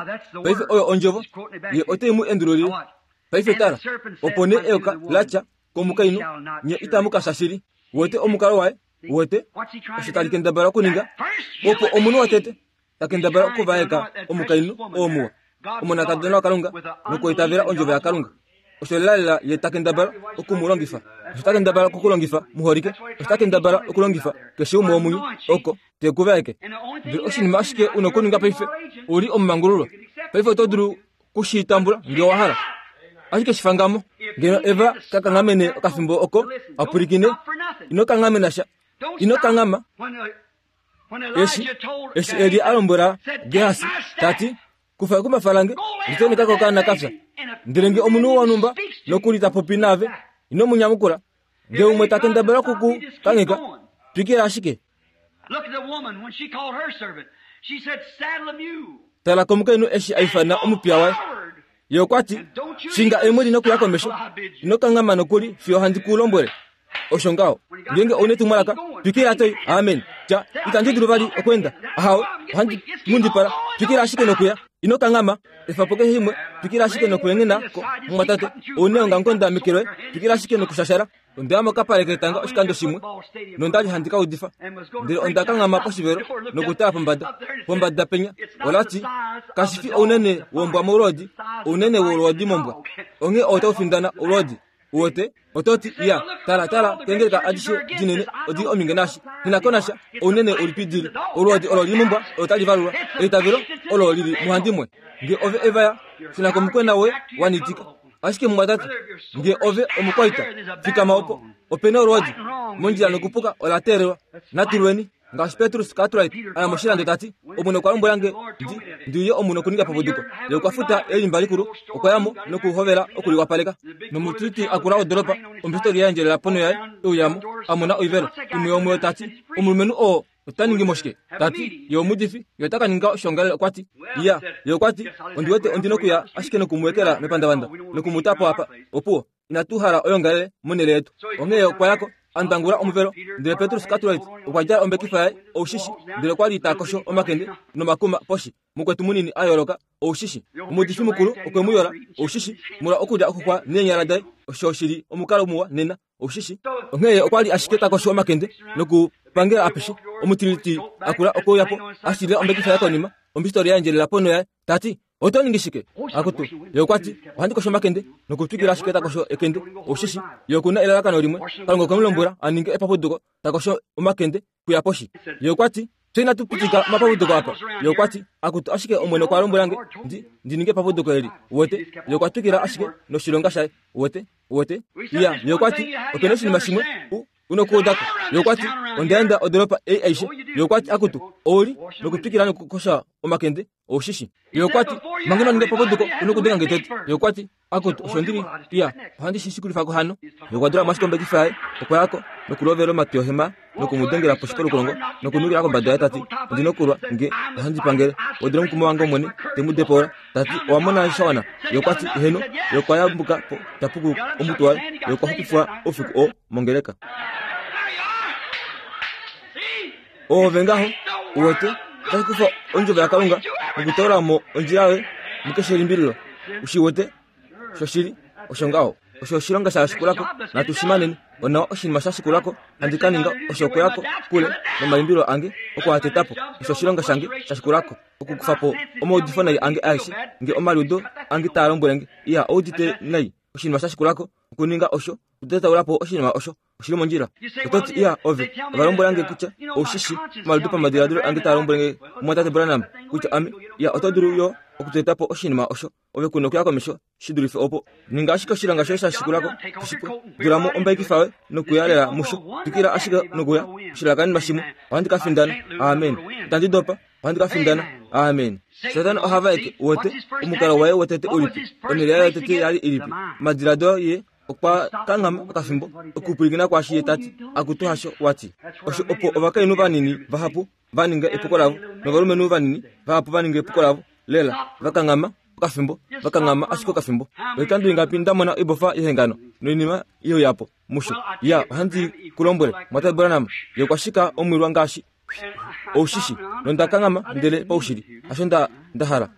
paife oyo ondjovo ye ote mu endululile. Paife tala, opo nee eyoka la tya komukainhu, nye itamu ka fya shili. Uwete omukalo waye? Uwete osho tali kendabala okuninga? Opo omunhu wotete ta kendabala okuvaeka omukainhu oo muwa, omonakadona waKalunga, nokuitavela ondjovo yaKalunga. Osho lelalela ye ta kendabala oku mu longifa. Osho ta kendabala okukulongifa muholike. Osho ta kendabala okulongifa keshe umwe womunye oko te ku vaeke. Ndele oshinima ashike u nokuninga paife, u li omumangululwa. Paife oto dulu kushi tambula nge wa hala. Ashike shifangamo. Ngeno Eva ka kanghamene okafimbo oko a pwilikine, ino kanghamena sha. Ino kanghama. Eshi, eshi Elia a lombwela Gehasi, ta ti, kufa ekumbafa lange, liteneka kokaana ka fya. Ndele nge omunhu wonhumba nokuli ta popi naave, ino mu nyamukula. Nge umwe ta kendabala oku ku kangheka, twikila ashike. Tala komukainhu eshi a ifana omupiya waye. Ye okwa ti, shinga eemwedi nokuya komesho, ino kanghama nokuli fiyo handi ku lombwele. Osho ngaho ngenge oune tumwalaka twikila toi amen tya itandi dulu vali okwenda ahawe ohandi mundipala twikila ashike nokuya ino kangama efapo keshe shimwe twikila ashike nokuengena ko mumwatate oune ongangonda mekelo twikila ashike nokushashara ondaya mokapale ketanga oshikando shimwe nondali handi kaudifa ndele onda kangama poshivelo nokutala pombada pombada penya olati kashifi ounene wombwa moulodi ounene wolodi mombwa onge otaufindana olodi uwete ototi iya tala tala kengeleka adishe dinene odi ominge nashi ninakonasha ounene ulipidili olodi olo lili mombwa otalivalulwa eitavelo olo lili muhandimwe nge ove evaya sinakomukwena we wanitika ashike mumwatate nge ove omukwaita fikama opo opena olwodi mondjila nokupuka olaterelwa natulweni ngaashi Petrus Cartwright aya moshilando tati omwene okwa lombwela nge ndi ndiuye omunhu okuninga papuduko ye okwa futa elimba likulu okwayamo nokuhovela okuliwapaleka nomutiti akula odoropa ombisitoli yaendjelela pono yaye euyamo amona oivelo imwe yomweyo tati omulumenhu oo ota ningi moshike tati ye omudifi ye ota ka ninga oshongalele okwati iya ye okwati ondiwete ondina okuya ashike nokumuwekela mepandavanda nokumutapo apa opuwo inatu hala oyongalele monele yetu onghee okwayako andangula omuvelo ndele Petrus Cartwright okwa djala ombekifa yaye oushishi ndele okwali ta kosho omakende nomakuma poshi mukwetu munini a yooloka oushishi omudifi mukulu okwe mu yola oushishi mula okulya okukwa neenyala daye osho shili omukalo muwa nena oushishi onghee okwali ashike ta kosho omakende nokupangela apeshe omutiliti akula okouyapo ashilila ombekifa yaye konima ombisitoli yaendjelela pono yaye tati oto ningi shike akutu ye okwati ohandi kosho omakende nokutwikila ashike ta kosho ekende oushishi ye okuna elalakano limwe Kalunga okwe mu lombwela a ninge epapuduko ta kosho omakende kuya poshi ye okwati fye inatu pitika omapapuduko apa ye okwati akutu ashike omwene okwa lombwela nge ndi ndi ninge epapuduko eli uwete ye okwa twikila ashike noshilonga shaye uwete uwete iya ye okwati opena oshinima shimwe u unokuudako ye okwati ondaenda odoropa ei aishe ye okwati akutu ouli nokutwikila nokukosha omakende oushishi ye okwati manga ino ninga epapuduko unokudenga nge tete ye okwati akutu osho ndili iya ohandi shi shikulifako hano ye okwa dula mo ashike ombekifa yaye okwayako nokulovela omatwi ohema nokumudengela poshi polukolongo nokunukila kombada yaye tati ondina okulwa nge ohandi pangele odula omukumo wange omwene te mu depola tati owa mona shawana ye okwati heno ye okwa yambuka po tapuku omutwe waye ye okwa xupifwa oufiku oo mongeleka ove ngaho uwete otashi kufa ondjovo yaKalunga nokutoola mo ondjila yoye mukeshe elimbililo ushiwete shoshili osho ngaho osho oshilonga sha shikulako natu shimaneni onawa oshinima sha shikulako handi ka ninga osho okuyako kule nomaimbilo ange okuatetapo osho oshilonga shange sha shikulako okukufa po omaudifo nai ange aeshe nge omaliudo ange taa lombwele nge iya oudite nai oshinima sha shikulako okuninga osho okutetaula po oshinima osho oshili mondjila ototi iya ove ovalombwela nge kutya oushishi omaliudo pamadiladilo ange taa lombwele nge mumwatate Branham kutya ame iya oto dulu yo okuteta po oshinima osho ove kuna okuya komesho shi dulife opo ninga ashike oshilonga shoye sha shikulako oshipwe dulamo ombaikifa yoye nokuyalela musho twikila ashike nokuya oshilakanima shimwe ohandi ka findana amen itandi dopa ohandi ka findana amen Satana ohava eke uwete omukalo waye wotete ulipi onhele yaye yotete yali ilipi omadiladilo ye okwa kanghama okafimbo okupwilikina kwaashi ye tati akutu hasho wati osho opo ovakainhu vanini vahapu va ninga epuko lavo novalumenhu vanini vahapu va ninga epuko lavo lela vakanghama okafimbo vakanghama ashike okafimbo oikando ingapi ndamona oibofa yehengano noinima yeuyapo musho ya ohandi ku lombwele mwatate Branham ye okwa shika omwilwa ngaashi oushishi nondakanghama ndele paushili hasho nda ndahala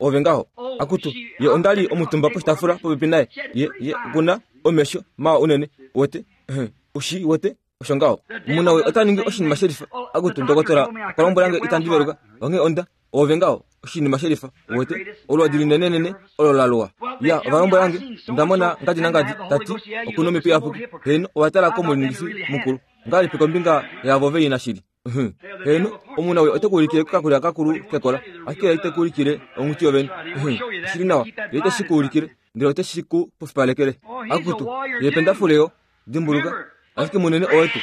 ove ngaho akutu ye ondali omutumba poshitafula popepi naye ye ye okuna omesho mawa unene wete ushi wete osho ngaho muna we ota ningi oshinima shelifa akutu ndokotola okwa lombwela nge itandi veluka onghee onda ove ngaho oshinima shelifa wete olwadi linenenene olo la luwa ya ovalombwela nge ndamona ngadi nangadi tati okuna omhepo iyapuki heno owa tala komuningifi mukulu ngalipi kombinga yavo veina shili heno omuna we ote kuulikile kakulya kakulu kekola ashike ite kuulikile onghuti yovene oshili nawa ye ite shi kuulikile ndele ote shi ku pufipalekele akutu ye pendafuleyo dimbuluka ashike munene owetu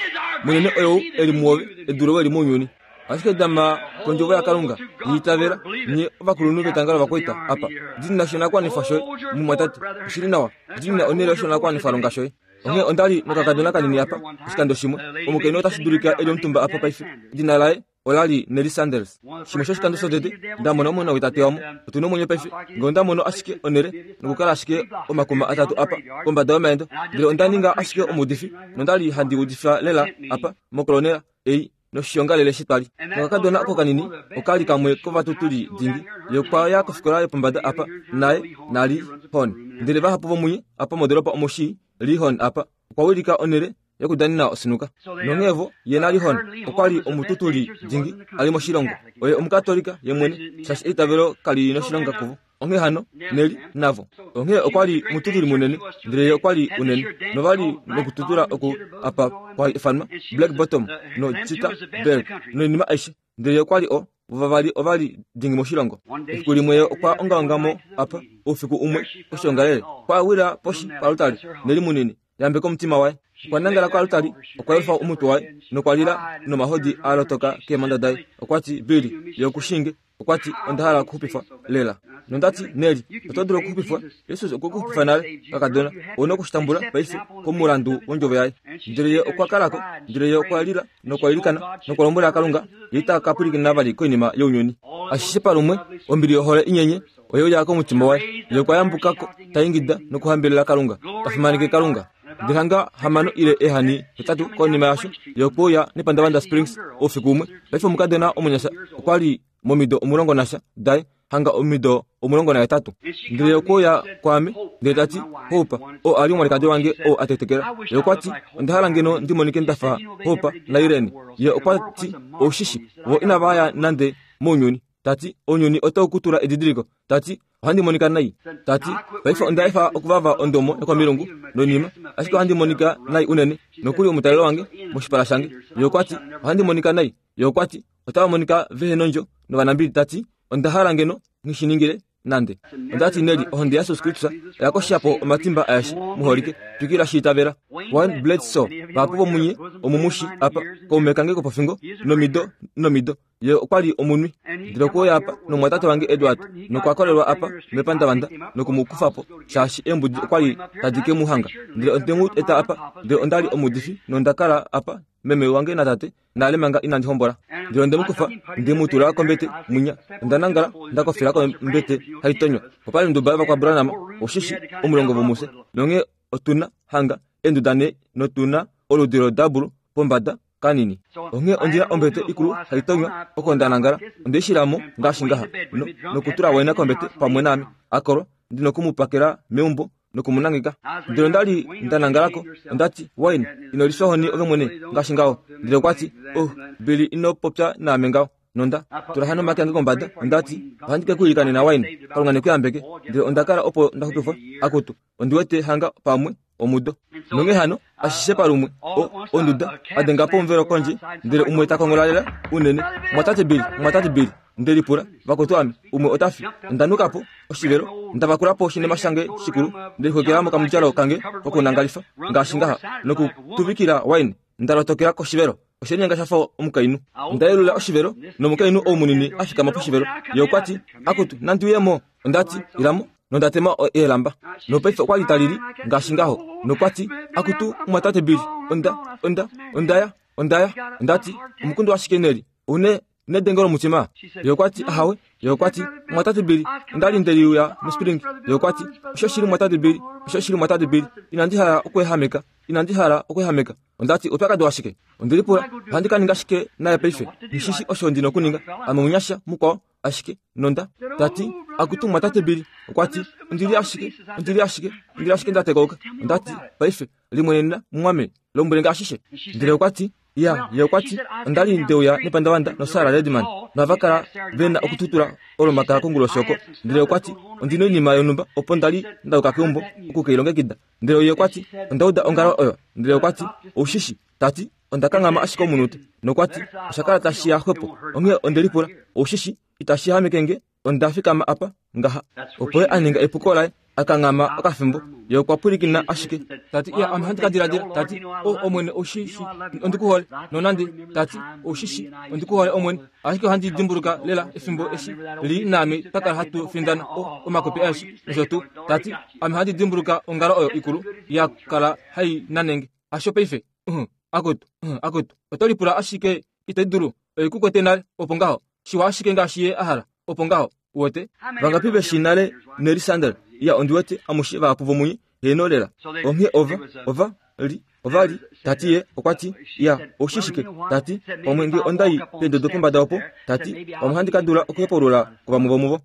munene oyou eli muove edulo weli mounyuni ashike dama kondjovo yaKalunga yiitavela nye ovakulunhu vetanga lovakwaita apa dinina oshinakwanifwa shoye mumwatate oshili nawa dinina onhele yoshinakwanifwa longa shoye Onghee onda li nokakadona kanini apa oshikando shimwe, omukainhu otashi dulika e li omutumba apa paife. Edina laye ola li Nelly Sanders. Shimwe shoshikando shotete nda mona omona wetate wamo. Otu na omwenyo paife, ngee onda mono ashike onhele nokukala ashike omakuma atatu apa kombada yomaendo, ndele onda ninga ashike omuudifi nonda li handi udifa lela apa mokolonela ei noshiongalele shetwali. Nokakadona oko kanini okali kamwe kovatutuli dingi, ye okwa ya kofikola yopombada apa naye nali Hon. Ndele vahapu vomunye apa modoropa omoshii Lee Hon apa okwa wilika onhele yokudanina osinuka. Nonghevo ye nali Hon okwa li omututuli dingi ali moshilongo. Oye omukatolika ye mwene, shaashi eitavelo kali noshilonga kuvo. Onghee hano Neli navo. Onghee okwa li omututuli munene, ndele ye okwa li unene. Novali nokututula oku apa kwa ifanwa Black Bottom no Chita Berg noinima aishe, ndele ye okwa li o vavali ovali dingi moshilongo. Efiku limwe ye okwa ongaongamo apa oufiku umwe oshiongalele, kwa wila poshi palutali Neli munini yambeka omutima waye. Okwa nangala kwalutali, okwa yelufa omutwe waye nokwa lila nomahodi a lotoka keemhanda daye. Okwa ti, Billy, ye okushinge. Okwa ti, onda hala okuxupifwa lela. Nondati, Neli, oto dulu okuxupifwa. Jesus okwe kuxupifa nale, kakadona. Ouna okushitambula paife komulandu wondjovo yaye. Ndele ye okwa kalako, ndele ye okwa lila nokwa ilikana nokwa lombwela Kalunga ye ita ka pwilikina vali koinima younyuni. Ashishe palumwe, ombili yohole inyenye oye uya komutima waye. Ye okwa yambukako ta ingida nokuhambelela Kalunga, ta fimaneke Kalunga. Ndele hanga hamano ile ehani hetatu konima yasho, ye okwe uya nepandavanda Springs oufiku umwe. Paife omukadona omunyasha okwa li momido omulongo nasha daye, hanga omido omulongo nahetatu. Ndele okwe uya kwaame ndele ta ti, Hopa, oo a li omwalikadi wange oo a tetekela. Ye okwa ti, onda hala ngeno ndi monike nda fa Hopa naIrene. Ye okwa ti, oushishi vo inava ya nande mounyuni. Ta ti, ounyuni otau ku tula edidiliko. Ta ti, ohandi monika nai. Ta ti, paife onda efa okuvava ondomo yokomilungu noinima, ashike ohandi monika nai unene nokuli omutalelo wange moshipala shange. Ye okwa ti, ohandi monika nai. Ye okwa ti, otava monika vehe nondjo novanambili. Ta ti, onda hala ngeno ngishiningile nande. Onda ti, Neli, ohonde yaJesus Kristus oya koshapo omatimba aeshe muholike. Twikila shiitavela. Wayne Bledsoe, vahapu vomunye omumushi apa, kaume kange kopofingo nomido nomido. Ye okwa li omunwi. Ndele okwe uya apa nomwatate wange Edward, nokwa kolelwa apa mepandavanda nokumukufa po, shaashi eembudi okwa li tadi ke mu hanga. Ndele onde mu eta apa, ndele onda li omuudifi nonda kala apa meme wange natate nale manga inandi hombola. Ndele onde mu kufa, nde mu tula kombete mwinya. Onda nangala nda kofela kombete haitonywa. Opa li onduba yovakwaBranham, oshishi omulongo vomufye. Nonghee otuna hanga eenduda nhee notuna oludi lodabulu pombada kanini. Onghee ondina ombete ikulu haitonywa oko nda nangala. Onde i shilamo ngaashi ngaha no, nokutula Wayne kombete pamwe naame. Akolwa, ndi nokumupakela meumbo nokumunangeka. Ndele onda li nda nangalako. Onda ti, Wayne, ino lifya ohoni ove mwene ngaashi ngaho. Ndele okwa ti, oh, Billy, ino popya naame ngaho. Nonda tula hano omake ange kombada. Onda ti, ohandi ke ku ilikanena Wayne, Kalunga ne ku yambeke. Ndele onda kala opo nda xupifwa. Akutu, ondi wete hanga pamwe omudo. Nonghee hano, ashishe palumwe, o, onduda, a denga po omuvelo kondje, ndele umwe ta kongola lela unene. Mwatate Billy, mwatate Billy, nde lipula, vakwetu ame, umwe ota fi. Onda nuka po oshivelo, nda vakula po oshinima shange shikulu, nde lixwekela mokamudjalo kange kokunangalifa ngaashi ngaha, nokutuvikila Wayne. Nda lotokela koshivelo. Oshelinyenga sha fa omukainhu. Onda yelula oshivelo, nomukainhu ou munini a fikama poshivelo. Ye okwa ti, akutu, nandi uye mo. Onda ti, ilamo. Nonda tema eelamba. Nopaife okwa li ta lili ngaashi ngaho. Nokwa ti, akutu, mwatate Billy, onda, onda, onda ya, onda ya. Onda ti, omukundu ashike Neli, une nedengo lomutima. Ye okwa ti, ahawe. Ye okwa ti, mwatate Billy, onda li nde liuya muSpring. Ye okwa ti, osho shili mwatate Billy, osho shili mwatate Billy, inandi hala okweehameka, inandi hala okweehameka. Onda ti, oupyakadi washike? Onde lipula, ohandi ka ninga shike naye paife? Nishishi osho ndi nokuninga. Ame omunyasha mukwao ashike nonda ta ti, akutu mwatate Billy. Okwa ti, ondi li ashike, ondi li ashike, ondi li ashike nda tekauka. Onda ti, paife limwenena mumwame, lombwele nge ashishe. Ndele okwa ti, ya, ye okwa ti, onda li ndeuya nepandavanda noSarah Redman, nohava kala ve na okututula olomakala konguloshi oko. Ndele okwa ti, ondi noinima yonhumba opo nda li nda yuka keumbo oku ke i longekida. Ndele ye okwa ti, onda uda ongalo oyo. Ndele okwa ti, oushishi, ta ti, onda kanghama ashike omunute. Nokwa ti, osha kala tashi ya xwepo. Onghee onde lipula, oushishi, itashi hameke nge, onda fikama apa ngaha. Opo ye a ninga epuko laye, Akanghama okafimbo ye okwa pwilikina ashike tati iya ame handi ka diladila tati o omwene oshishi ondikuhole nonande tati oshishi ondikuhole omwene ashike ohandi dimbuluka lela efimbo eshi li naame twakala hatu findana o omakopi aeshe nosho tuu tati ame handi dimbuluka ongalo oyo ikulu ya kala hai nanenge hasho paife uh, akutu uh, akutu oto lipula ashike ito dulu oikukwete nale opo ngaho shiwa ashike ngaashi ye a hala opo ngaho wote vangapi veshi nale Nelly Sandel ya ondiwete amushe vahapu vomunye heno lela onghee ova ova li ova li tati ye okwa ti ya oshishike tati pamwe nge ondai pendodo pombada opo tati pamwe handi ka dula okuhepulula kuvamwe vomuvo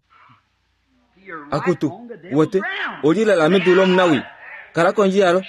akutu wote oli lela medu lomunawi kala kondje yalo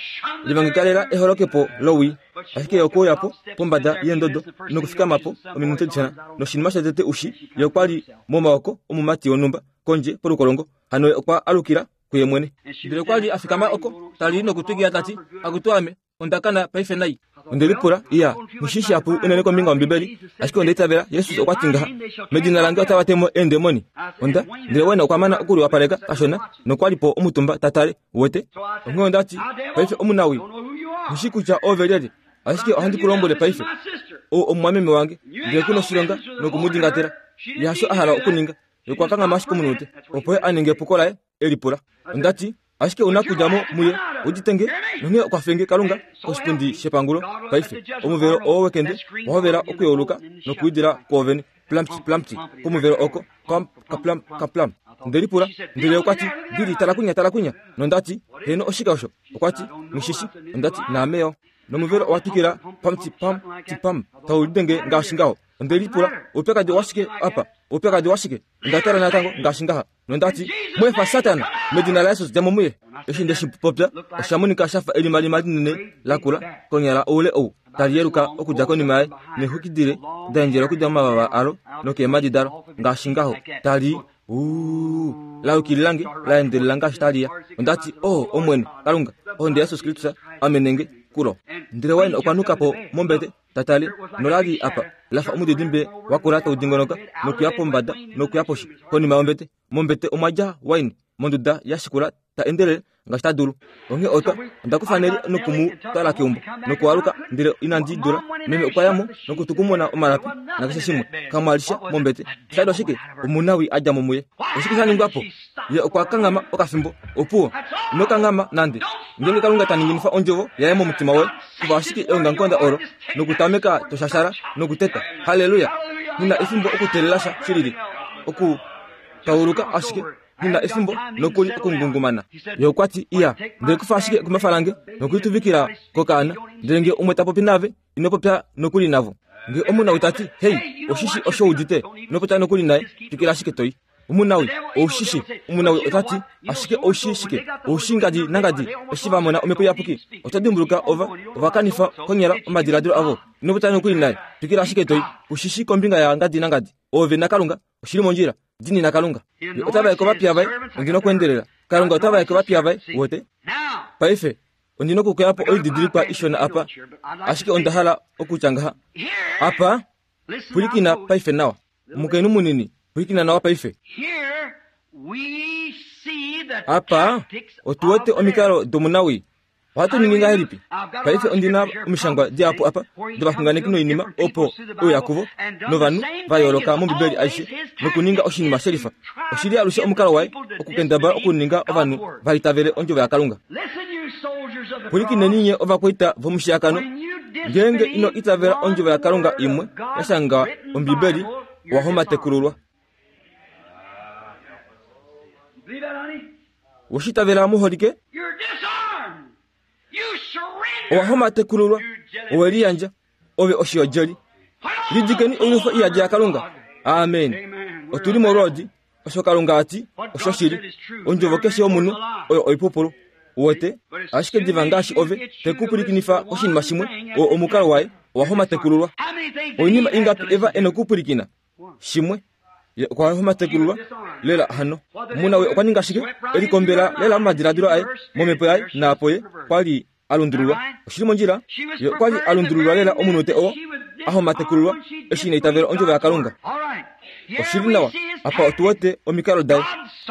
livangikalela eholokepo lowi ashike okuuyapo pombada yendodo nokufikamapo ominute dishona noshinima shatete ushi ye okwali momaoko omumati wonhumba kondje polukolongo hano okwa alukila kuye mwene ndele okwali afikama oko tali nokutwikiya tati akutu ame ondakana paife nai ondelipula iya mushishi apu unene kombinga yombibeli ashike ondeitavela Yesus okwa ti ngaha medina lange otava temo eendemoni onda ndele wena okwa mana okuliwapaleka kashona nokwalipo omutumba tatale wote onghee ondati paife omunawi mushi kutya ove lyelye ashike ohandi ku lombwele paife o omumwameme wange ndele kuna oshilonga nokumudingatela yasho a hala okuninga okwa kanghama ashike omunute opo ye a ninge epuko laye elipula ondati ashike una kudja mo muye uditenge nonghee okwa fenge Kalunga koshipundi shepangulo paife omuvelo oo wekende wahovela okuyeuluka nokuidila kwoovene plampti plampti komuvelo oko pam kaplam kaplam ndelipula ndele okwa ti Bili tala kunya tala kunya nondati heno oshike osho okwa ti mushishi ondati naame yo nomuvelo owa twikila pamti pam ti pam taulidenge ngaashi ngaho ondelipula oupyakadi washike apa oupyakadi washike ondatala natango ngaashi ngaha nondati mwefa Satana medina la Yesus djamo muye eshi ndeshi popya osha monika shafa elimalima linene lakula konyala oule ou tali yeluka okudja konima yaye nexwikidile da endjela okudja momavava alo nokeemadi dalo ngaashi ngaho tali uu laukililange la endelela ngaashi taliya ondati o omwene Kalunga ohonde yaJesus Kristus amenenge kulo ndele Wayne okwa nuka po mombete tatali nolali apa lafa omudidimbe wakula taudingonoka nokuya pombada nokuya poshi konima yombete mombete omwa dja Wayne monduda ya shikula ta endelele ngaashi ta dulu onghee otwa onda kufa Neli nokumu twala keumbo nokualuka ndele inandi dula meme okwa yamo nokutukumuna omalapi nakeshe shimwe kamwalisha mombete shado ashike omunawi a dja mo muye oshike sha ningwapo ye okwa kanghama okafimbo opuwo ino kanghama nande ngenge Kalunga ta ninginifa ondjovo yaye momutima woye kuva ashike eongamukonda olo nokutameka toshashara nokuteta haleluya nina efimbo okuteelela sha shilili oku tauluka ashike nina efimbo nokuli okungungumana ye okwa ti iya ndele kufa ashike kumafa lange nokuituvikila kokaana ndele nge umwe ta popi nave ino popya nokuli navo nge omunawi tati hei oshishi osho udite ino popya nokuli naye twikila ashike toi omunawi oushishi omunawi otati ashike oushishike oushingadi nangadi eshi va mona omhepo iyapuki ota dimbuluka ova ovakanifa konyala omadiladilo avo ino popya nokuli naye twikila ashike toi ushishi kombinga ya ngadi nangadi ove na Kalunga oshili mondjila dini na Kalunga otava yeko vapiya vaye ondina okuendelela Kalunga otava yeko vapiya vaye wote paife ondina okukuyapo oididilikwa ishona apa ashike onda hala okutya ngaha apa pwilikina paife nawa omukainhu munini pwilikina nawa paife apa otuwete omikalo domunawi ohatu ningi ngahelipi paife ondina omishangwa dihapu apa dovaxunganeki noinima opo ouya kuvo novanhu va yooloka mombibeli aishe nokuninga oshinima shelifa oshili alushe omukalo waye okukendabala okuninga ovanhu va itavele ondjovo yaKalunga pwilikineni nye ovakwaita vomushiyakano ngeenge ino itavela ondjovo yaKalunga imwe ya shanga ombibeli owa homatekululwa woshitavela muholike owa homatekululwa owe liyandja ove oshiyodjeli lidikeni oilwifo iyadi yaKalunga amen otuli molwoodi osho Kalunga ati osho shili ondjovo keshe yomunhu oyo oipupulu wote ashike diva ngaashi ove tekupwilikinifa oshinima shimwe oo omukalo waye owa homatekululwa oinima ingapi eva ena okupwilikina shimwe ye okwa homatekululwa lela hano omunawi okwa ninga ashike elikombela lela momadiladilo aye momhepo yaye naapo ye kwali alundululwa oshili mondjila ye okwali alundululwa lela omunute oo ahomatekululwa eshi ina itavela ondjovo yaKalunga Oshili nawa apa otu wete omikalo daye.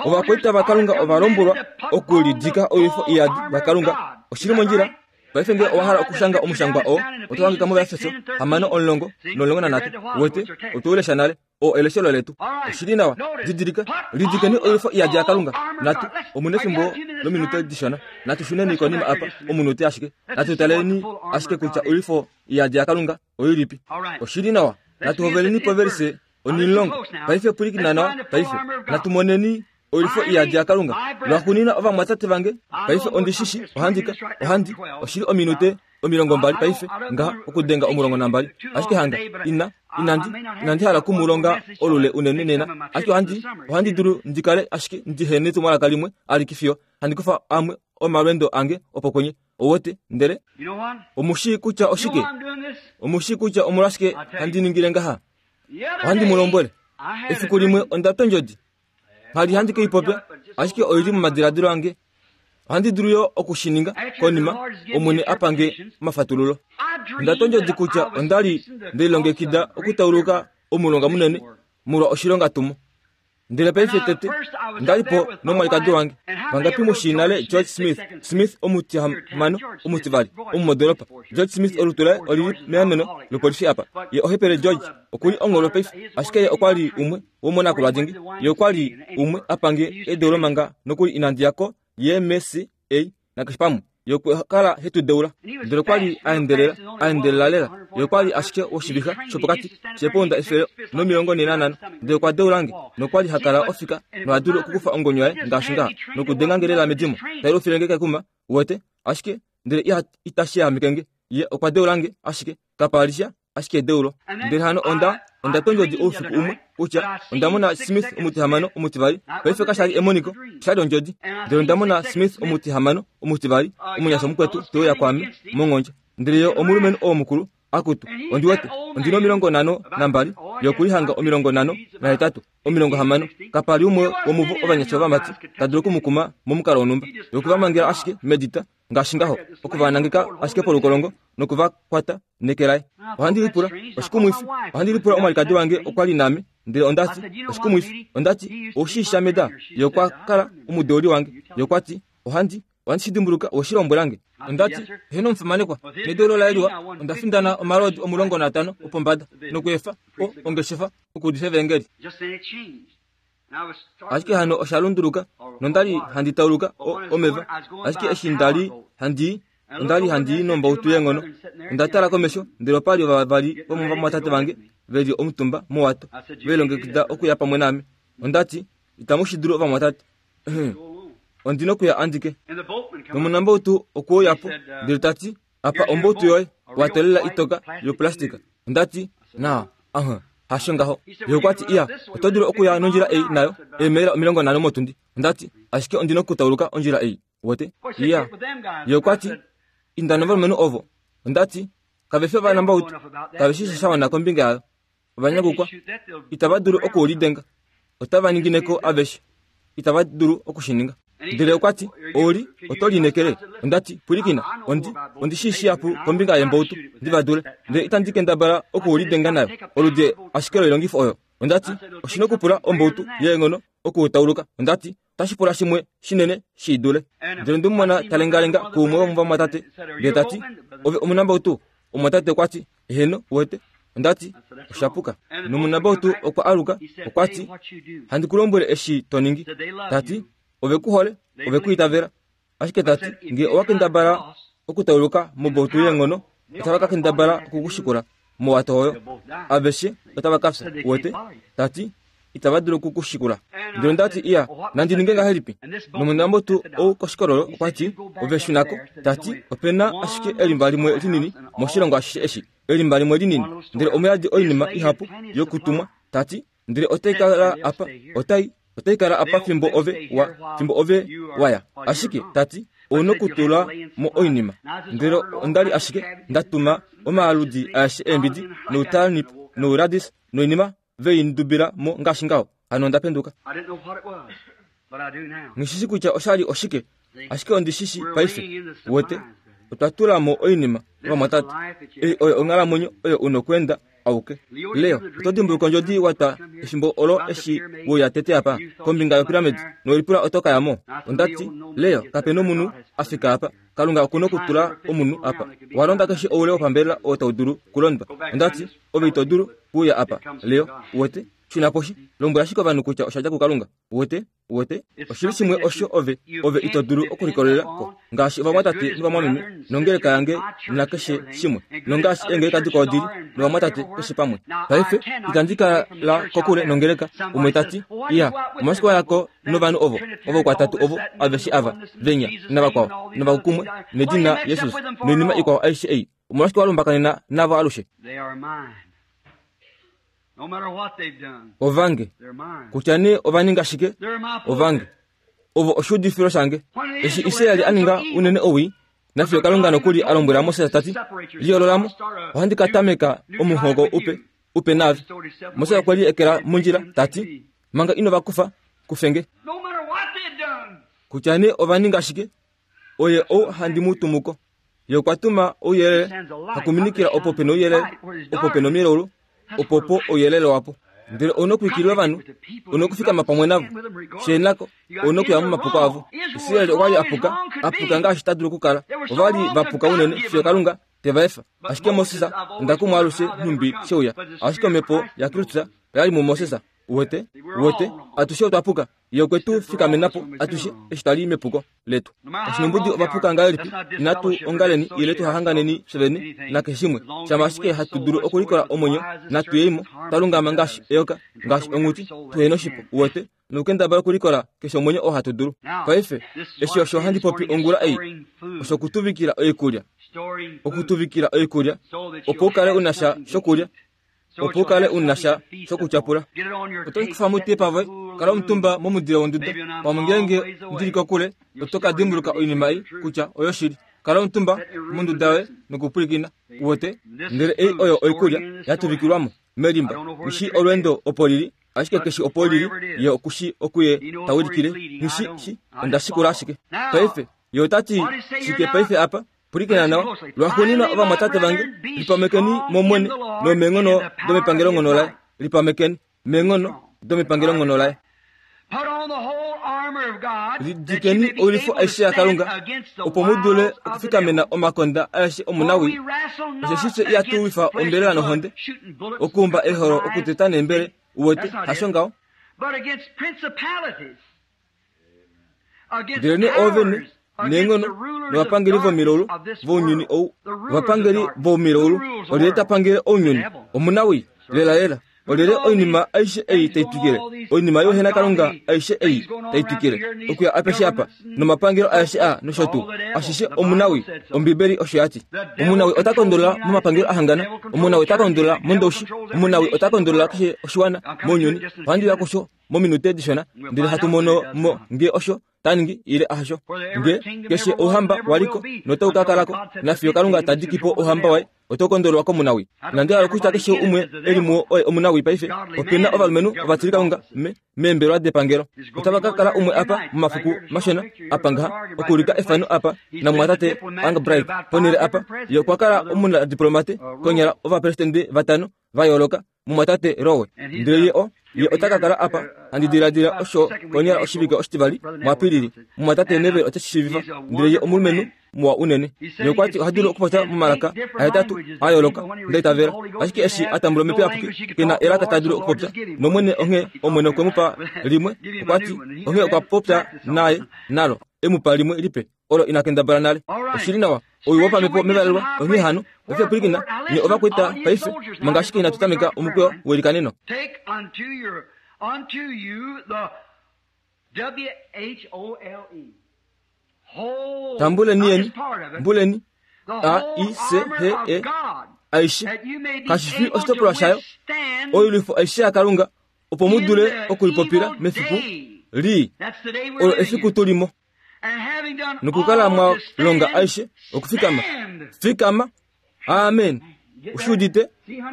Ovakwaita vaKalunga ova lombwelwa okulidika oilwifo iyadi yaKalunga. Oshili mondjila. Paife ngee owa hala okushanga omushangwa oo, oto hangika mOvaefeso hamano omulongo nomulongo nanhatu. Wete, otwe u lesha nale. Oo eleshelo letu. Oshili nawa. Didilika, lidikeni oilwifo iyadi yaKalunga. Natu, omuna efimbo lominute dishona. Natu shuneni konima apa omunute ashike. Natu taleni ashike kutya oilwifo iyadi yaKalunga oilipi. Oshili nawa. Natu hoveleni poverise onimulongo. Paife pwilikina nawa paife. Natu moneni oilwifo iyadi yaKalunga. Lwaxuuninwa ovamwatate vange, paife ondishishi ohandika ohandi oshili ominute omilongo mbali paife ngaha okudenga omulongo nambali. Ashike hanga ina inandi inandi hala okumulonga olule unene nena. Ashike ohandi ohandi dulu ndikale ashike ndihene etumwalaka limwe alike fiyo handi kufa amwe omalwendo ange opo kwenye. Owete ndele omushii kutya oshike? Omushii kutya omolwashike handi ningile ngaha? Ohandi mu lombwele. Efiku limwe onda twa ondjodi. Nghali handi ke i popya, ashike oili momadiladilo ange. Ohandi dulu yo okushininga konima Omwene apa nge omafatululo. Onda twa ondjodi kutya onda li ndelilongekida okutauluka omulonga munene molwa oshilonga tumo. Ndele paife tete onda li po nomwalikadi wange. Vangapi mushii nale George Smith? Smith omutihamano omutivali omumodoropa. George Smith olutu laye olili meameno lopolifi apa. Ye ohepele George okuli ongolo paife, ashike ye okwa li umwe womonakulwa dingi. Ye okwa li umwe apa nge edeulo manga nokuli inandi ya ko Y M C A nakeshe pamwe. Ye okwa kala hetu deula. Ndele okwa li a endelela, a endelela lela. Ye okwa li ashike woshivixa shopokati shepounda efele nomilongo nhee nanhano. Ndele okwa deula nge, nokwa li ha kala ofika noha dulu okukufa ongonyo yaye ngaashi ngaha nokudenga nge lela medimo. Tai lufile nge kekuma, wete, ashike ndele iha itashi yahameke nge. Ye okwa deula nge ashike kapa li sha ashike edeulo. Ndele hano onda onda twa ondjodi oufiku umwe kutya onda mona Smith omutihamano omutivali. Paife kasha li emoniko, osha li ondjodi. Ndele onda mona Smith omutihamano omutivali, omunyasha mukwetu te uya kwaame mongondja. Ndele ye omulumenhu oo mukulu akutu, ondi wete ondina omilongo nhano nambali, ye okuli hanga omilongo nhano nahetatu, omilongo hamano. Kapa li umwe womuvo ovanyasha ovamati ta dulu okumukuma momukalo wonhumba. Ye okwe va mangela ashike medita ngaashi ngaho, okuvanangeka ashike polukolongo nokuvakwata neke laye. Ohandi lipula oshikumwifi. Ohandi lipula omwalikadi wange okwa li naame. Ndele ondati oshikumwifi. Ondati oushii meda. Ye okwa kala omudeuli wange. Ye okwa ti ohandi ohandi shi dimbuluka oshilombwela nge. Ondati heno omufimanekwa nedeulo laye liwa. Onda findana omalodi omulongo natano opombada nokuefa o ongeshefa okuudifa evangeli. Ashike hano osha lunduluka nondali handi tauluka o omeva. Ashike eshi ndali handi onda li handi nombautu yeenghono. Onda tala komesho ndele opa li vavali vomovamwatate vange ve li omutumba mowato ve lilongekida okuya pamwe naame. Ondati itamu shi dulu ovamwatate. Ondina okuya andike. Nomunambautu okwe uya po ndele tati apa ombautu yoye watolela itoka yoplastika. Ondati na aha hasho ngaho. Ye okwa ti iya oto dulu okuya nondjila ei nayo eemaila omilongo nhano motundi. Ondati ashike ondina okutauluka ondjila ei. Wete iya. Ye okwa ti inda novalumenhu ovo. Ondati kave fi ovanambautu, kave shi sha wana kombinga yayo. Ovanyakukwa itava dulu okulidenga, otava ningineko aveshe, itava dulu okushininga. Ndele okwa ti ouli oto linekele. Ondati pwilikina, ondi ondi shi shihapu kombinga yembautu ndiva dule, ndele itandi kendabala okulidenga nayo oludi ashike loilongifo oyo. Ondati oshina okupula ombautu yeenghono okutauluka. Ondati otashi pula shimwe shinene shi dule. Ndele ndimumona talengalenga kuumwe womovamwatate ndele tati ove omunambautu. Omwatate okwa ti eheno wete. Ondati oshapuka. Nomunambautu okwa aluka okwa ti handi ku lombwele eshi to ningi. Tati ove ku hole, ove ku itavela. Ashike tati nge owa kendabala okutauluka mobautu yeenghono, otava ka kendabala okukushikula mowato oyo. Aveshe otava ka fya. Wete tati itava dulu okukushikula. Ndele ondati iya nandi ninge ngahelipi? Nomunambautu ou koshikololo okwa ti ove shunako. Tati opena ashike elimba limwe linini moshilongo ashishe eshi, elimba limwe linini, ndele omuyadi oinima ihapu yokutumwa. Tati ndele otai kala apa, otai otai kala apa fimbo ove wa fimbo ove waya. Ashike tati ouna okutula mo oinima. Ndele ondali ashike ndatuma omaaludi aeshe eembidi noutarnip nouradis noinima veindubila mo ngaashi ngaho. Hano onda penduka. Ngishishi kutya oshali oshike, ashike ondishishi paife. Wete Otwa tula mo oinima ovamwatate. Ei oyo onghalamwenyo oyo u nokweenda auke. Leo, oto dimbuluka ondjodi wa twa efimbo olo eshi weuya tete apa kombinga yopiramidi nowelipula oto ka ya mo. Ondati, Leo, kape nomunhu a fika apa. Kalunga okuna okutula omunhu apa. Wa londa keshe oule wopambelela oo tau dulu kulondwa. Ondati, ove ito dulu kuuya apa. Leo, uwete? Shuna poshi. Lombwela ashike ovanhu kutya osha dja kuKalunga. Uwete? Uwete? Oshili shimwe osho ove, ove ito dulu okulikolelela ko. Ngaashi ovamwatate novamwameme, nongeleka yange nakeshe shimwe. Nongaashi eengeleka dikwao dili, novamwatate keshe pamwe. Paife, itandi kala kokule nongeleka. Umwe ta ti, iya, omashike wayako novanhu ovo, ovo kwatatu ovo, aveshe ava, venya, navakwao, novakumwe, nedina Jesus, noinima ikwao aishe ei. Omolwashike walumbakanena navo alushe? Ovange, kutya nee ova ninga shike, ovange, ovo oshuudifilo shange. Eshi Israeli a ninga unene owii, nafiyo Kalunga nokuli a lombwela Moses ta ti, liyoololamo, ohandi ka tameka omuhoko upe, upe naave. Moses okwe liekela mondjila ta ti, manga ino va kufa, kufenge. Kutya nee ova ninga shike, oye ou handi mu tumuko. Ye okwa tuma ouyelele, hakuminikila opo pe nouyelele, opo pe nomilaulu, opo po ouyelele wapo. Ndele ou nokuikilila ovanhu, ou nokufikama pamwe navo. Sheenako, ou nokuya momapuko avo. Israeli okwa li apuka, apuka ngaashi ta dulu okukala. Ova li va puka unene fiyo Kalunga te va efa. Ashike Moses, onda kumwa alushe nhumbi sheuya. Ashike omhepo yaKristus oya li muMoses. Uwete? Uwete? Atushe otwa puka. Ye okwe tu fikamena po atushe eshi twali mepuko letu. Oshinombudu ovapuka ngahelipi, inatu ongaleni ile tuhahanganeni fye vene nakeshe shimwe. Shama ashike hatu dulu okulikola omwenyo, natu yeimo, twa lungama ngaashi eyoka, ngaashi onghuti, tuhena oshipo. Uwete? Nokukendabala okulikola keshe omwenyo oo hatu dulu. Paife, eshi osho handi popi ongula ei, osho okutuvikila oikulya. Okutuvikila oikulya, opo u kale u na sha shokulya, opo u kale u na sha shokutyapula. Oto kufa mutepa voye, kala omutumba momudile wonduda. Pamwe ngeenge ndili kokule, oto ka dimbuluka oinima ei kutya oyoshili. Kala omutumba monduda yoye nokupwilikina. Uwete? Ndele ei oyo oikulya yatuvikilwamo melimba. Nishi olweendo opo lili, ashike keshi opo lili, ye okushi okuye tawilikile. Nishi shi, onda shikula ashike. Paife, ye ota ti shike paife apa? Pwilikina nawa. Lwaxuuninwa ovamwatate vange, lipamekeni mOmwene nomeenghono domepangelonghono laye. Lipamekeni meenghono domepangelonghono laye. Lidikeni oilwifo aishe yaKalunga, opo mu dule okufikamena omakonda aeshe omunawii. Osheshi fye ihatu lwifa ombelela nohonde, okuumba eholo okuteta neembele. Uwete, hasho ngaho? Ndelenee oovene neenghono novapangeli vomilaulu vounyuni ou, ovapangeli vomilaulu, olyelye ta pangele ounyuni? Omunawii, lelalela. Olyelye oinima aishe ei tai twikile, oinima youhena Kalunga aishe ei tai twikile okuya apeshe apa, nomapangelo aeshe a nosho tuu, ashishe omunawii. Ombibeli osho ya ti. Omunawii ota kondolola momapangelo ahangana, omunawii ota kondolola mondoushi, omunawii ota kondolola keshe oshiwana mounyuni. Ohandi uya kusho mominute dishona, ndele hatu mono mo ngee osho ta ningi ile ahasho. Nge keshe ouhamba waliko notau ka kalako, nafiyo Kalunga ta diki po ouhamba waye, oto kondololwa komunawii. Nande hala kutya keshe umwe eli muwo oye omunawii paife, opena ovalumenhu ovatilikalunga me meembelwa depangelo. Otava ka kala umwe apa momafiku mashona apa ngaha, okuulika efano apa namumwatate Angbright ponhele apa. Ye okwa kala omunadiplomate konyala ovapresidente vatano va yooloka, mumwatate Rowe. Ndele ye o ye ota ka kala apa, handi diladila osho konyala oshivike oshitivali muApilili. Mumwatate Neville ote shi shiivifa. Ndele ye omulumenhu muwa unene. Ye okwa ti oha dulu okupopya momalaka ahetatu a yooloka, nda itavela. Ashike eshi a tambula omhepo iyapuki, ke na elaka ta dulu okupopya. Nomwene onghee Omwene okwe mu pa limwe, okwa ti onghee okwa popya naye nalo, e mu pa limwe lipe, olo ina kendabala nale. Oshili nawa, ouyi wopamhepo mevalelwa. Onghee hano, paife pwilikina, nye ovakwaita paife, manga ashike inatu tameka omukweyo welikaneno. Tambuleni yeni, mbuleni, A I C H E, aishe, kashi fi oshitopolwa shayo, oilwifo aishe yaKalunga, opo mu dule okulipopila mefiku lii, olo efiku tulimo. Nokukala mwa longa aishe okufikama. Fikama. Amen. Ushiudite,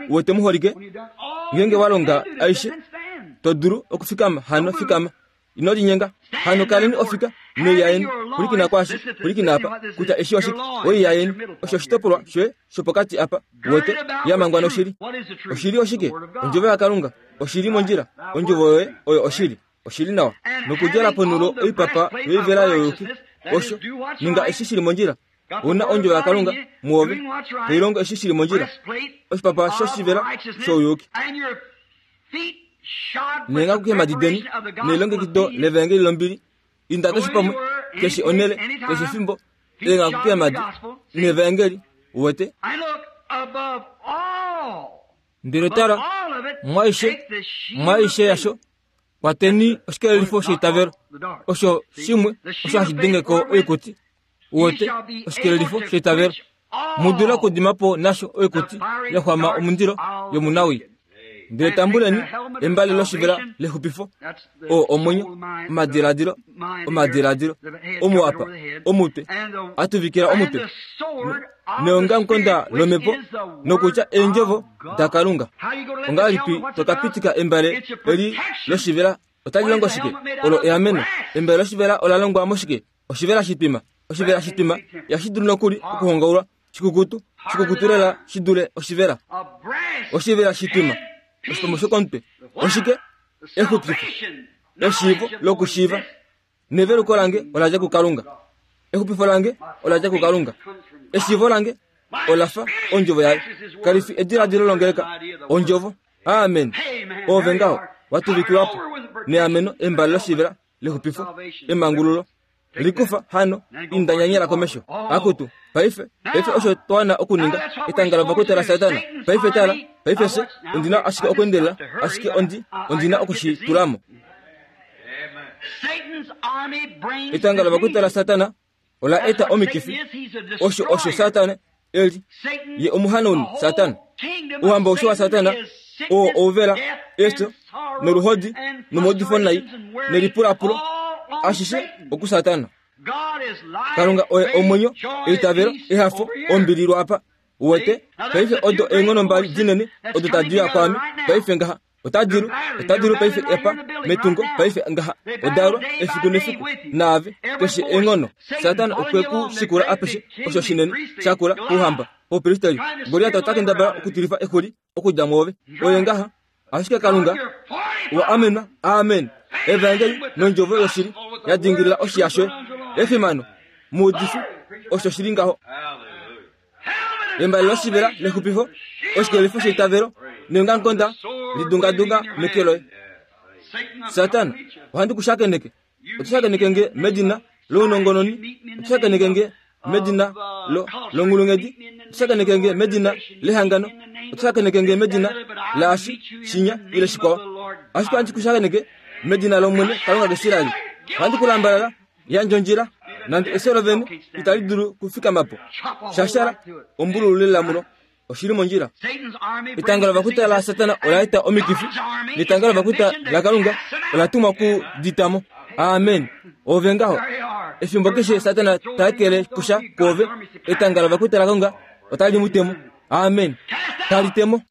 uwete muholike, ngeenge wa longa aishe, to dulu okufikama. Hano fikama. Ino linyenga. Hano kaleni ofika noiyaeni pulikina kwashi pulikina apa kutya eshi oshike oiyaeni osho oshitopolwa shoye shopokati apa wete yamangwa noshili. Oshili oshike? Ondjovo yaKalunga. Oshili mondjila. Ondjovo yoye oyo oshili. Oshili nawa. Nokudjala ponulo oipapa yoivela yoyuki. Osho ninga eshi shili mondjila. Una ondjovo yaKalunga muove toilongo eshi shili mondjila. Oshipapa shoshivela shouyuki. Nenga kukeemhadi deni nelongekido levangeli lombili. Inda keshe pamwe, keshe onele, keshe fimbo, lenga kukeemhadi nevangeli uwete. Ndele tala, mwaishe, mwaishe yasho, kwateni oshikelelifo sheitavelo. Osho shimwe, osho hashi dengeko oikuti. Uwete, oshikelelifo sheitavelo. Mudula okudimapo nasho oikuti yaxwama omundilo yomunawii. Ndele tambuleni embale loshivela lexupifo, oo omwenyo, omadiladilo, omadiladilo, omuapa, omutwe, atuvikila omutwe, neongamukonda lomepo, nokutya eendjovo daKalunga. Ongahelipi tokapitika embale eli loshivela otali longo shike? Olo eameno. Embale loshivela ola longwa moshike? Oshivela shitwima. Oshivela shitwima yashi dulu nokuli okuhongaulwa shikukutu, shikukutu lela shi dule oshivela. Oshivela shitwima. Oshipomo shokomutwe. Oshike? Exupifo. Eshiivo lokushiiva. Neveluko lange ola dja kuKalunga. Exupifo lange ola dja kuKalunga. Eshiivo lange ola fa ondjovo yaye. Kali fi ediladilo longeleka. Ondjovo. Amen. Ove ngaho watuvikilwapo neameno embale loshivela lexupifo emangululo likufa hano indanyanyela komesho. Akutu paife paife osho twana okuninga etanga lovakwita la Satana. Paife tala paife se ondina ashike okwendelela ashike ondi ondina okushitulamo. Etanga lovakwita la Satana ola eta omikifi. Osho osho Satana eli ye omuhanoni Satana. Uhamba osho wa Satana oo ouvela esto noluhodi nomaudifo nai nelipulapulo ashishe okusatana. Kalunga oye omwenyo, eitavelo, ehafo, ombili lwapa. Uwete paife odo eenghono mbali dinene odo tadi uya kwaame paife ngaha. Otadilu, otadilu paife epa metungo paife ngaha. Odalwa efiku nefiku naave keshe eenghono. Satana okwe ku shikula apeshe osho shinene shakula kuhamba opristeli. Goliat ota kendabala okutilifa exuli okudja mwoove. Oye ngaha ashike Kalunga wa amenwa. Amen. Evangeli nondjovo yoshili yadingilila oshiya shoye. Efimano muudifi osho shili ngaho. Embale loshivela lexupifo, oshikelelifo sheitavelo, neongamukonda lidungadunga meke loye. Satana, ohandi kushakeneke. Oto nge medina lounongononi, oto nge medina lo longulungedi, oto nge medina lehangano, oto nge medina laashi shinya ile shikwao. Ashike ohandi kushakeneke medina lOmwene Kalunga kaIsraeli. Ohandi kulambalala yandja ondjila nande efyo lovene itali dulu kufikamapo. Shashara ombululu lelamulo oshili mondjila. Etanga lovakwita la Satana ola eta omikifi, netanga lovakwita la Kalunga ola tumwa kuditamo. Amen. Ove ngaho efimbo keshe Satana taekele kusha kuove, etanga lovakwita la Kalunga otali mutemo. Amen. Tali temo.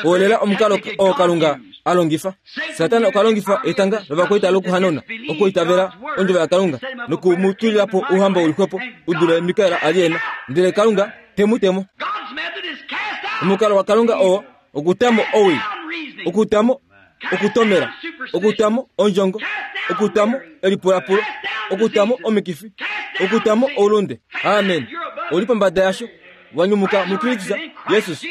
Olela omukalo oo Kalunga alongifa. Satana okalongifa etanga lovakwita lokuhanona okuitavela ondjovo yaKalunga nokumutulila po ouhamba ulixwepo udule Mikael ali ena. Ndele Kalunga temutemo. Omukalo waKalunga oo okutamo owii, okutamo okutomela, okutamo ondjongo, okutamo elipulapulo, okutamo omikifi, okutamo oulunde. Amen. Oli pombada yasho wanyumuka muKristus Jesus.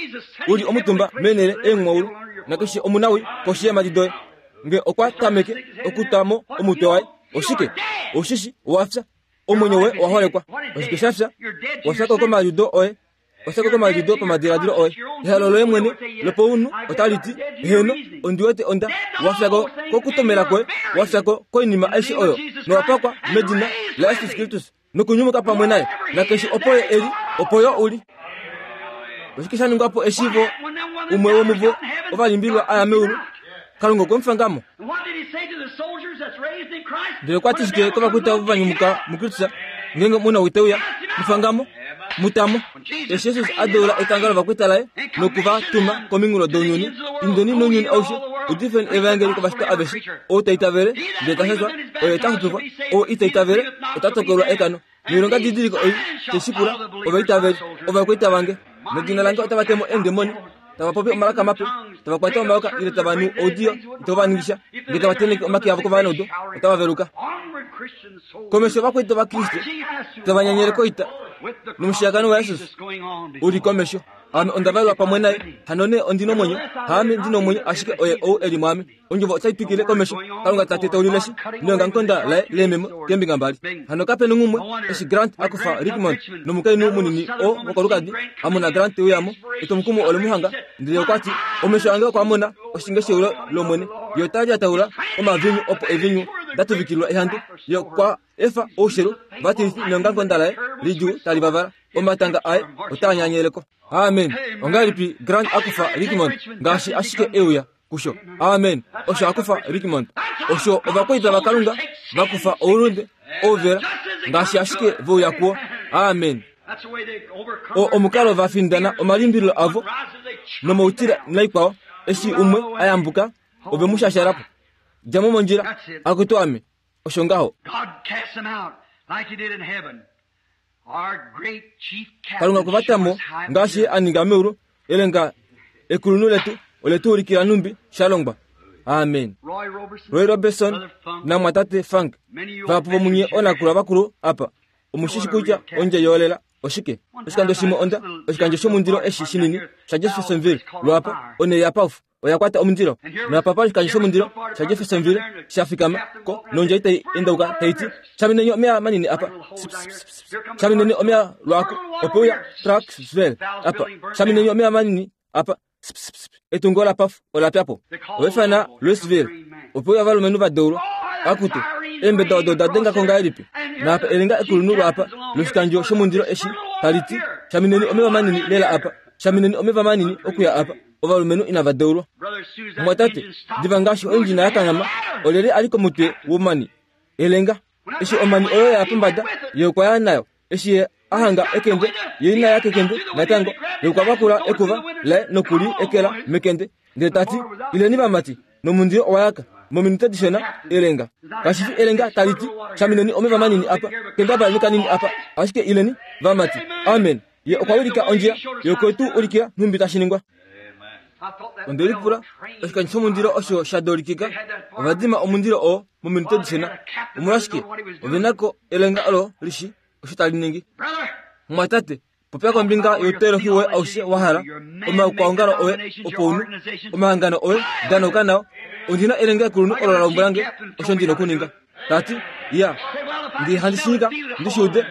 Uli omutumba menele eenghoulu nakeshe omunawi koshi yeemhadi doye. Nge okwa tameke okutamo omutwe waye, oshike? Oshishi wafya, omwenyo woye owa holekwa. Oshike shafya? Wafya ko komaliudo oye, wafya ko komaliudo pamadiladilo oye. Ehalo loye mwene lopounhu otali ti, heno ondi wete onda. Wafya ko kokutomela kwoye, wafya ko koinima aishe oyo, nowapakwa medina la Jesus Kristus nokunyumuka pamwe naye. Nakeshe opo ye eli, opo yo uli. Oshike sha ningwapo eshivo umwe womuvo ovalimbilwa aya meulu? Kalunga okwe mufangamo. Ndele okwa ti shike kovakwita ovo vanyumuka muKristus ngenge muna witeuya mufangamo mutamo? Eshi Jesus a deula etanga lovakwita laye noku va tuma kominghulo dounyuni, indeni nounyuni aushe Udifeni evangeli kovashitwa aveshe. Ou ta itavele ndele ta shashwa, oye ta xupifwa. Ou ita itavele ota tokolwa ekano. Noilonga didiliko ei teshikula ovaitaveli ovakwaita vange. Medina lange otava temo eendemoni, tava popi omalaka mape, tava kwata omayoka ile tava nu oudiyo itava va ningisha. Ngee tava tenheke omake avo kovanaudu, otava veluka. Komesho ovakwaita vaKriste tava nyanyele koita nomushiyakano waJesus uli komesho. Ame onda valwa pamwe naye, hano nee ondi nomwenyo, haame ndi nomwenyo ashike oye ou eli mwaame. Ondjovo otai twikile komesho. Kalunga tate taulileshi neongamukonda laye leememo keembinga mbali. Hano kape nongumwe eshi Grant akufa Richmond nomukainhu munini oo wokolukadi amona Grant teuyamo, etwomukumo ole muhanga ndele okwati omesho ange okwa mona oshinge sheulo lOmwene. Ye ota lyataula omavinyu opo evinyu datuvikilwa ehandu. Ye okwa efa oushelu vatilifi neongamukonda laye lidjuu tali vavala. Omatanga aye otaa nyanyeleko. Amen. Ongahelipi Grant akufa Richmond ngaashi ashike euya kusho. Amen. Osho akufa Richmond. Osho ovakwaita vaKalunga vakufa oulunde ouvela ngaashi ashike veuya kuwo. Amen. O omukalo vafindana omalimbililo avo nomoutila naikwao eshi umwe ayambuka ove mu shashalapo. Djamo mondjila akutu ame. Osho ngaho. Kalunga okwa vatamo ngaashi a ninga meulu elenga ekulunhu letu ole tu ulikila nhumbi sha longwa. Amen. Roy Robertson namwatate Frank vahapu vomunye oonakula vakulu apa omushishi kutya ondje yoolela oshike. Oshikando shimwe onda oshikandjo shomundilo eshi shinini shaJeffersonville lwapa one yapaufu oya kwata omundilo. Napapa oshikandjo shomundilo shaJeffersonville shafikama ko nondje itai endauka taiti shamineni omeya manini apa shamineni omeya lwako opeuya Clarksville apa shamineni omeya manini apa etungo lapafu olapyapo ovefana Louisville opeuya valumenhu vadeulwa akutu eembeda odo oda dengako ngahelipi. Naapa elenga ekulunhu lwapa loshikandjo shomundilo eshi taliti shamineni omeva manini lela apa shamineni omeva manini okuya apa. Ovalumenhu inava deulwa. Mwatate diva ngaashi oindjina yakanghama olyelye ali komutwe womani elenga. Eshi omani oyo ya pombada ye okwa ya nayo. Eshi ye ahanga ekende ye ina ya kekende natango ye okwa vakula ekuva laye nokuli ekela mekende ndele tati ileni vamati nomundilo owa yaka mominute dishona elenga. Kashifi elenga taliti shamineni omeva manini apa kendabala kanini apa ashike ileni vamati. Amen. Ye okwa ulika ondjila ye okwe tu ulikila nhumbi tashi ningwa. Onde lipula oshikandjo shomundilo osho sha dolikika ovadima omundilo oo mominute dishona. Omolwashike ovenako elenga olo lishi osho tali ningi. Mwatate popya kombinga youteolohi woye aushe wa hala omaukwaongalo oye opounu omahangano oye danauka nao. Ondina elenga ekulunhu olo la lombwelange osho ndina okuninga. Tati ya ndi handi shinyika ndi shiude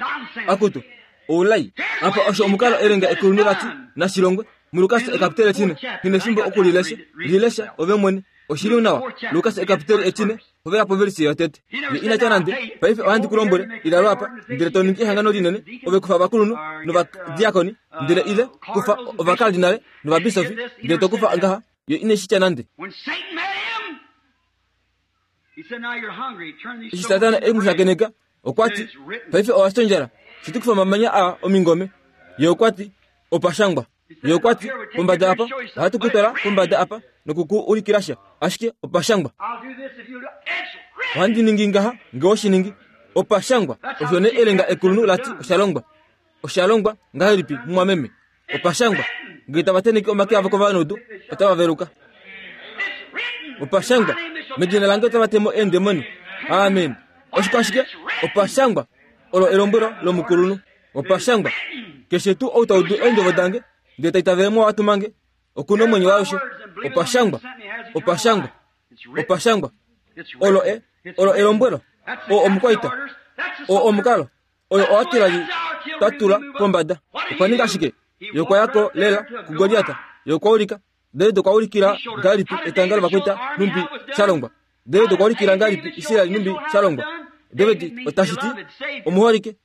akutu oulai apa osho omukalo elenga ekulunhu lati nashilongwe muLukas ekapiteli etine ngine fimbo okulilesha lilesha ove mwene oshili nawa. Lukas ekapiteli etine hovela povelisi yotete. Ye inatya nande paife ohandi ku lombwele ila lwapa ndele to ningi ehangano linene ove kufa ovakulunhu novadiakoni ndele ile kufa ovakardinale novabisofi ndele to kufa ngaha. Ye ineshitya nande. Eshi Satana e mu shakeneka okwati paife owa fya ondjala shitukufa omamanya aa omingome. Ye okwati opashangwa. Ye okwati pombada apa ohatu kutwala pombada apa nokuku ulikila sha ashike opashangwa. Ohandi ningi ngaha ngee oshiningi opashangwa. Osho nee elenga ekulunhu lati osha longwa. Osha longwa ngahelipi mumwameme? Opashangwa. Ngee tava tenheke omake avo kovanaudu otava veluka. Opashangwa. Medina lange otava temo eendemoni. Amen. Oshiko ashike opashangwa olo elombwelo lomukulunhu. Opashangwa. Keshe tuu ou taudu eendjovo dange ndele taitavele mowatumange okuna omwenyo waalushe. Opashangwa. Opashangwa. Opashangwa. Olo e olo elombwelo. O omukwaita. O omukalo. Oyo owatila tatula pombada. Okwa ninga ashike. Ye okwa yako lela kuGoliata. Ye okwa ulika. David okwa ulikila ngahelipi etanga lovakwaita nhumbi sha longwa. David okwa ulikila ngahelipi Israel nhumbi sha longwa. David otashiti omuholike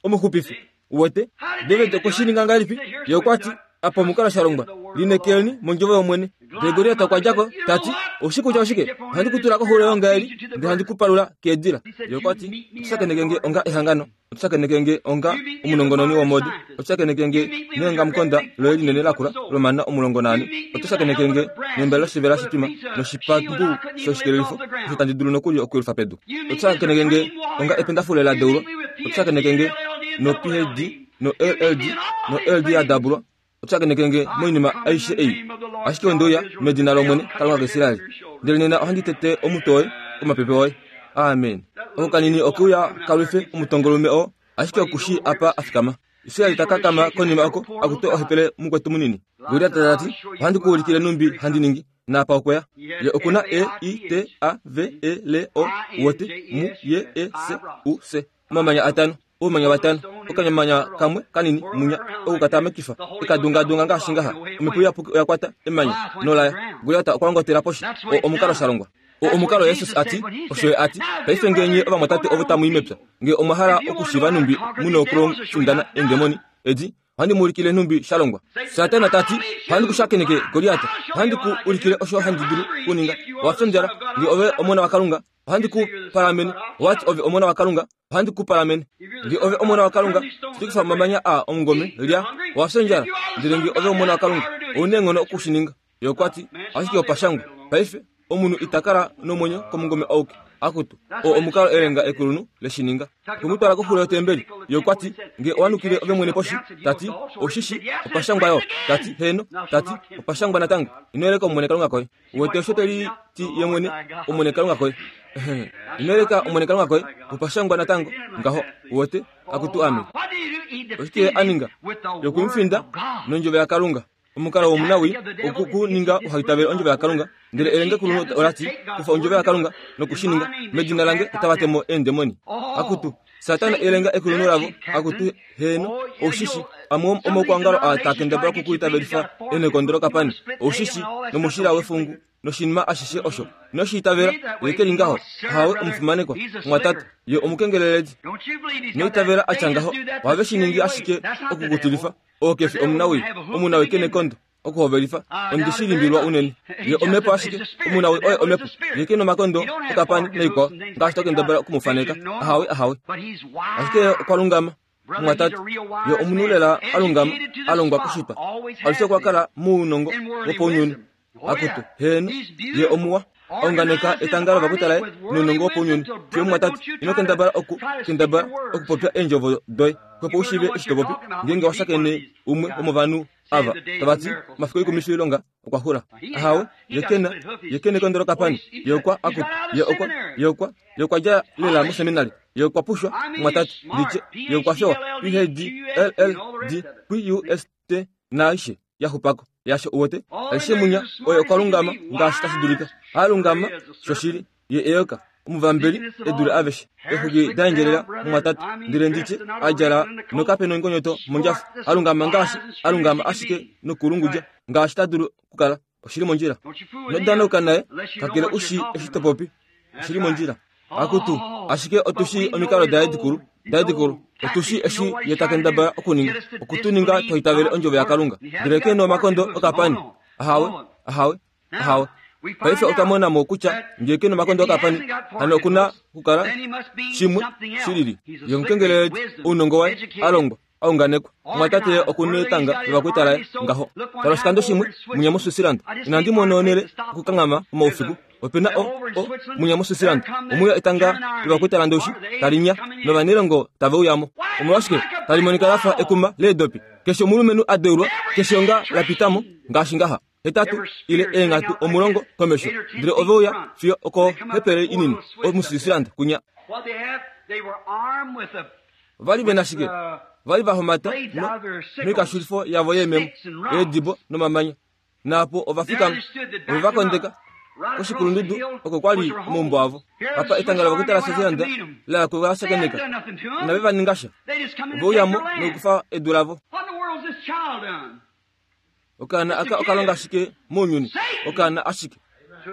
omuxupifi. Uwete David okwe shi ninga ngahelipi? Ye okwati Apa omukalo shalongwa linekeleni mondjovo yomwene. Ndele Goliat okwa djako tati oshi kutya oshike ohandi ku tula koxulo yongaeli ndele handi ku palula keedila. Ye okwa ti otushakeneke nge onga ehangano, otushakeneke nge onga omunongononi womode, otushakeneke nge neongamukonda loye linene lakula lomana omulongo naane, otushakeneke nge nembele loshivela shitwima noshipambu shoshikelelifo osho tandi dulu nokuli okuyelufa pedu, otushakeneke nge onga ependafule la deulwa, otushakeneke nge no P H D no L L D no L D ya dabulwa, otushakeneke nge moinima aishe ei. Ashike ondouya medina lOmwene Kalunga kaIsraeli, ndele nena ohandi tete omutwe woye komapepe oye. Amen. Oko kanini okeuya kalwife omutongolume oo, ashike okushi apa a fikama. Israeli ta kakama konima oko akutwe ohepele mukwetu munini. Goliat ta ti ohandi ku ulikile numbi handi ningi naapa okweya. Ye okuna E I T A V E L O wote mu ye E S U S. Omamanya atano, oumanya vatano, okanyamanya kamwe kanini munya okukatamekifa ekadungadunga ngaashi ngaha. Omhepo iyapuki oya kwata emanya nolaya. Goliat okwa ngotela poshi. O omukalo shalongwa. O omukalo Jesus ati osho ye ati paife ngenye ovamwatate ovo tamu i mepya nge omwa hala okushiva numbi muna okulofindana eendemoni edi ohandi mu ulikile numbi shalongwa. Satana tati ohandi ku shakeneke Goliat, ohandi ku ulikile osho handi dulu kuninga. Owa fyondjala nge ove omona waKalunga, ohandi ku palamene. Owati ove omona waKalunga, ohandi ku palamene. Nge ove omona waKalunga, shitukifa omamanya a omungome lya. Owa fyondjala ndele nge ove omona waKalunga, ouna eenghono okushininga. Ye okwa ti ashike opashangwa paife omunhu itakala nomwenyo komungome auke. Akutu o omukalo elenga ekulunhu leshininga. Okwemutwala koxulo yotembeli. Ye okwa ti nge owanukile ove mwene poshi, tati oshishi opashangwa yo, tati heno, tati opashangwa natango. Ino yeleka Omwene Kalunga koye. Uwete osho teli ti ye mwene Omwene Kalunga koye. Ino yeleka Omwene Kalunga koye, opashangwa natango ngaho. Uwete akutu ame. Oshike a ninga? Yokumfinda nondjovo yaKalunga. Omukalo womunawi okukuninga uhaitavele ondjovo yaKalunga, ndele elenge kulunhu olati kufa ondjovo yaKalunga nokushininga medina lange otava temo eendemoni. Akutu Satana elenga ekulunhu lavo. Akutu heno oshishi amwe omaukwangalo a takendabala okukuitavelifa enekondolo kapani oshishi nomushila wefungu noshinima ashishe osho noshiitavela yekeli ngaho. Hawe omufimanekwa mwatate ye omukengeleledi noitavela atya ngaho ohave shiningi ashike okukutilifa. Okefi omunawi omunawi kenekondo okuhovelifa ondishilimbilwa unene. Ye omhepo ashike omunawi oye omhepo ye ke nomakondo okapani noikwao ngaashi tokendabala okumufaneka. Ahawe ahawe ashike okwa lungama mwatate ye omunhu lela alungama alongwa kushitwa alushe okwa kala muunongo wopounyuni. Akutu heno ye omuwa aunganeka etanga lovakutalaye nounongo wopounyuni. Fiyo mwatate ino kendabala oku kendabala okupopya eendjovo doye kwepo ushive eshi to popi ngeenge washakene umwe womovanhu ava tavati mafiku oikumwifi ilonga okwa xula. Ahawe ye kena ye kena ekondolo kapani ye okwa akutu ye okwa ye okwa ye okwa dja lela moseminari ye okwa pushwa mwatate nditye ye okwa fewa P H D L L D P U S T naaishe yaxupako yasho. Uwete aishe munya oye okwa lungama ngaashi tashi dulika. Alungama shoshili ye eyoka omuvambeli edule aveshe exuki daendjelela mwatate ndele nditye adjala nokape nongonyoto mondjafu. Alungama ngaashi alungama ashike nokulungudja ngaashi ta dulu kukala. Oshili mondjila. Nodanauka naye kakele ushi eshi to popi. Oshili mondjila. Akutu ashike otushi omikalo daye dikulu daye dikulu otushi eshi ye takendabala okuninga okutuninga twaitavele ondjovo yaKalunga ndele ke nomakondo okapani. Ahawe ahawe ahawe. Paife otwa mona mo kutya ngee ke nomakondo okapani hano okuna kukala shimwe shilili. Ye omukengeleledi ounongo waye alongwa aunganekwa mwatate okunetanga lovakwitalaye ngaho. Tala oshikando shimwe munya moSwitzerland inandi mona onele okukanghama omaufiku. Opena o o munya moSwitzerland omuya etanga lovakwitalandoshi talinya novanelongo tave uyamo. Omolwashike tali monika lafa ekuma leedopi. Keshe omulumenhu a deulwa keshe onga lapitamo ngaashi ngaha hetatu ile eenghatu omulongo komesho ndele ove uya fiyo okohepele inini omuSwitzerland kunya. Vali vena shike? Vali vahomata noikashulifo yavo yeememo eedibo nomamanya naapo ovafikama ove vakondeka koshikulundudu oko kwali omaumbo avo. Apa etanga lovakwitala Switzerland lala kuvashakeneka inave va ninga sha. Ove uyamo nokukufa edu lavo. Okaana aka okalonga ashike mounyuni. Okaana ashike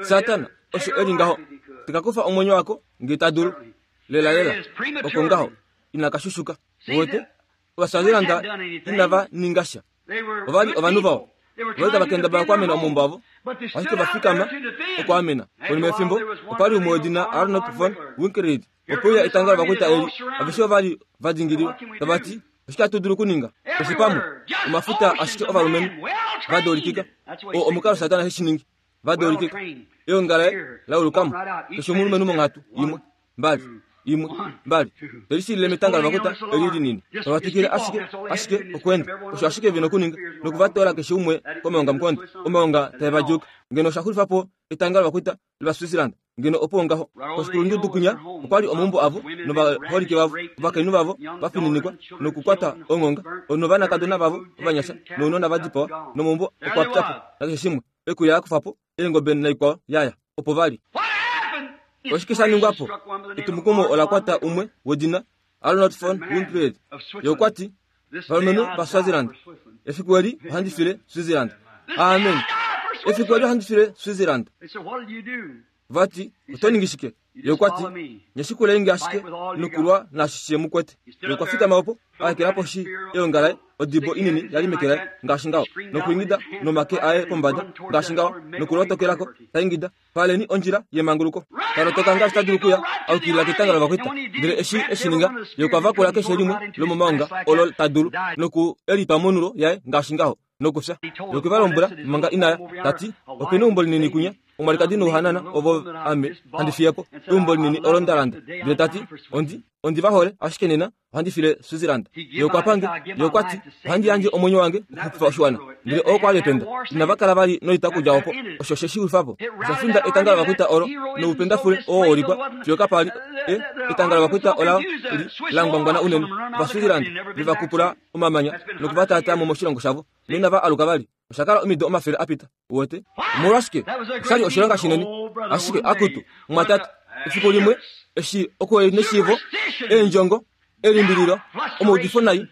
Satana osho eli ngaho tekakufa omwenyo wako nge ta dulu lela lela oko ngaho inakashushuka. Wote ovaSwaziland inava ninga sha. Ova li ovanhu vawa. Ova li tava kendabala okwaamena omaumbo avo, ashike va fikama okwaamena. Konima yefimbo, opa li umwe wedina Arnold von Winkelried. Opo uya etanga lovakwaita eli, aveshe ova li va dingililwa, tava ti, oshike hatu dulu okuninga? Keshe pamwe, omafuta ashike ovalumenhu va doolikika. Oo omukalo Satana he shi ningi, va doolikika. Eonga laye laulukamo, keshe omulumenhu monghatu imwe, mbali, imwe, mbali. Teli shilile metanga lovakwaita eli linini. Tava twikile ashike, ashike okweenda. Osho ashike vena okuninga, nokuvatoola keshe umwe komaongamukonda, omaonga tae va djuuka. Ngeno osha xulifa po etanga lovakwaita lOvaswitzerland, ngeno opo ngaho. Koshikulundudu kwinya okwa li omaumbo avo novaholike vavo, ovakainhu vavo va fininikwa nokukwata onghonga, novanakadona vavo ovanyasha nounona va dipawa, nomaumbo okwa pya po nakeshe shimwe. Ekulya la kufa po, eengobe naikwao yaya, opo va li. Oshike sha ningwa po? Etumukumo ola kwata umwe wedina Arnold von Winkelried. Ye okwa ti, valumenhu vaSwaziland, efiku eli ohandi file Switzerland. Amen. Efiku eli ohandi file Switzerland. Vati, oto ningi shike? Ye okwa ti, nye shikulenge ashike nokulwa naashi she mu kwete. Ye okwa fikama opo, a ekela poshi eonga laye, odibo inini yali meke laye, ngaashi ngaho, nokuingida nomake aye pombada, ngaashi ngaho, nokulotokelako, ta ingida, paleni ondjila yemanguluko. Talotoka ngaashi ta dulu okuya, a ukilila ketanga lovakwaita. Ndele eshi eshi ninga, ye okwa vakula keshe limwe lomomaonga olo ta dulu, noku elitwa monulo yaye ngaashi ngaho, nokufya. Ye okwe va lombwela manga inaya, ta ti, opena eumbo linini kwinya, omwalikadi nouhanana ovo ame handi fiye po, eumbo linini olo nda landa. Ndele ta ti, ondi ondi va hole, ashike nena ohandi file Switzerland. Ye okwa pange, ye okwa ti, ohandi yandje omwenyo wange okuxupifa oshiwana. Ndele oo kwa li ependa. Inava kala vali noita okudja opo. Osho she shi xulifa po. Osha finda etanga lovakwaita olo noupendafule oo wa ulikwa fiyo kapa li e etanga lovakwaita ola li la ngwangwana unene. Ovaswitzerland ve va kupula omamanya nokuvataataa mo moshilongo shavo, noinava aluka vali. Osha kala omido omafele a pita. Uwete? Omolwashike? Osha li oshilonga shinene. Ashike akutu, mumwatate, efiku limwe eshi okwe neshiivo, eendjongo, elimbililo, omaudifo nai,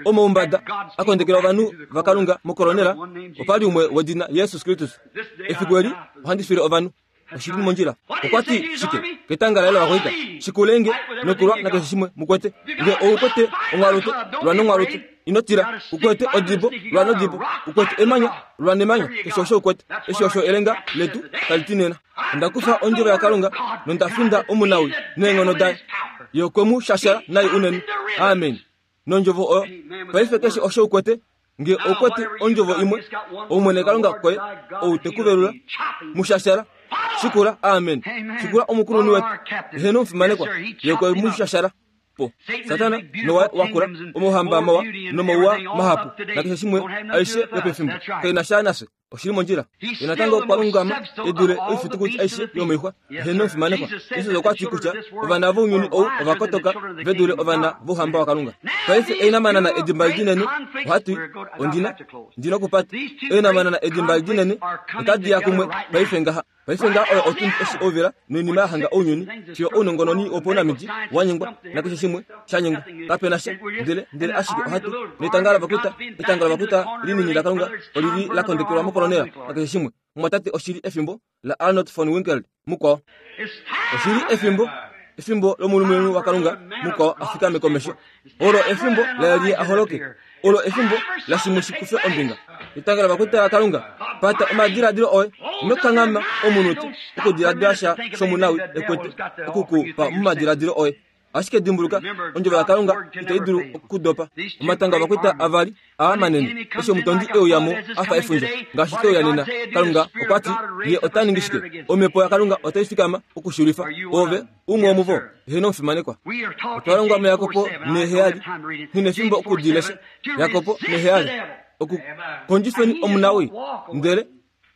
omaumbada a kondekela ovanhu vaKalunga mokolonela, opa li umwe wedina Jesus Kristus. Efiku eli ohandi file ovanhu. Oshili mondjila. Okwa ti shike ketanga laye lovakwaita? Shikulenge nokulwa nakeshe shimwe mukwete. Nge oukwete onghalute, lwa nonghalute. Ino tila. Ukwete odibo, lwa nodibo. Ukwete emanya, lwa nemanya. Keshe osho ukwete. Eshi osho elenga letu tali ti nena. Onda kufa ondjovo yaKalunga nonda finda omunawi neenghono daye. Ye okwe mu shashala nai unene. Amen. Nondjovo oyo. Paife keshe osho ukwete, nge oukwete ondjovo imwe, Omwene Kalunga koye ou te ku velula, mu shashala. Shikula, amen. Shikula omukulunhu wetu. Eheno omufimanekwa. Ye okwe mu shashala po. Satana nowa wakula, omauhamba mawa nomauwa mahapu, nakeshe shimwe aishe yopefimbo. Kaina sha nafye. Oshili mondjila. Ye natango okwa lungama e dule oifitukuti aishe yomoixwa. Eheno omufimanekwa. Jesus okwa ti kutya ovana vounyuni ou ova kotoka ve dule ovana vouhamba waKalunga. Paife einamanana edimba linene, ohatu ondina ndina okupata. Einamanana edimba linene otadi ya kumwe paife ngaha. Paife ngaha oyo otundi eshi ouvila noinima ya hanga ounyuni, fiyo ounongononi wopaunamiti wa nyengwa nakeshe shimwe sha nyengwa. Kapena sha, ndele ndele ashike ohatu netanga lovakwaita, etanga lovakwaita linini laKalunga olili la kondekelwa mokolonela nakeshe shimwe. Mumwatate, oshili efimbo la Arnold von Winkelried mukwao. Oshili efimbo efimbo lomulumenhu waKalunga mukwao a fikame komesho. Olo efimbo laElia a holoke. Olo efimbo lashimwe shi kufe ombinga. Etanga lovakwaita laKalunga, pata omadiladilo oye, ino kanghama omunute okudiladila sha shomunawi ekwete okukupa momadiladilo oye. Ashike dimbuluka, ondjovo yaKalunga itai dulu okudopa. Omatanga ovakwaita avali aa manene, eshi omutondi e uya mo a fa efundja, ngaashi te uya nena. Kalunga okwa ti, ye ota ningi shike? Omhepo yaKalunga otai fikama okuxulifa. Ove umwe womuvo, eheno omufimanekwa. Otwa longwa muJakobo neheyali, nghi nefimbo okudilesha. Jakobo neheyali, okukondjifeni omunawi, ndele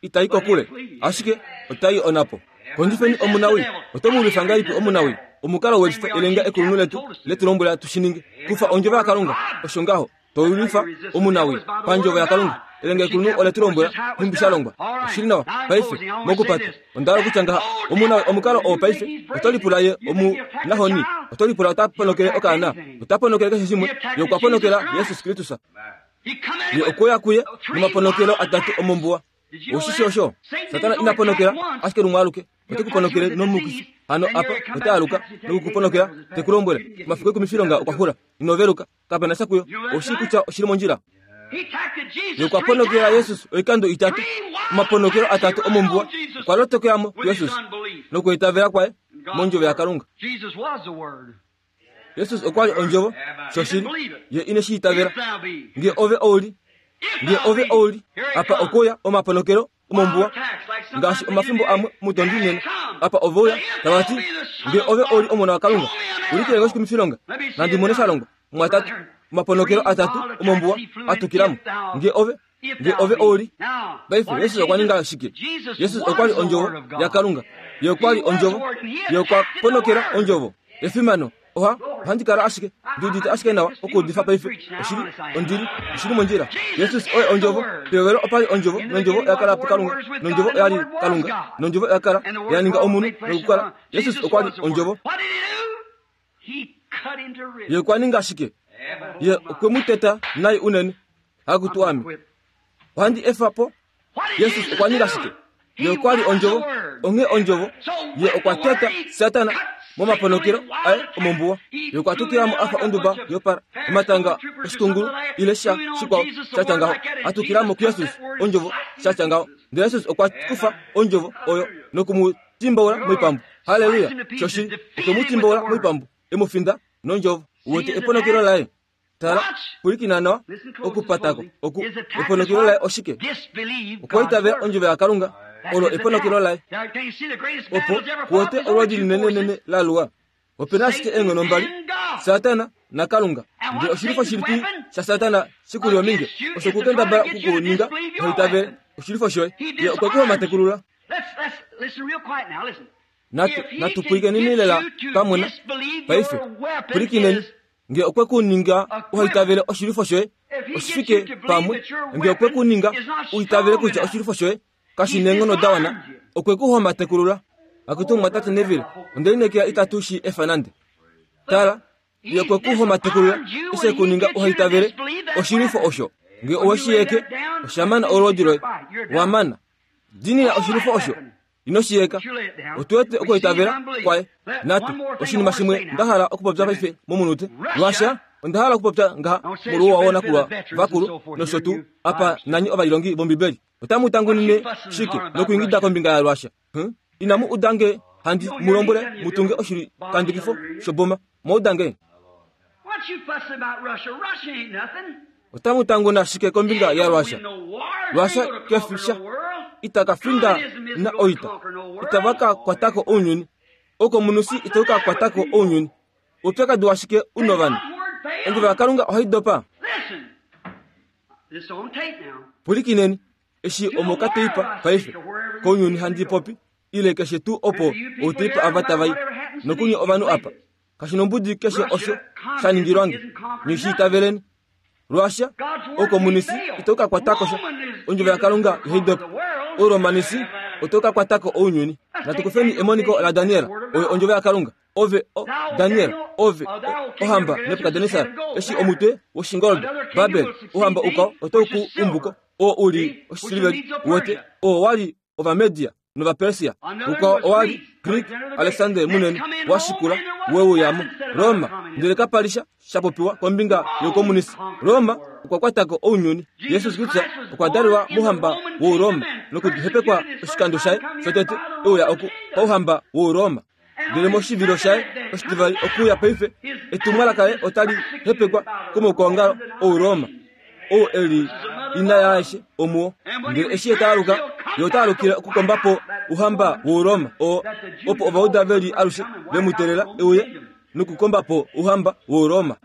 itai kokule, ashike otai onapo. Kondjifeni omunawi. Oto mu lwifa ngahelipi omunawi? Omukalo welifa elenga ekulunhu letu letu lombwela tu shi ninge. Kufa ondjovo yaKalunga, osho ngaho to lwifa omunawi pandjovo yaKalunga. Elenga ekulunhu ole tu lombwela nhumbi sha longwa. Oshili nawa paife mokupata. Onda hala okutya ngaha, omunawi omukalo oo paife oto lipula ye omunahoni, oto lipula ota ponokele okaana, ota ponokele keshe shimwe. Ye okwa ponokela Jesus Kristus. Ye okwe kuye nomaponokelo atatu omombuwa. Oshishi osho Satana ina ponokela ashike lumwe aluke, ote ku ponokele nomukifi. Hano apa ota aluka nokukuponokela te ku lombwele omafiku ekumi filonga okwa xula, ino veluka, kapena sha kuyo. Oshi kutya oshili mondjila. Ye okwa ponokela Jesus oikando itatu, omaponokelo atatu omombuwa, okwa lotokelamo Jesus nokuitavela kwaye mondjovo yaKalunga. Jesus okwa li ondjovo shoshili, ye ine shi itavela. Nge ove ouli, nge ove ouli, apa okuya omaponokelo omombuwa, ngaashi omafimbo amwe mutondi nena, apa oveuya tava ti, nge ove ouli omona waKalunga, ulikile ngoshikumifilonga, nandi mone sha longwa, mwatatu, omaponokelo atatu omombuwa atukilamo, nge ove, nge ove ouli. Paife Jesus okwa ninga shike? Jesus okwa li ondjovo yaKalunga, ye okwa li ondjovo, ye okwa ponokela ondjovo. Efimano, oha, ohandi kala ashike, ndi udite ashike nawa okuudifa paife, oshili, ondili, oshili mondjila. Jesus oye ondjovo, pehovelo opa li ondjovo, nondjovo oya kala puKalunga, nondjovo oya li Kalunga, nondjovo oya kala, ya ninga omunhu nokukala. Jesus okwa li ondjovo. Ye okwa ninga shike? Ye okwe mu teta nai unene, hakutu ame. Ohandi efa po. Jesus okwa ninga shike? Ye okwa li ondjovo, onghee ondjovo, ye okwa teta Satana momaponokelo aye omombuwa. Ye okwa tukilamo afa onduba yopara, omatanga oshikungulu ile sha shikwao sha ngaho, atukilamo kuJesus ondjovo sha ngaho. Ndele Jesus okwa kufa ondjovo oyo noku mu timbaula moipambu. Haleluya! Shoshili, okwe mu timbaula moipambu, e mu finda nondjovo. Uwete eponokelo laye? Tala, pwilikina nawa okupatako oku eponokelo laye oshike? Okwa itavela ondjovo yaKalunga, olo eponokelo laye. Opo kuwete olwoodi linenenene la luwa. Opena ashike eenghono mbali, Satana naKalunga. Ndele oshilifo shilipi shaSatana shikuli ominge, osho kukendabala okukuninga hoitavele oshilifo shoye. Ye okwe ku homatekulula. Natu natupwikeneni lela pamwe paife. Pwilikineni, nge okwe ku ninga uhaitavele oshilifo shoye, oshifike pamwe, nge okwe ku ninga uitavele kutya oshilifo shoye kashi neenghono da wana, okwe ku homatekulula. Akutu mwatate Neville, onde lineekela itatu shi efa nande. Tala, ye okwe ku homatekulula, ese ku ninga uhaitavele oshilifo osho. Nge owe shi yeke, oshamana olwoodi loye, wamana. Dinina oshilifo osho, ino shi yeka. Otuwete okuitavela kwaye. Natu, oshinima shimwe nda hala okupopya paife momunute. Lwasha, onda hala okupopya ngaha molwouwa woonakulwa vakulu nosho tuu apa nanyi ovalilongi vOmbibeli. Otamu tangunine shike nokuingida kombinga yaLwasha? Hm? Inamu udange handi mu lombwele mutunge oshilikandukifo shoboma. Mwaudange. Otamu tanguna shike kombinga yaLwasha? Lwasha kefisha itaka finda na oita. Itavaka kwatako ounyuni. Okomunusi itauka kwatako ounyuni. Upyakadi washike unovanhu? Ondjovo yaKalunga ohai dopa. Pwilikineni, eshi omokateipa paife, kounyuni handi popi, ile keshe tuu opo outeipa ava tava i, nokunye ovanhu apa. Kashi nombudi keshe osho sha ningilwange, nishi itaveleni. Lwasha, okomunisi itauka kwatako sha. Ondjovo yaKalunga ihai dopa. Oromanisi otauka kwatako ounyuni. Natukufeni emoniko la Daniel, oyo ondjovo yaKalunga. Ove, o, Daniel, ove, o, ohamba Nebukadnesar, eshi omutwe woshingoldo, Babel, ohamba ukao otau ku umbuko, oo uli oshisiliveli, wote, oo wali Ovamedia nOvapersia, ukao owali Greek, Alexander munene, washikula, weuyamo, Roma, ndele kapalisha shapopiwa kombinga yokomunisi. Roma okwa kwatako ounyuni. Jesus Kristus okwa dalelwa mouhamba wouRoma nokuhepekwa oshikando shaye shotete euya oku pauhamba wouRoma. Ndele moshivilo shaye oshitivali okuya paife, etumwalaka laye otali hepekwa komaukwaongalo ouRoma, ou eli ina yaashe omuwo. Ndele eshi ye taaluka, ye ota alukile okukomba po ouhamba wouRoma, oo opo Ovauda veli alushe ve mu teelela euye nokukomba po ouhamba wouRoma.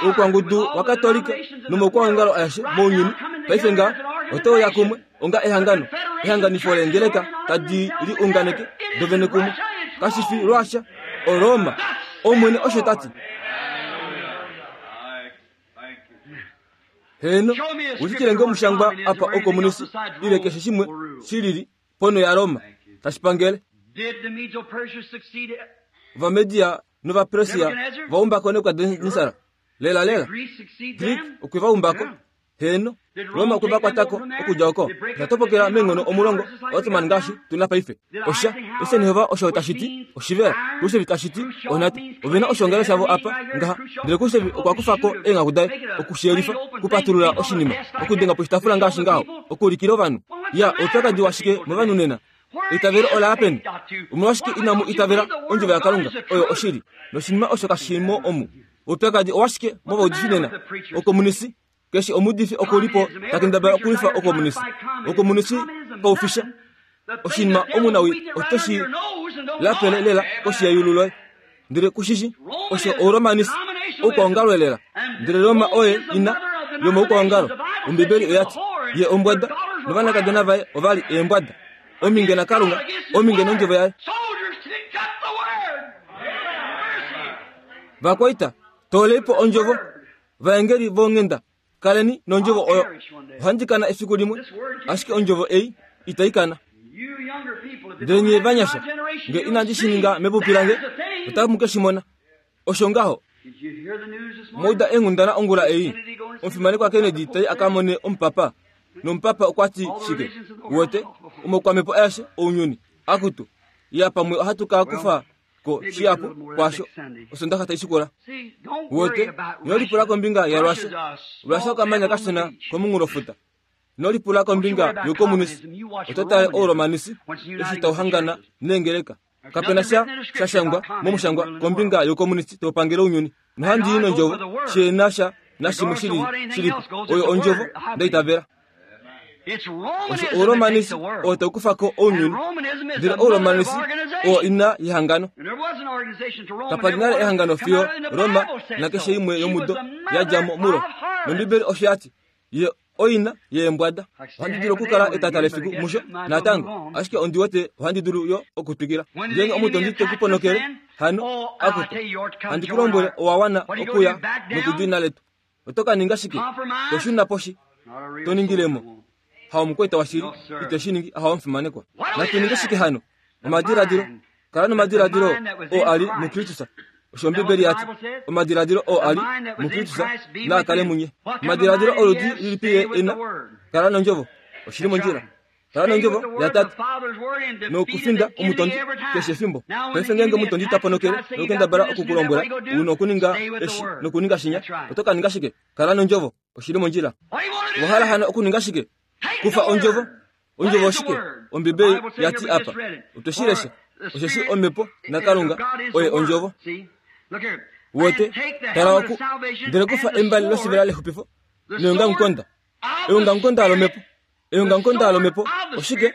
Oukwangudu waKatolika nomaukwaongalo aeshe mounyuni paife nga otauya kumwe onga ehangano, ehanganifo leengeleka tadi liunganeke dovene kumwe. Kashi fi Lwasha, oRoma. Omwene osho tati. Heno, ulikile nge omushangwa apa okomunisi ile keshe shimwe shilili pono yaRoma tashipangele. Ovamedia nOvapersia vaumbako Nebukadnesar. Lela lela. Greek okwe vaumbako. Heno. Roma okwe va kwatako okudja oko. Osha menghono omulongo Ottoman ngaashi tuna paife. Osha Eisenhower osho tashi ti oshivela, Khrushchev tashi ti onhata. Ovena oshoongalo shavo apa ngaha, ndele Khrushchev okwa kufa ko eenghaku daye okushiyelifa, okupatulula oshinima, okudenga poshitaafula ngaashi ngaho, okuulikila ovanhu. Ya oupyakadi washike movanhu nena? Eitavelo ola ya peni? Omolwashike inamu itavela ondjovo yaKalunga oyo oshili? Noshinima osho kashimo omu. Oupyakadi owashike movaudifi nena? Okomunisi keshe omuudifi okulipo takendabala okulifa okomunisi. Okomunisi kaufisha oshinima omunawi otoshi lapele lela koshi yeyulu loye. Ndele kushishi osho ouromanisi oukwaongalo lela. Ndele Roma oye ina yomoukwaongalo. Ombibeli oyati ye ombwada novanakadona vaye ovali eembwada. Ominge na Kalunga, ominge nondjovo yaye. Vakwaita toleipo ondjovo, vaengeli vonghenda kaleni nondjovo oyo. Ohandi kana efiku limwe, ashike ondjovo ei itai kana. Ndele nye vanyasha, nge inandi shi ninga mepupi lange, otamu ke shi mona. Osho ngaho. Mouda eenghundana ongula ei, omufimanekwa Kennedy tai aka mone omupapa. Nomupapa okwa ti shike? Wote omokwamepo aeshe ounyuni akutu ya pamwe ohatu ka kufa ko shiapo kwasho osondaxa tai shikula. Wote inolipula kombinga yaRussia. Russia okamanya kashona komunghulofuta. Inolipula kombinga youkomunisi. Oto tale ouromanisi eshi tauhangana neengeleka. Kapena sha shashangwa momushangwa kombinga youkomunisi taupangele ounyuni. Nohandi i nondjovo sheena sha nashimwe shili shilipo. Oyo ondjovo ndaitavela. Osho ouromanisi oo taukufa ko ounyuni. Ndele ouromanisi oo ina yehangano. Kapali nale ehangano fiyo Roma nakeshe imwe yomudo yadja mo mulo. Nombibeli osho yati ye oina yeembwada. Ohandi dulu okukala etata lefiku musho natango, ashike ondi wete ohandi dulu yo okutwikila. Ngeenge omutondi te ku ponokele hano akutu, handi ku lombwele owa wana okuya nokudina letu. Oto ka ninga shike? Toshuna poshi, to ningilemo. Haomukwaita washili ite shi ningi, haomufimanekwa. Natu ninge shike hano? Omadiladilo. Kala nomadiladilo oo ali muKristus. Osho Ombibeli yati omadiladilo oo ali muKristus naa kale munye. Omadiladilo oludi lilipi ye ena? Kala nondjovo. Oshili mondjila. Kala nondjovo yatate nokufinda omutondi keshe efimbo. Paife ngeenge omutondi ta ponokele nokukendabala okukulombwela una okuninga eshi nokuninga shinya, oto ka ninga shike? Kala nondjovo. Oshili mondjila. Owa hala hano okuninga shike? Kufa ondjovo. Ondjovo oshike? Ombibeli yati apa. Otweshilesha. Osheshi omhepo naKalunga oye ondjovo. Wote tala oku ndele kufa embali loshivela lexupifo neongamukonda. Eongamukonda lomhepo. Eongamukonda lomhepo oshike?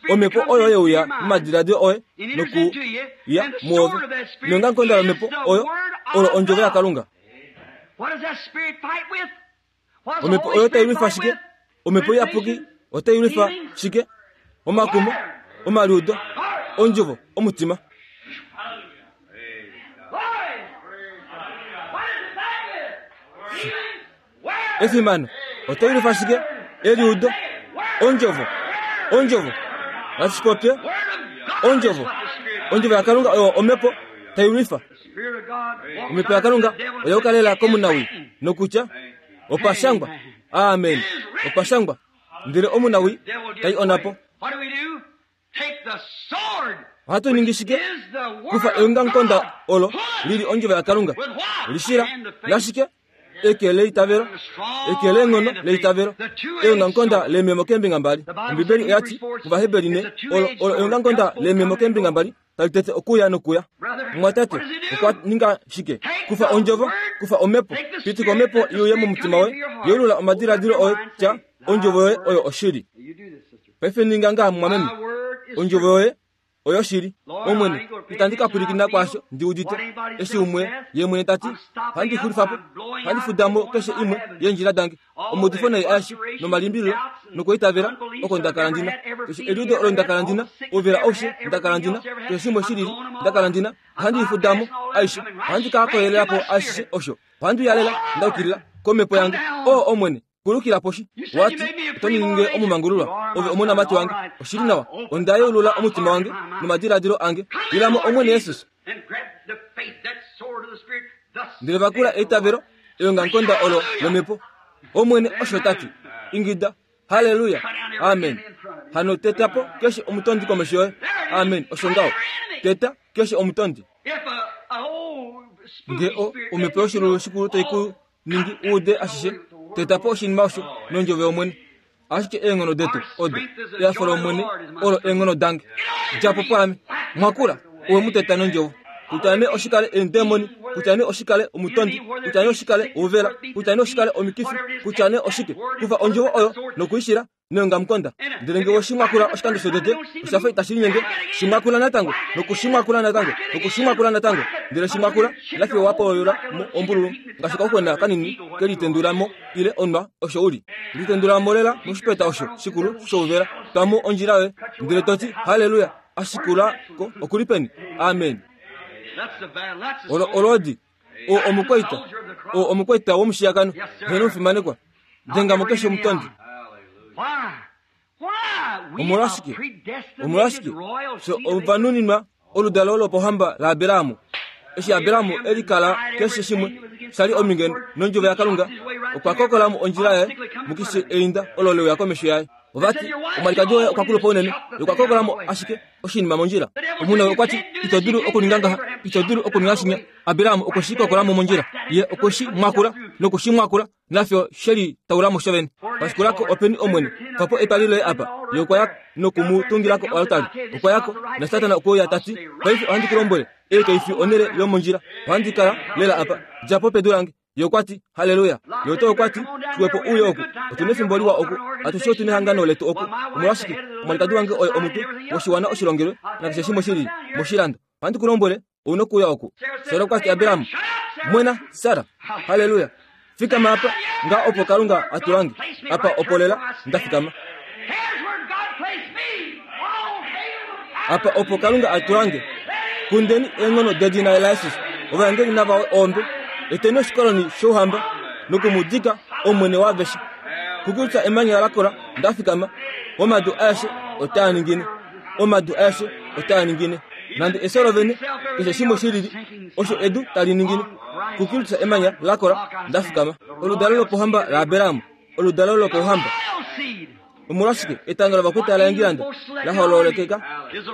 Omhepo oyo yeuya momadiladilo oye noku ya muove. Neongamukonda lomhepo oyo olo ondjovo yaKalunga. Omhepo oyo tai lwifa shike? Omhepo iyapuki otai lwifa shike? Omakumo, omaliudo, ondjovo, omutima. Efimano otai lwifa shike? Eliudo, ondjovo, ondjovo. Nashipopye ondjovo. Ondjovo yaKalunga oyo omhepo tai lwifa. Omhepo yaKalunga oya ukalela komunawi nokutya opashangwa. Amen. Opashangwa. Ndele omunawi tai onapo. Ohatu ningi shike? Kufa eongamukonda olo lili ondjovo yaKalunga. Lishila nashike? Eke leitavelo, eke leenghono leitavelo, eongamukonda leememo keembinga mbali. Ombibeli oyati kOvaheberi ne olo olo eongamukonda leememo keembinga mbali tali tete okuya nokuya. Mwatate okwa ninga shike? Kufa ondjovo, kufa omhepo, pitika omhepo iuye momutima woye, yeulula omadiladilo oye tya ondjovo yoye oyo oshili. Paife ninga ngaha mumwameme, ondjovo yoye oyo shili. Omwene, itandi ka pwilikina kwaasho ndi udite. Eshi umwe ye mwene tati handi xulifa po, handi fudamo keshe imwe yeendjila dange. Omaudifo nai aeshe nomalimbililo nokuitavela oko ndakala ndina. Keshe eliudo olo ndakala ndina, ouvela aushe ndakala ndina, keshe shimwe shilili ndakala ndina, ohandi ifudamo aishe, ohandi ka koyelela po ashishe osho. Ohandi yalela ndaukilila komhepo yange. O Omwene, kulukila poshi. Wati oto ninge omumangululwa ove omonamati wange. Oshili nawa, onda yeulula omutima wange nomadiladilo ange. Ilamo Omwene Jesus. Ndele vakula eitavelo eongamukonda olo lomhepo. Omwene osho tati. Ingida, haleluya, amen. Hano teta po keshe omutondi komesho yoye. Amen, osho ngaho. Teta keshe omutondi. Nge o omhepo yoshilulu shikulu tai ku ningi uude ashishe, teta po oshinima osho nondjove yOmwene. Ashike eenghono detu odo ehafo lOmwene olo eenghono dange. Djapo pwaame, mwakula owe mu teta nondjovo. Kutya nee oshikale eendemoni, kutya nee oshikale omutondi, kutya nee oshikale ouvela, kutya nee oshikale omikifi, kutya nee oshike, kufa ondjovo oyo nokuishila neongamukonda. Ndele nge oshimwakula oshikando shotete, oshafa itashi linyenge, shimwakula natango, nokushimwakula natango, nokushimwakula natango. Ndele shimwakula nafiyo wapoyola mo ombululu, ngaashi kauxwena kanini kelitendula mo ile onwa osho uli. Litendula mo lela moshipeta osho shikulu shouvela, twamo ondjila yoye, ndele toti haleluya, ashikula ko okuli peni. Amen. Olo olodi o omukwaita, o omukwaita womushiyakano, heno mufimanekwa, denga mo keshe omutondi. Omolwashike? Omolwashike? So ovanuninwa oludalo lopohamba laAberamu. Eshi Aberamu elikala keshe shimwe shali ominge nondjovo yaKalunga, okwa kokola mo ondjila yaye mukishe einda olo leuya komesho yaye. Ovati omwalikadi woye okwa kulupa unene, okwa kokola mo ashike oshinima mondjila. Omuna okwa ti ito dulu okuninga ngaha, ito dulu okuninga shinya. Aberamu okwe shi kokola mo mondjila, ye okwe shi mwakula noku shi mwakula, nafyo sheli taula mo shovene. Pashikulako openi Omwene, fapo etwali loye apa. Ye okwa ya nokumutungilako oaltari. Okwa yako na Satana okwe uya tati, paife ohandi ku lombwele, ei kai fi onhele yomondjila, ohandi kala lela apa, djapo pedu lange. Ye okwa ti haleluya. Ye oto okwa ti xwepo uye oku, otuna efimbo liwa oku, atushe otuna ehangano letu oku. Omolwashike omwalikadi wange oye omutwe woshiwana oshilongelwe nakeshe shimwe shilili moshilando. Ohandi ku lombwele, ouna okuuya oku. Sara okwa ti Aberamu, mwena Sara, haleluya, fikama apa nga opo Kalunga atulange apa opo lela ndafikama. Apa opo Kalunga atulange. Kundeni eenghono dedina laJesus, ovaengeli nava ombe, eteni oshikoloni shouhamba nokumudika Omwene waaveshe. Kukutya emanya lakola ndafikama, omadu aeshe otaa ningine, omadu aeshe otaa ningine. Nande efyo lovene keshe shimwe shilili, osho edu tali ningine. Kukutya emanya lakola ndafikama. Oludalo lopohamba laAberamu, oludalo lopohamba. Omolwashike etanga lovakwita laEngilanda lahololekeka,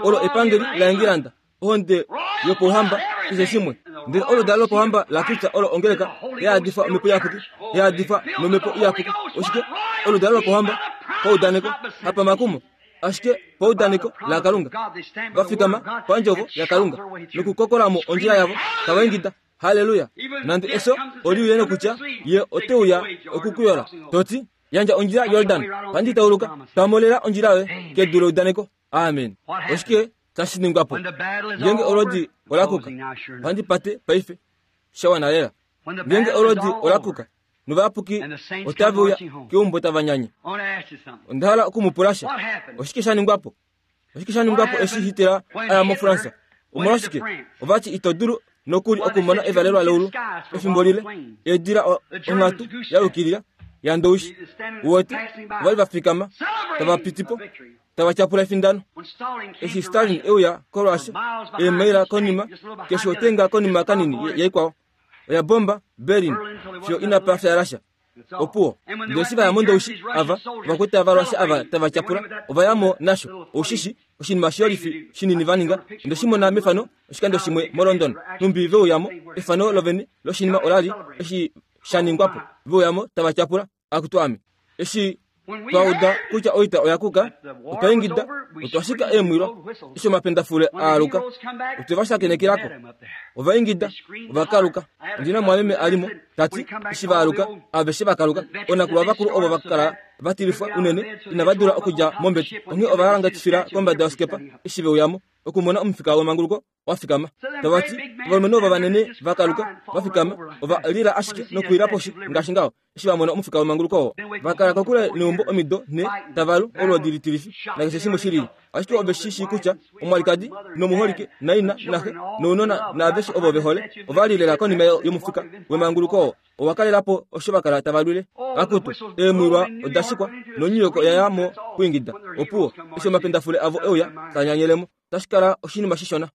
olo epangeli laEngilanda, ohonde yopouhamba keshe shimwe. Ndele oludalo lopohamba laKristo olo ongeleka yaadifa omhepo iyapuki, yaadifa nomhepo iyapuki. Oshike? Oludalo lopohamba paudaneko, hapamakumo, ashike paudaneko laKalunga. Vafikama pandjovo yaKalunga nokukokola mo ondjila yavo tava ingida haleluya. Nande efyo oliuye nokutya ye oteuya okukuyola, toti yandja ondjila Yordan, ohandi tauluka, twamolela ondjila yoye kedu leudaneko. Amen. Oshike tashi ningwa po ngenge olodi olakuka? Ohandi pate paife shawana lela. Ngenge olodi olakuka novayapuki otave uya keumbo tava nyanya. Onda hala okumupulasha, oshike sha ningwa po? Oshike sha ningwa po eshi Hitler aya moFransa? Omolwashike ovati ito dulu nokuli okumona evalelwa leulu efimbo lile, eedila onghatu ya yukilila yandowishi. Uwete ovali vafikama tava pitipo tava tyapula efindano. Eshi Stalin euya koRussia, eemaila konima keshe otenga konima kanini yaikwao oya bomba Berlin fiyo inapa fya Russia. Opuwo ndele eshi vaya mondowishi ava ovakwita vaRussia ava tava tyapula ovayamo nasho oushishi oshinima shiyolifi shinini vaninga. Onde shi mona mefano oshikando shimwe moLondon, numbi veuyamo efano lovene loshinima olali eshi sha ningwapo, veuyamo tava tyapula akutu ame. Eshi twauda kutya oita oya kuka, otwa ingida, otwa shika eemwilwa eshi omapendafule aaluka, otwe va shakenekilako. Ova ingida, ovakaluka. Ondina mwameme alimo tati eshi vaaluka aveshe vakaluka, onakulwa vakulu ovo vakala vatilifwa unene inava dula okudja mombete, onghee ova halangatifila kombada yosikepa eshi veuyamo okumona omufika wemanguluko wafikama. Tavati ovalumenhu ovo vanene vakaluka vafikama, ova lila ashike nokuwila poshi ngaashi ngaho eshi vamona omufika wemanguluko oo. Vakala kokule neumbo omido nhe tavalu olwoodi litilifi nakeshe shimwe shilili, ashike ove shi shii kutya omwalikadi nomuholike naina naxe nounona naaveshe ovo vehole ova li lela konima yomufika wemanguluko oo. Owa kalelapo osho vakala tava lwile. Akutu eemwilwa oda shikwa nonyiyoko oya ya mo kwiingida. Opuwo eshi omapendafule avo euya tanyanyelemo, tashi kala oshinima shishona.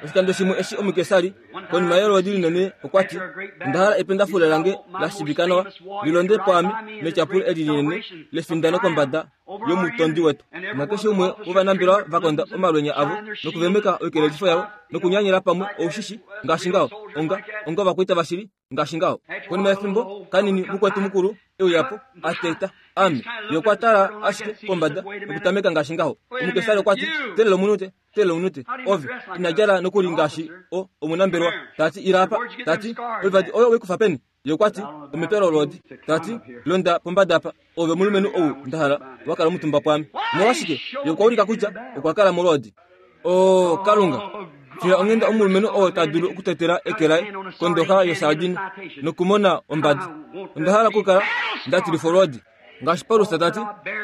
Oshikando shimwe eshi omukesari konima yolwoodi linene okwa ti onda hala ependafule lange la shiivika nawa lilonde pwaame metyapulo eli linene lefindano kombada yomutondi wetu. Nakeshe umwe wovanambelwa vakonda omalwenya avo nokuvemeka oikelelifo yavo nokunyanyela pamwe oushishi ngaashi ngaho onga onga ovakwaita vashili ngaashi ngaho. Konima yefimbo kanini mukwetu mukulu euyapo ateta ame ye okwa tala ashike pombada nokutameka ngaashi ngaho. Omukesari okwa ti telela omunute telela omunute ove ina djala nokuli ngaashi o omunambelwa. Tati ila apa tati oivadi oyo weikufa peni? Ye okwa ti omepya lolwoodi. Tati londa pombada apa ove omulumenhu ou ndahala wakala omutumba pwaame. Omolwashike? Ye okwa ulika kutya okwa kala molwoodi. O Kalunga, fila onghenda omulumenhu oo ta dulu okutetela eke laye kondoxa yosardine nokumona ombadi. Onda hala okukala nda tilifa olwoodi. Ngaashi Paulus tati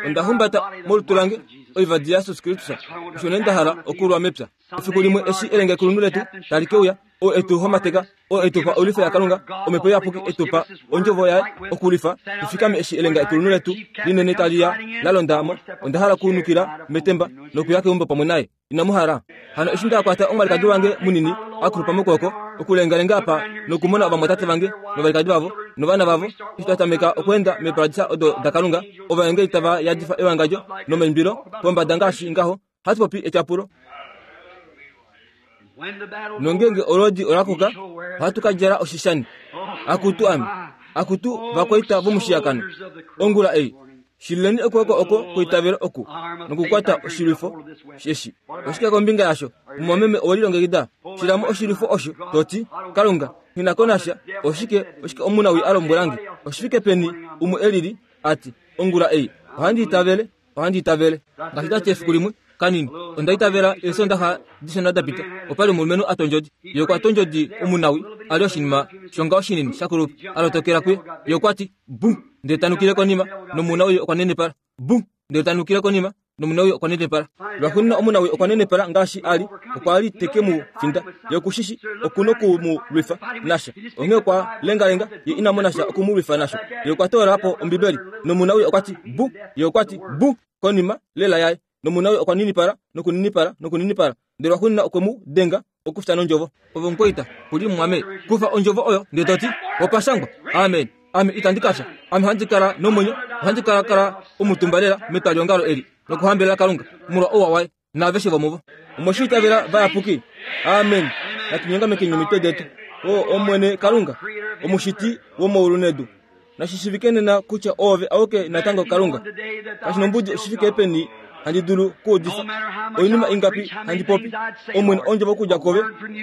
onda humbata molutu lange oivadi yaJesus Kristus, osho nee nda hala okulwa mepya. Efiku limwe eshi elenge ekulunhu letu tali ke uya, oo etu homateka, oo etupa oilwifo yaKalunga, omhepo iyapuki etupa ondjovo yaye okulifa, tufikame eshi elenga ekulunhu letu linene tali ya la londa mo. Onda hala okunukila metemba nokuya keumbo pamwe naye. Inamu hala? Hano eshi ndakwata omwalikadi wange munini akulupa mokwooko okulengalenga apa nokumona ovamwatate vange novalikadi vavo novana vavo eshi twa tameka okweenda meeparadisa odo daKalunga, ovaengeli tava yadifa ewangadjo nomaimbilo pombada ngaashi ngaho, hatu popi etyapulo. Nongenge olwoodi olakuka, ohatu ka djala oshishani. Akutu ame, akutu vakwaita vomushiyakano ongula ei, shilileni okwooko oko kweitavelo oku nokukwata oshilwifo eshi. Oshike kombinga yasho? Mumwameme owelilongekida? Shilamo oshilwifo osho toti Kalunga nghi ko nasha. Oshike oshike omunawi a lombwelange? Oshifike peni umwe elili ati ongula ei ohandi itavele, ohandi itavele. Ngaashi tati efiku limwe kanini onda itavela eesondaxa dishona dapita, opali omulumenhu a tondjodi. Ye okwa tondjodi omunawi ali oshinima shonga oshinini shakulupa alotokela kuye. Ye okwa ti bu, ndele tanukile konima nomunawi okwa nenepala. Bu, ndele tanukile konima nomunawi okwa nenepala. Lwaxuuninwa omunawi okwa nenepala ngaashi ali, okwa li teke mu finda. Ye okushishi okunoku mu lwifa nasha, onghee okwa lengalenga ye ina mona sha oku mu lwifa nasho. Ye okwa toola po Ombibeli nomunawi okwa ti bu, ye okwa ti bu konima lela yaye nomunawi okwa ninipala nokuninipala nokuninipala, ndele lwaxuuninwa okwe mu denga okufya nondjovo. Ove omukwaita kuli mumwame, kufa ondjovo oyo ndele toti opashangwa amen. Ame itandi kafya, ame ohandi kala nomwenyo, ohandi kala kala omutumba lela metwaliongalo eli nokuhambelela Kalunga molwa ouwa waye naaveshe vomuvo. Omweshiitavela vayapuki. Amen. Natunyongamekeni omitwe detu. O Omwene Kalunga, omushiti womaulu nedu, nashishivike nena kutya ove auke natango Kalunga. Kashinombudi oshifike peni handi dulu kuudifa, oinima ingapi handi popi, Omwene ondjovo okudja kove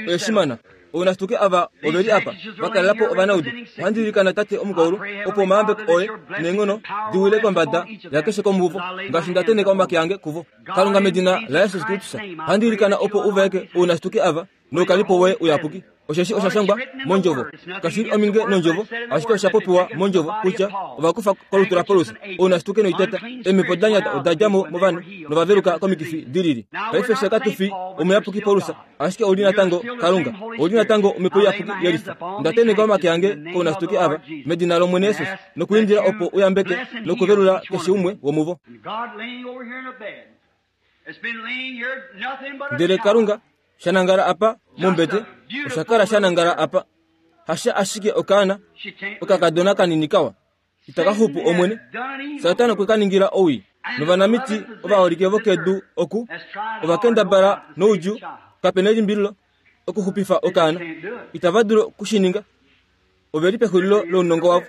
oyeshimana. Ounasituke ava oveli apa vakalela po ovanaudu. Ohandi ilikana Tate omukaulu opo omayambeko oye neenghono di wile kombada yakeshe komuvo ngaashi nda teneka omake ange kuvo. Kalunga medina laJesus Kristus, ohandi ilikana opo uvaeke ounasituke ava noukalipo woye uyapuki. Osheshi osha shangwa mondjovo, kashili ominge nondjovo, ashike osha popiwa mondjovo kutya ovakufa kolutu laPaulus ounasituke noiteta, eemhepo da nyata oda dja mo movanhu novaveluka komikifi dilili. Paife fye katu fi omuyapuki Paulus, ashike ouli natango Kalunga, ouli natango omhepo iyapuki yelifa. Nda teneka omake ange kounasituke ava medina lOmwene Jesus nokuindila opo uyambeke nokuvelula keshe umwe womuvo. Ndele Kalunga shanangala apa mombete, osha kala shanangala apa hasha ashike okaana okakadona kanini kawa itakaxupu Omwene. Satana okwe ka ningila owii, novanamiti ovaholike vokedu oku ovakendabala noudjuu kapena elimbililo okuxupifa okaana. Itava dulu okushininga, oveli pexulilo lounongo wavo,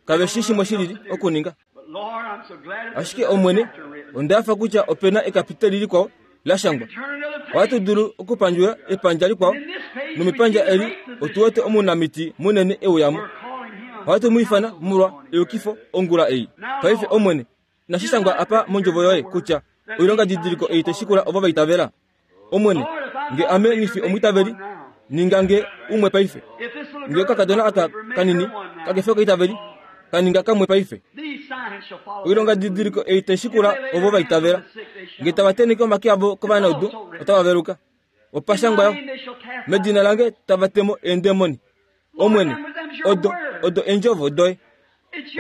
kave shi shimwe shilili okuninga. Ashike Omwene, onda hafa kutya opena ekapiteli likwao la shangwa. Ohatu dulu okupandjula epandja likwao, nomepandja eli otu wete omunamiti munene euyamo. Ohatu mu ifana molwa eyukifo ongula ei. Paife Omwene, inashi shangwa apa mondjovo yoye kutya oilonga didiliko ei taishikula ovo vaitavela? Omwene, nge ame nghifi omwiitaveli, ninga nge umwe paife. Nge okakadona aka kanini kakefi okaitaveli, kaninga kamwe paife. Oilonga didiliko ei taishikula ovo vaitavela. Nge tava teneke omake avo kovanaudu, otava veluka. Opashangwa yo, medina lange tava temo eendemoni. Omwene, odo odo eendjovo doye,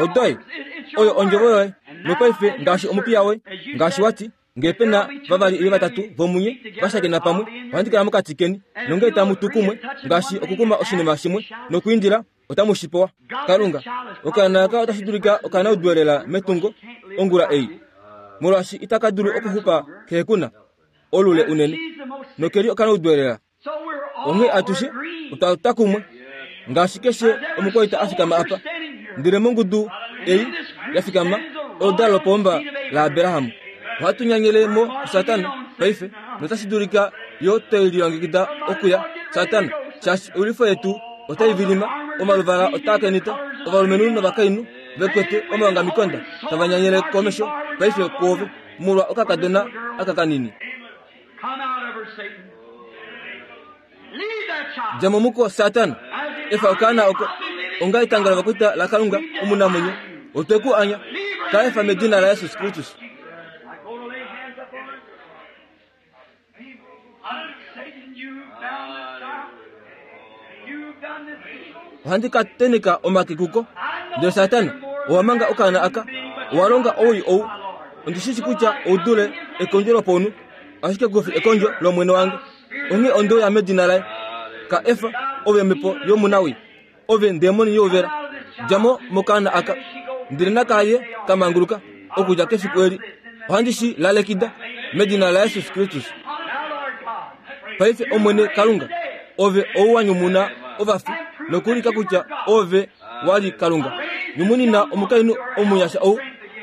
odoye oyo ondjovo yoye. Nopaife ngaashi omupiya woye, ngaashi wati Ngee pena vavali ile vatatu vomunye vashakena pamwe, ohandi kala mokati keni. Nongee tamu tu kumwe ngaashi okukuma oshinima shimwe nokwiindila, otamu shi pewa. Kalunga, okaana aka otashi dulika okanaudwelela metungo ongula ei, molwaashi itaka dulu okuxupa kehe kuna olule unene, nokeli okanaudwelela. Onghee atushe otwa twa kumwe ngaashi keshe omukwaita a fikama apa, ndele mongudu ei ya fikama oludalo lopomba laAbraham. Ohatu nyanyele mo Satana paife, notashi dulika yo tweli lilongekida okuya Satana, shaashi oilwifo yetu otai vilima, omaluvala otaa kenita, ovalumenhu novakainhu vekwete omaongamikonda tava nyanyele komesho paife kwoove molwa okakadona aka kanini. Dja mo muko Satana, efa okaana oko, onga etanga lovakwaita laKalunga omunamwenyo, otwe ku anya, ka efa medina laJesus Kristus. Ohandi ka teneka omake kuko, ndele Satana, owa manga okaana aka, owa longa owii ou. Ondi shi shi kutya ou dule ekondjo lopaunhu, ashike kufi ekondjo lOmwene wange. Onghee onde uya medina laye. Ka efa, ove omhepo yomunawii, ove ndemoni youvela, dja mo mokaana aka. Ndele nakaye ka manguluka okudja kefiku eli. Ohandi shi lalekida medina laJesus Kristus. Paife Omwene Kalunga, ove ou wa nyumuna ovafi nokuulika kutya ove wa li Kalunga, nyumunina omukainhu omunyasha ou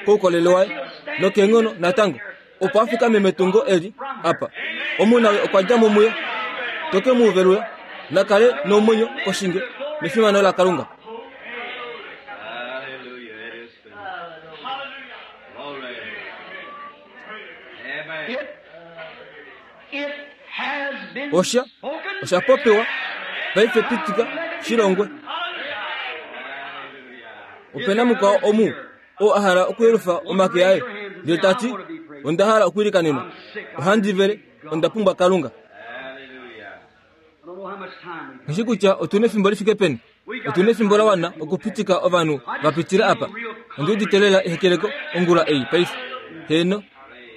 koukolele waye nokeenghono natango, opo a fikame metungo eli apa. Omunawe okwa dja mo muye, toke mu velula, na kale nomwenyo koshinge nefimano laKalunga. Osha osha popiwa paife pitika shilongwe. Opena mukwao omu oo a hala okuyelufa omake aye ndele ta ti, onda hala okwiilikanenwa, ohandi vele, onda pumbwa Kalunga. Nghishi kutya otu na efimbo li fike peni. Otu na efimbo la wana okupitika ovanhu va pitile apa. Ondi udite lela ehekeleko ongula ei paife. Heeno,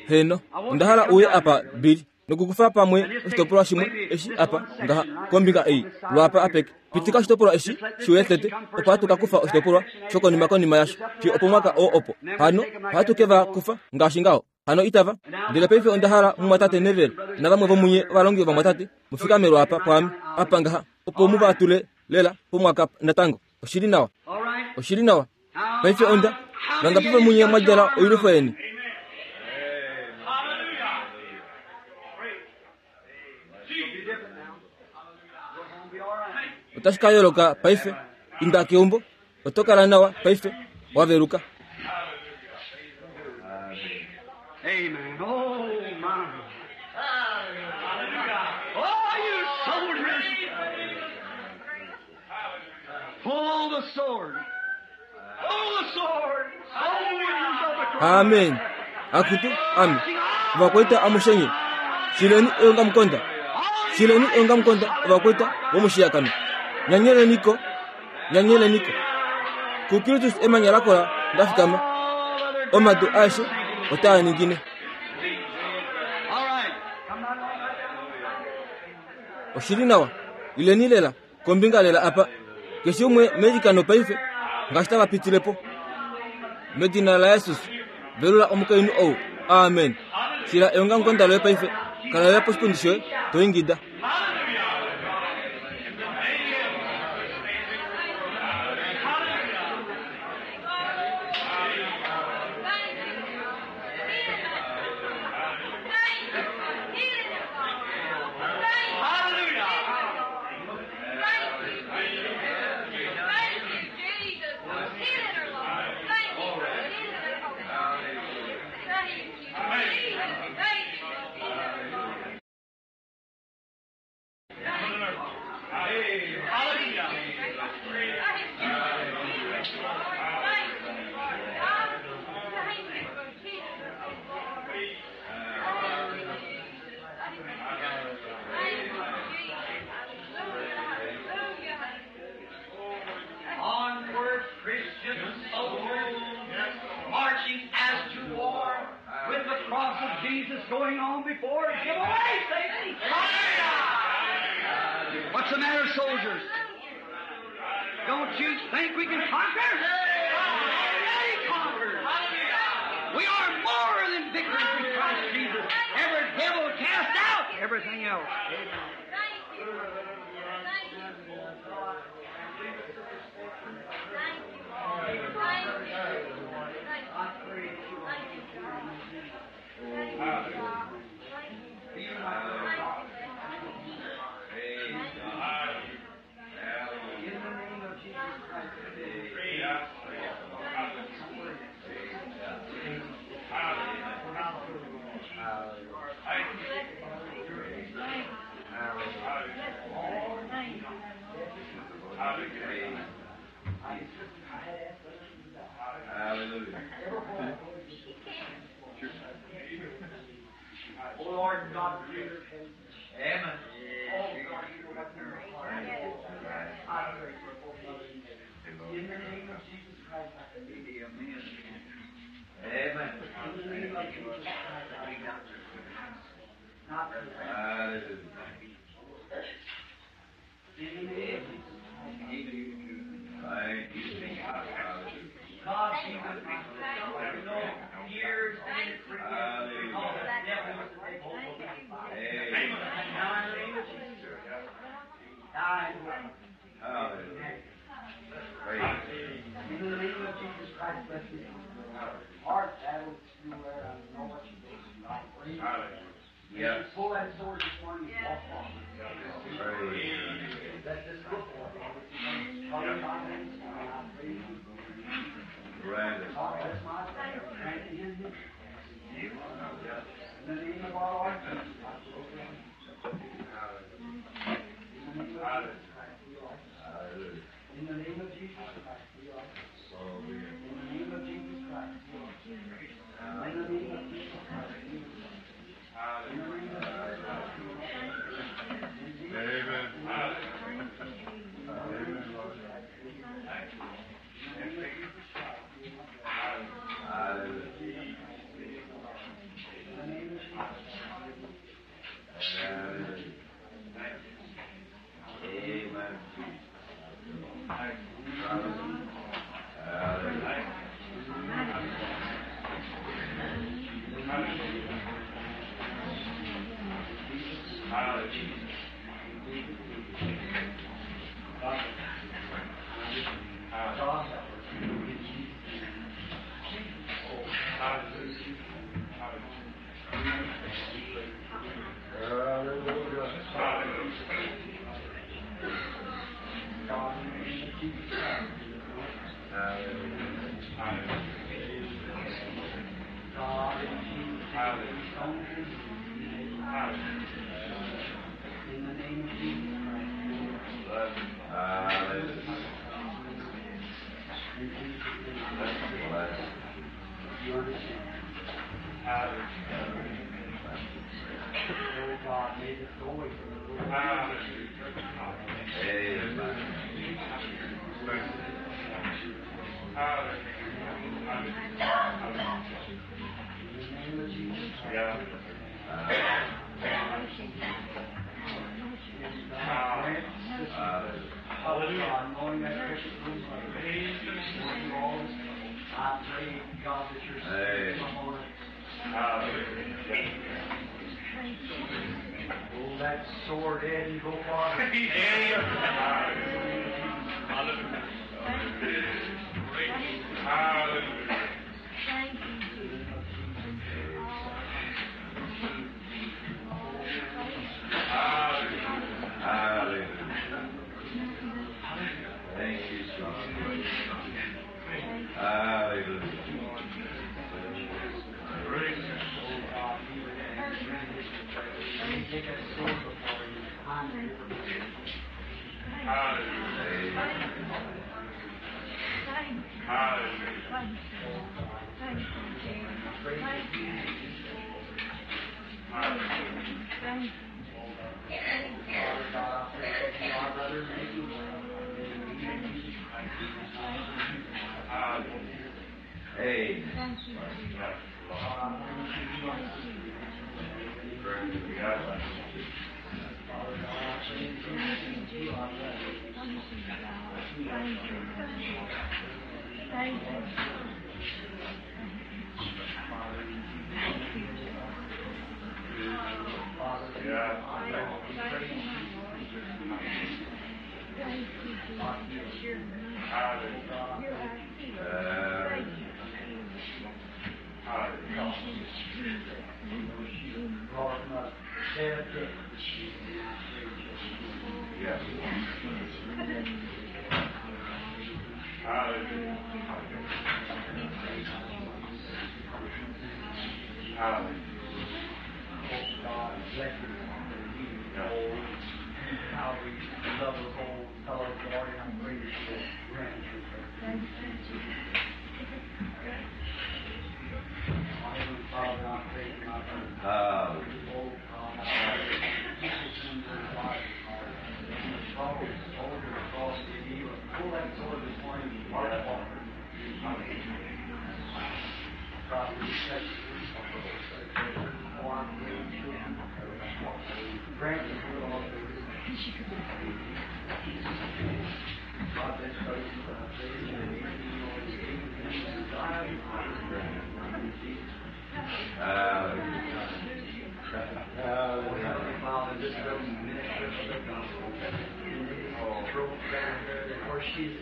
heeno, onda hala uye apa Billy, nokukufa pamwe oshitopolwa shimwe eshi apa ngaha kombinga ei lwaapa apeke. Pitika oshitopolwa eshi shiuye tete, opo hatu ka kufa oshitopolwa shokonima konima yasho fiyo opo mwaka oo opo. Hano ohatu ke va kufa ngaashi ngaho. Hano itava. Ndele paife onda hala mumwatate Neville navamwe vomunye ovalongi vovamwatate mufikame lwaapa pwaame apa ngaha, opo mu va tule lela pomwaka natango. Oshili nawa, oshili nawa. Paife onda vangapi vomunye mwa djala oilwifo yeni? Otashi ka yooloka paife. Inda keumbo, oto kala nawa paife, wa veluka. Amen. Oh, my. Oh, you soldiers. Pull the sword. Pull the sword. Soldiers of the cross. Amen. Akutu, amen. Ovakwaita amushenye, shileni eongamukonda, shileni eongamukonda ovakwaita vomushiyakano. Nyanyeleniko, nyanyeleniko. KuKristus emanya lakola ndafikama, omadu aeshe otaa ningine. All right. Oshili nawa, ileni lela kombinga lela apa. Keshe umwe meilikano paife ngaashi tava pitile po. Medina laJesus, velula omukainhu ou. Amen. Shila eongamukonda loye paife, kala lela poshipundi shoye to ingida. Thank you. Jesus going on before to give away, Satan. What's the matter, soldiers? Don't you think we can conquer? Already conquered. We are more than victors in Christ Jesus. Every devil cast out, everything else. Thank you. Thank you. Thank you. Thank you. Thank you. Thank you, God. Thank you, God. Thank you. Thank you. Praise God. In the name of Jesus Christ. Hallelujah. Oh Lord God, creator of heaven. Amen. Oh God, you know what's in her heart. I pray for both of them. In the name of Jesus Christ, I pray. Amen. In the name of Jesus Christ, I pray. Not for Hallelujah. In the name of Jesus Christ. Thank you. Hallelujah. God be with my sister. You know, years and years, because the devil wants to take hold of me. Amen. Now in the name of Jesus. Die. Hallelujah. Praise In the name of Jesus Christ, bless me. Hard battles through where I know what you do. I pray. Yes. Pull that sword this morning and walk on. Praise. Let this look for it. Father God, I pray you. Grant us. God bless my prayer. Grant him his. In the name of our Lord Jesus, I pray. In the name of Jesus Christ, we are. Hallelujah. In the name of Jesus Christ, we are. So be it. In the name of Jesus Christ, we are. In the name of Jesus Christ, we are. In the name of Jesus Christ, we are. In Jesus' Amen. Amen, Lord. Hallelujah. Hallelujah. Amen. Hallelujah. In the name of Jesus Christ. Hallelujah. In Jesus' name. Bless. You understand. Oh God, may this go away from the Lord. Amen. In the name of Jesus Christ. Grant sister, Hallelujah. God, knowing that precious little mother, going through all this trouble, I pray, God, that your spirit come upon her. Pull that sword head and go farther. Thank you, Jesus. Hallelujah. Thank you, Jesus. Hallelujah. Oh God, be with him and grant his request. Take that sword before you. I'm here. Amen. Thank you. Thank you. Thank you, Jesus. Thank you. Thank you. Father God, I pray that you, our brother, may be well. In the name of Jesus Christ. Amen. Thank you, Jesus. Thank you. Thank you. Thank you, Jesus. You're, you're our healer. Thank you, Jesus. Thank you, Jesus. Thank you, Jesus. She's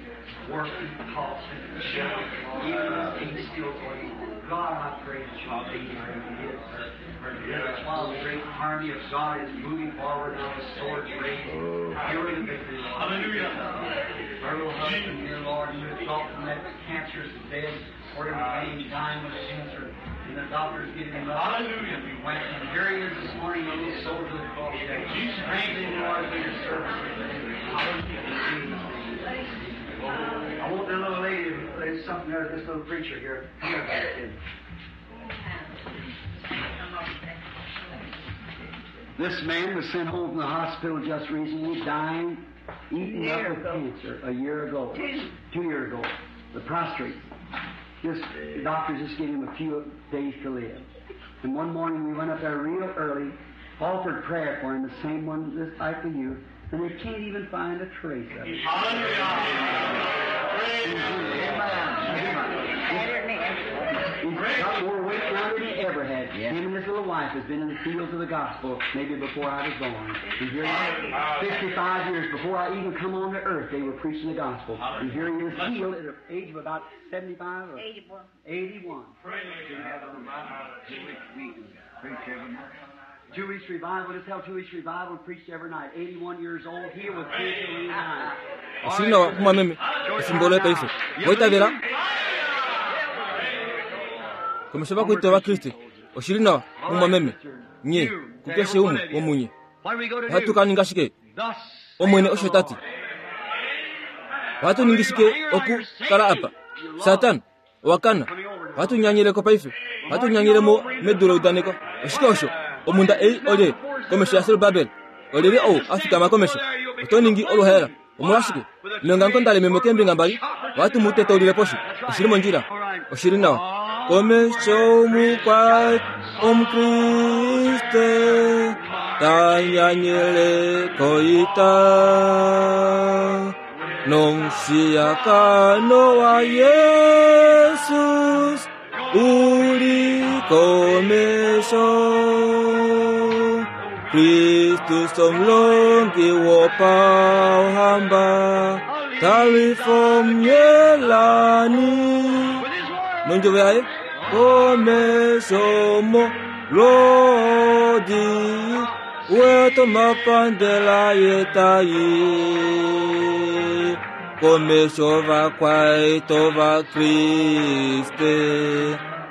working, coughing, even this thing's still going on. God, I pray that you'll be her and give her her deliverance while the great army of God is moving forward now with swords raised. Give her the victory, Lord. Hallelujah. Her little husband here, Lord, who had thought from that cancerous bed for him laying dying with cancer, and the doctors giving him up. Hallelujah. And we went, and here he is this morning, a little soldier of the cross. Strengthen him, Lord, for your service. Hallelujah. In Jesus' name. I want the little lady, there's something there, this little preacher here. Come here, little kid. This man was sent home from the hospital just recently, dying, eaten up with cancer a year ago. Two. Two years ago. The prostrate. Just, the doctors just gave him a few days to live. And one morning we went up there real early, offered prayer for him, the same one just like for you, and they can't even find a trace of it. He's got more weight now than he ever had. Him and his little wife has been in the fields of the gospel maybe before I was born. And here he is, fifty-five years before I even come on to earth, they were preaching the gospel. And here he is healed at the age of about seventy-five or eighty-one. eighty-one. Two weeks revival, just held two weeks revival and preached every night. eighty-one years old, healed with cancer at eighty-nine. Oshili nawa mumwameme efimbo loye paife oitavela komesho vakuita ovakriste oshili nawa mumwameme nye kukeshe umwe womunye What are we going to ohatu do? ka ninga shike Thus omwene osho tati ohatu ningi shike okukala apa satana owakana ohatu nyanyileko paife ohatu nyanyilemo medu leudaneko oshike osho omunda ei olye komesho ya Serubabel olyelye ou afikama komesho oto ningi oluhaela omolwashike mengango ndalememo keembinga mbali ohatu mu tetaulile poshi oshili mondjila oshili nawa komesho mukwa omukriste tanyanyile koita nomushiyakano wa Yesus uli komesho Kristus omulongi wopauhamba talifomyelani nondjovo yaye komesho mo lodi wetomapandela yetayi komesho vakwaito vakriste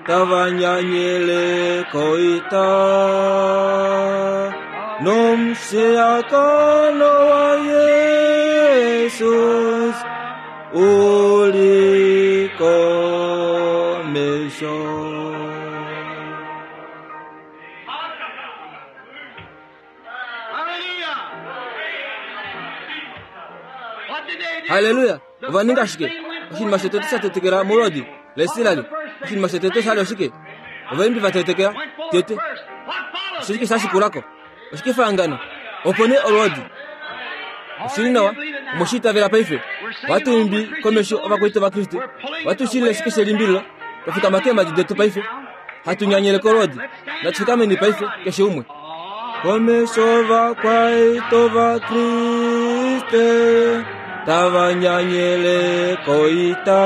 tavanyanyile koita nomushiyakano wa Yesus uli komesho. Hallelujah! What did they do? Haleluya! Ova ninga shike oshinima shotete sha tetekela molwodi laIsraeli oshinima shotete shali oshike Ovaimbi vatetekela tete oshike shashikulako oshikefahangano opo nee olwoodi oshili nawa omoshiitavela paife ohatu imbi komesho ovakwaita vaKriste ohatu shilile shike shelimbililo twafikama keemhadi detu paife hatu nyanyele kolwoodi natufikameni paife keshe umwe komesho vakwaito vaKriste tavanyanyele koita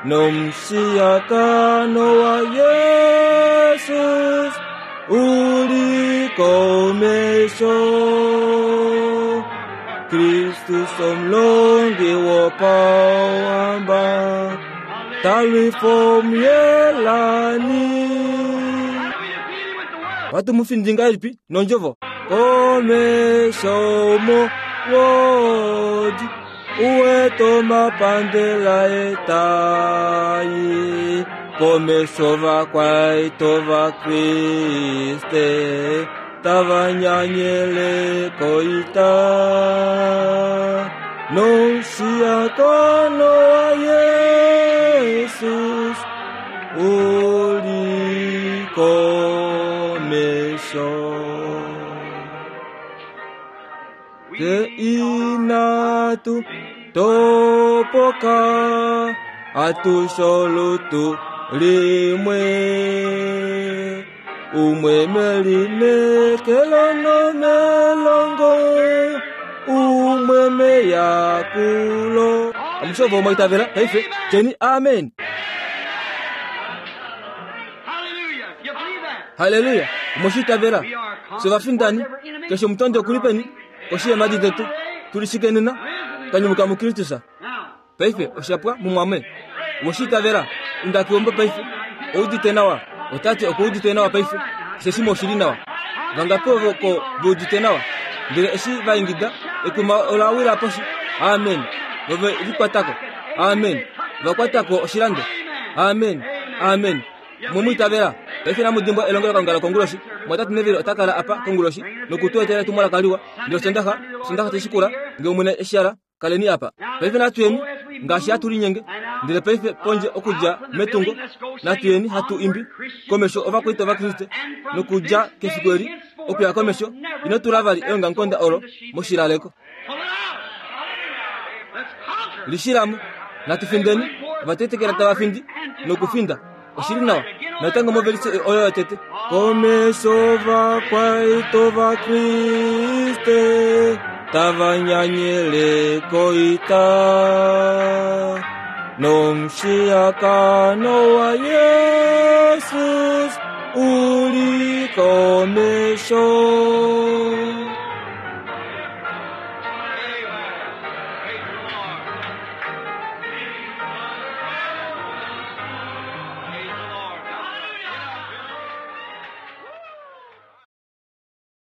nomushiyakano wa Yesus uli komesho Kristus omulongi wopawamba talwifo myelani watu mufindinga ilipi nondjovo komesho mo wodi uweto mapandela etayi komesho vakwaito vaKriste tavanyanyele koita nomushiyakano wa Yesus uli komesho te inatu topoka atusholutu limwe umwe melinekelo nomelongo umwe meyakulo amushovo omwaitavela paife tyeni amen. Haleluya omoshitavela sovafindani keshe omutondi okulipeni koshi yeemhadi detu tulishikenena twanyumuka muKristus paife oshapwa mumwame omoshitavela inda keumbo paife oudite nawa otate okuudite nawa paife keshe shimwe oshili nawa vangapi ovo ko veudite nawa ndele eshi vaingida ekuma olawila poshi amen vove likwatako amen vakwatako oshilando amen amen mumwitavela paife namudimbwa elongelo kalunga lokonguloshi mwatatu nevili otakala apa konguloshi nokutuetela etumwalaka liwa ndele osondaxa osondaxa teshikula nge omwene eshala kaleni apa paife natuyeni ngaashi hatulinyenge ndele paife pondje okudja metungo natuyeni hatu imbi komesho ovakwaita vaKriste nokudja kefiku eli okuya komesho ino tula vali eongamukonda olo moshilaleko lishilamo natufindeni ovatetekela tavafindi nokufinda oshili nawa natango movelise oyo yotete komesho vakwaito vaKriste tavanyanyele koita nomushiyakano wa Yesus uli komesho.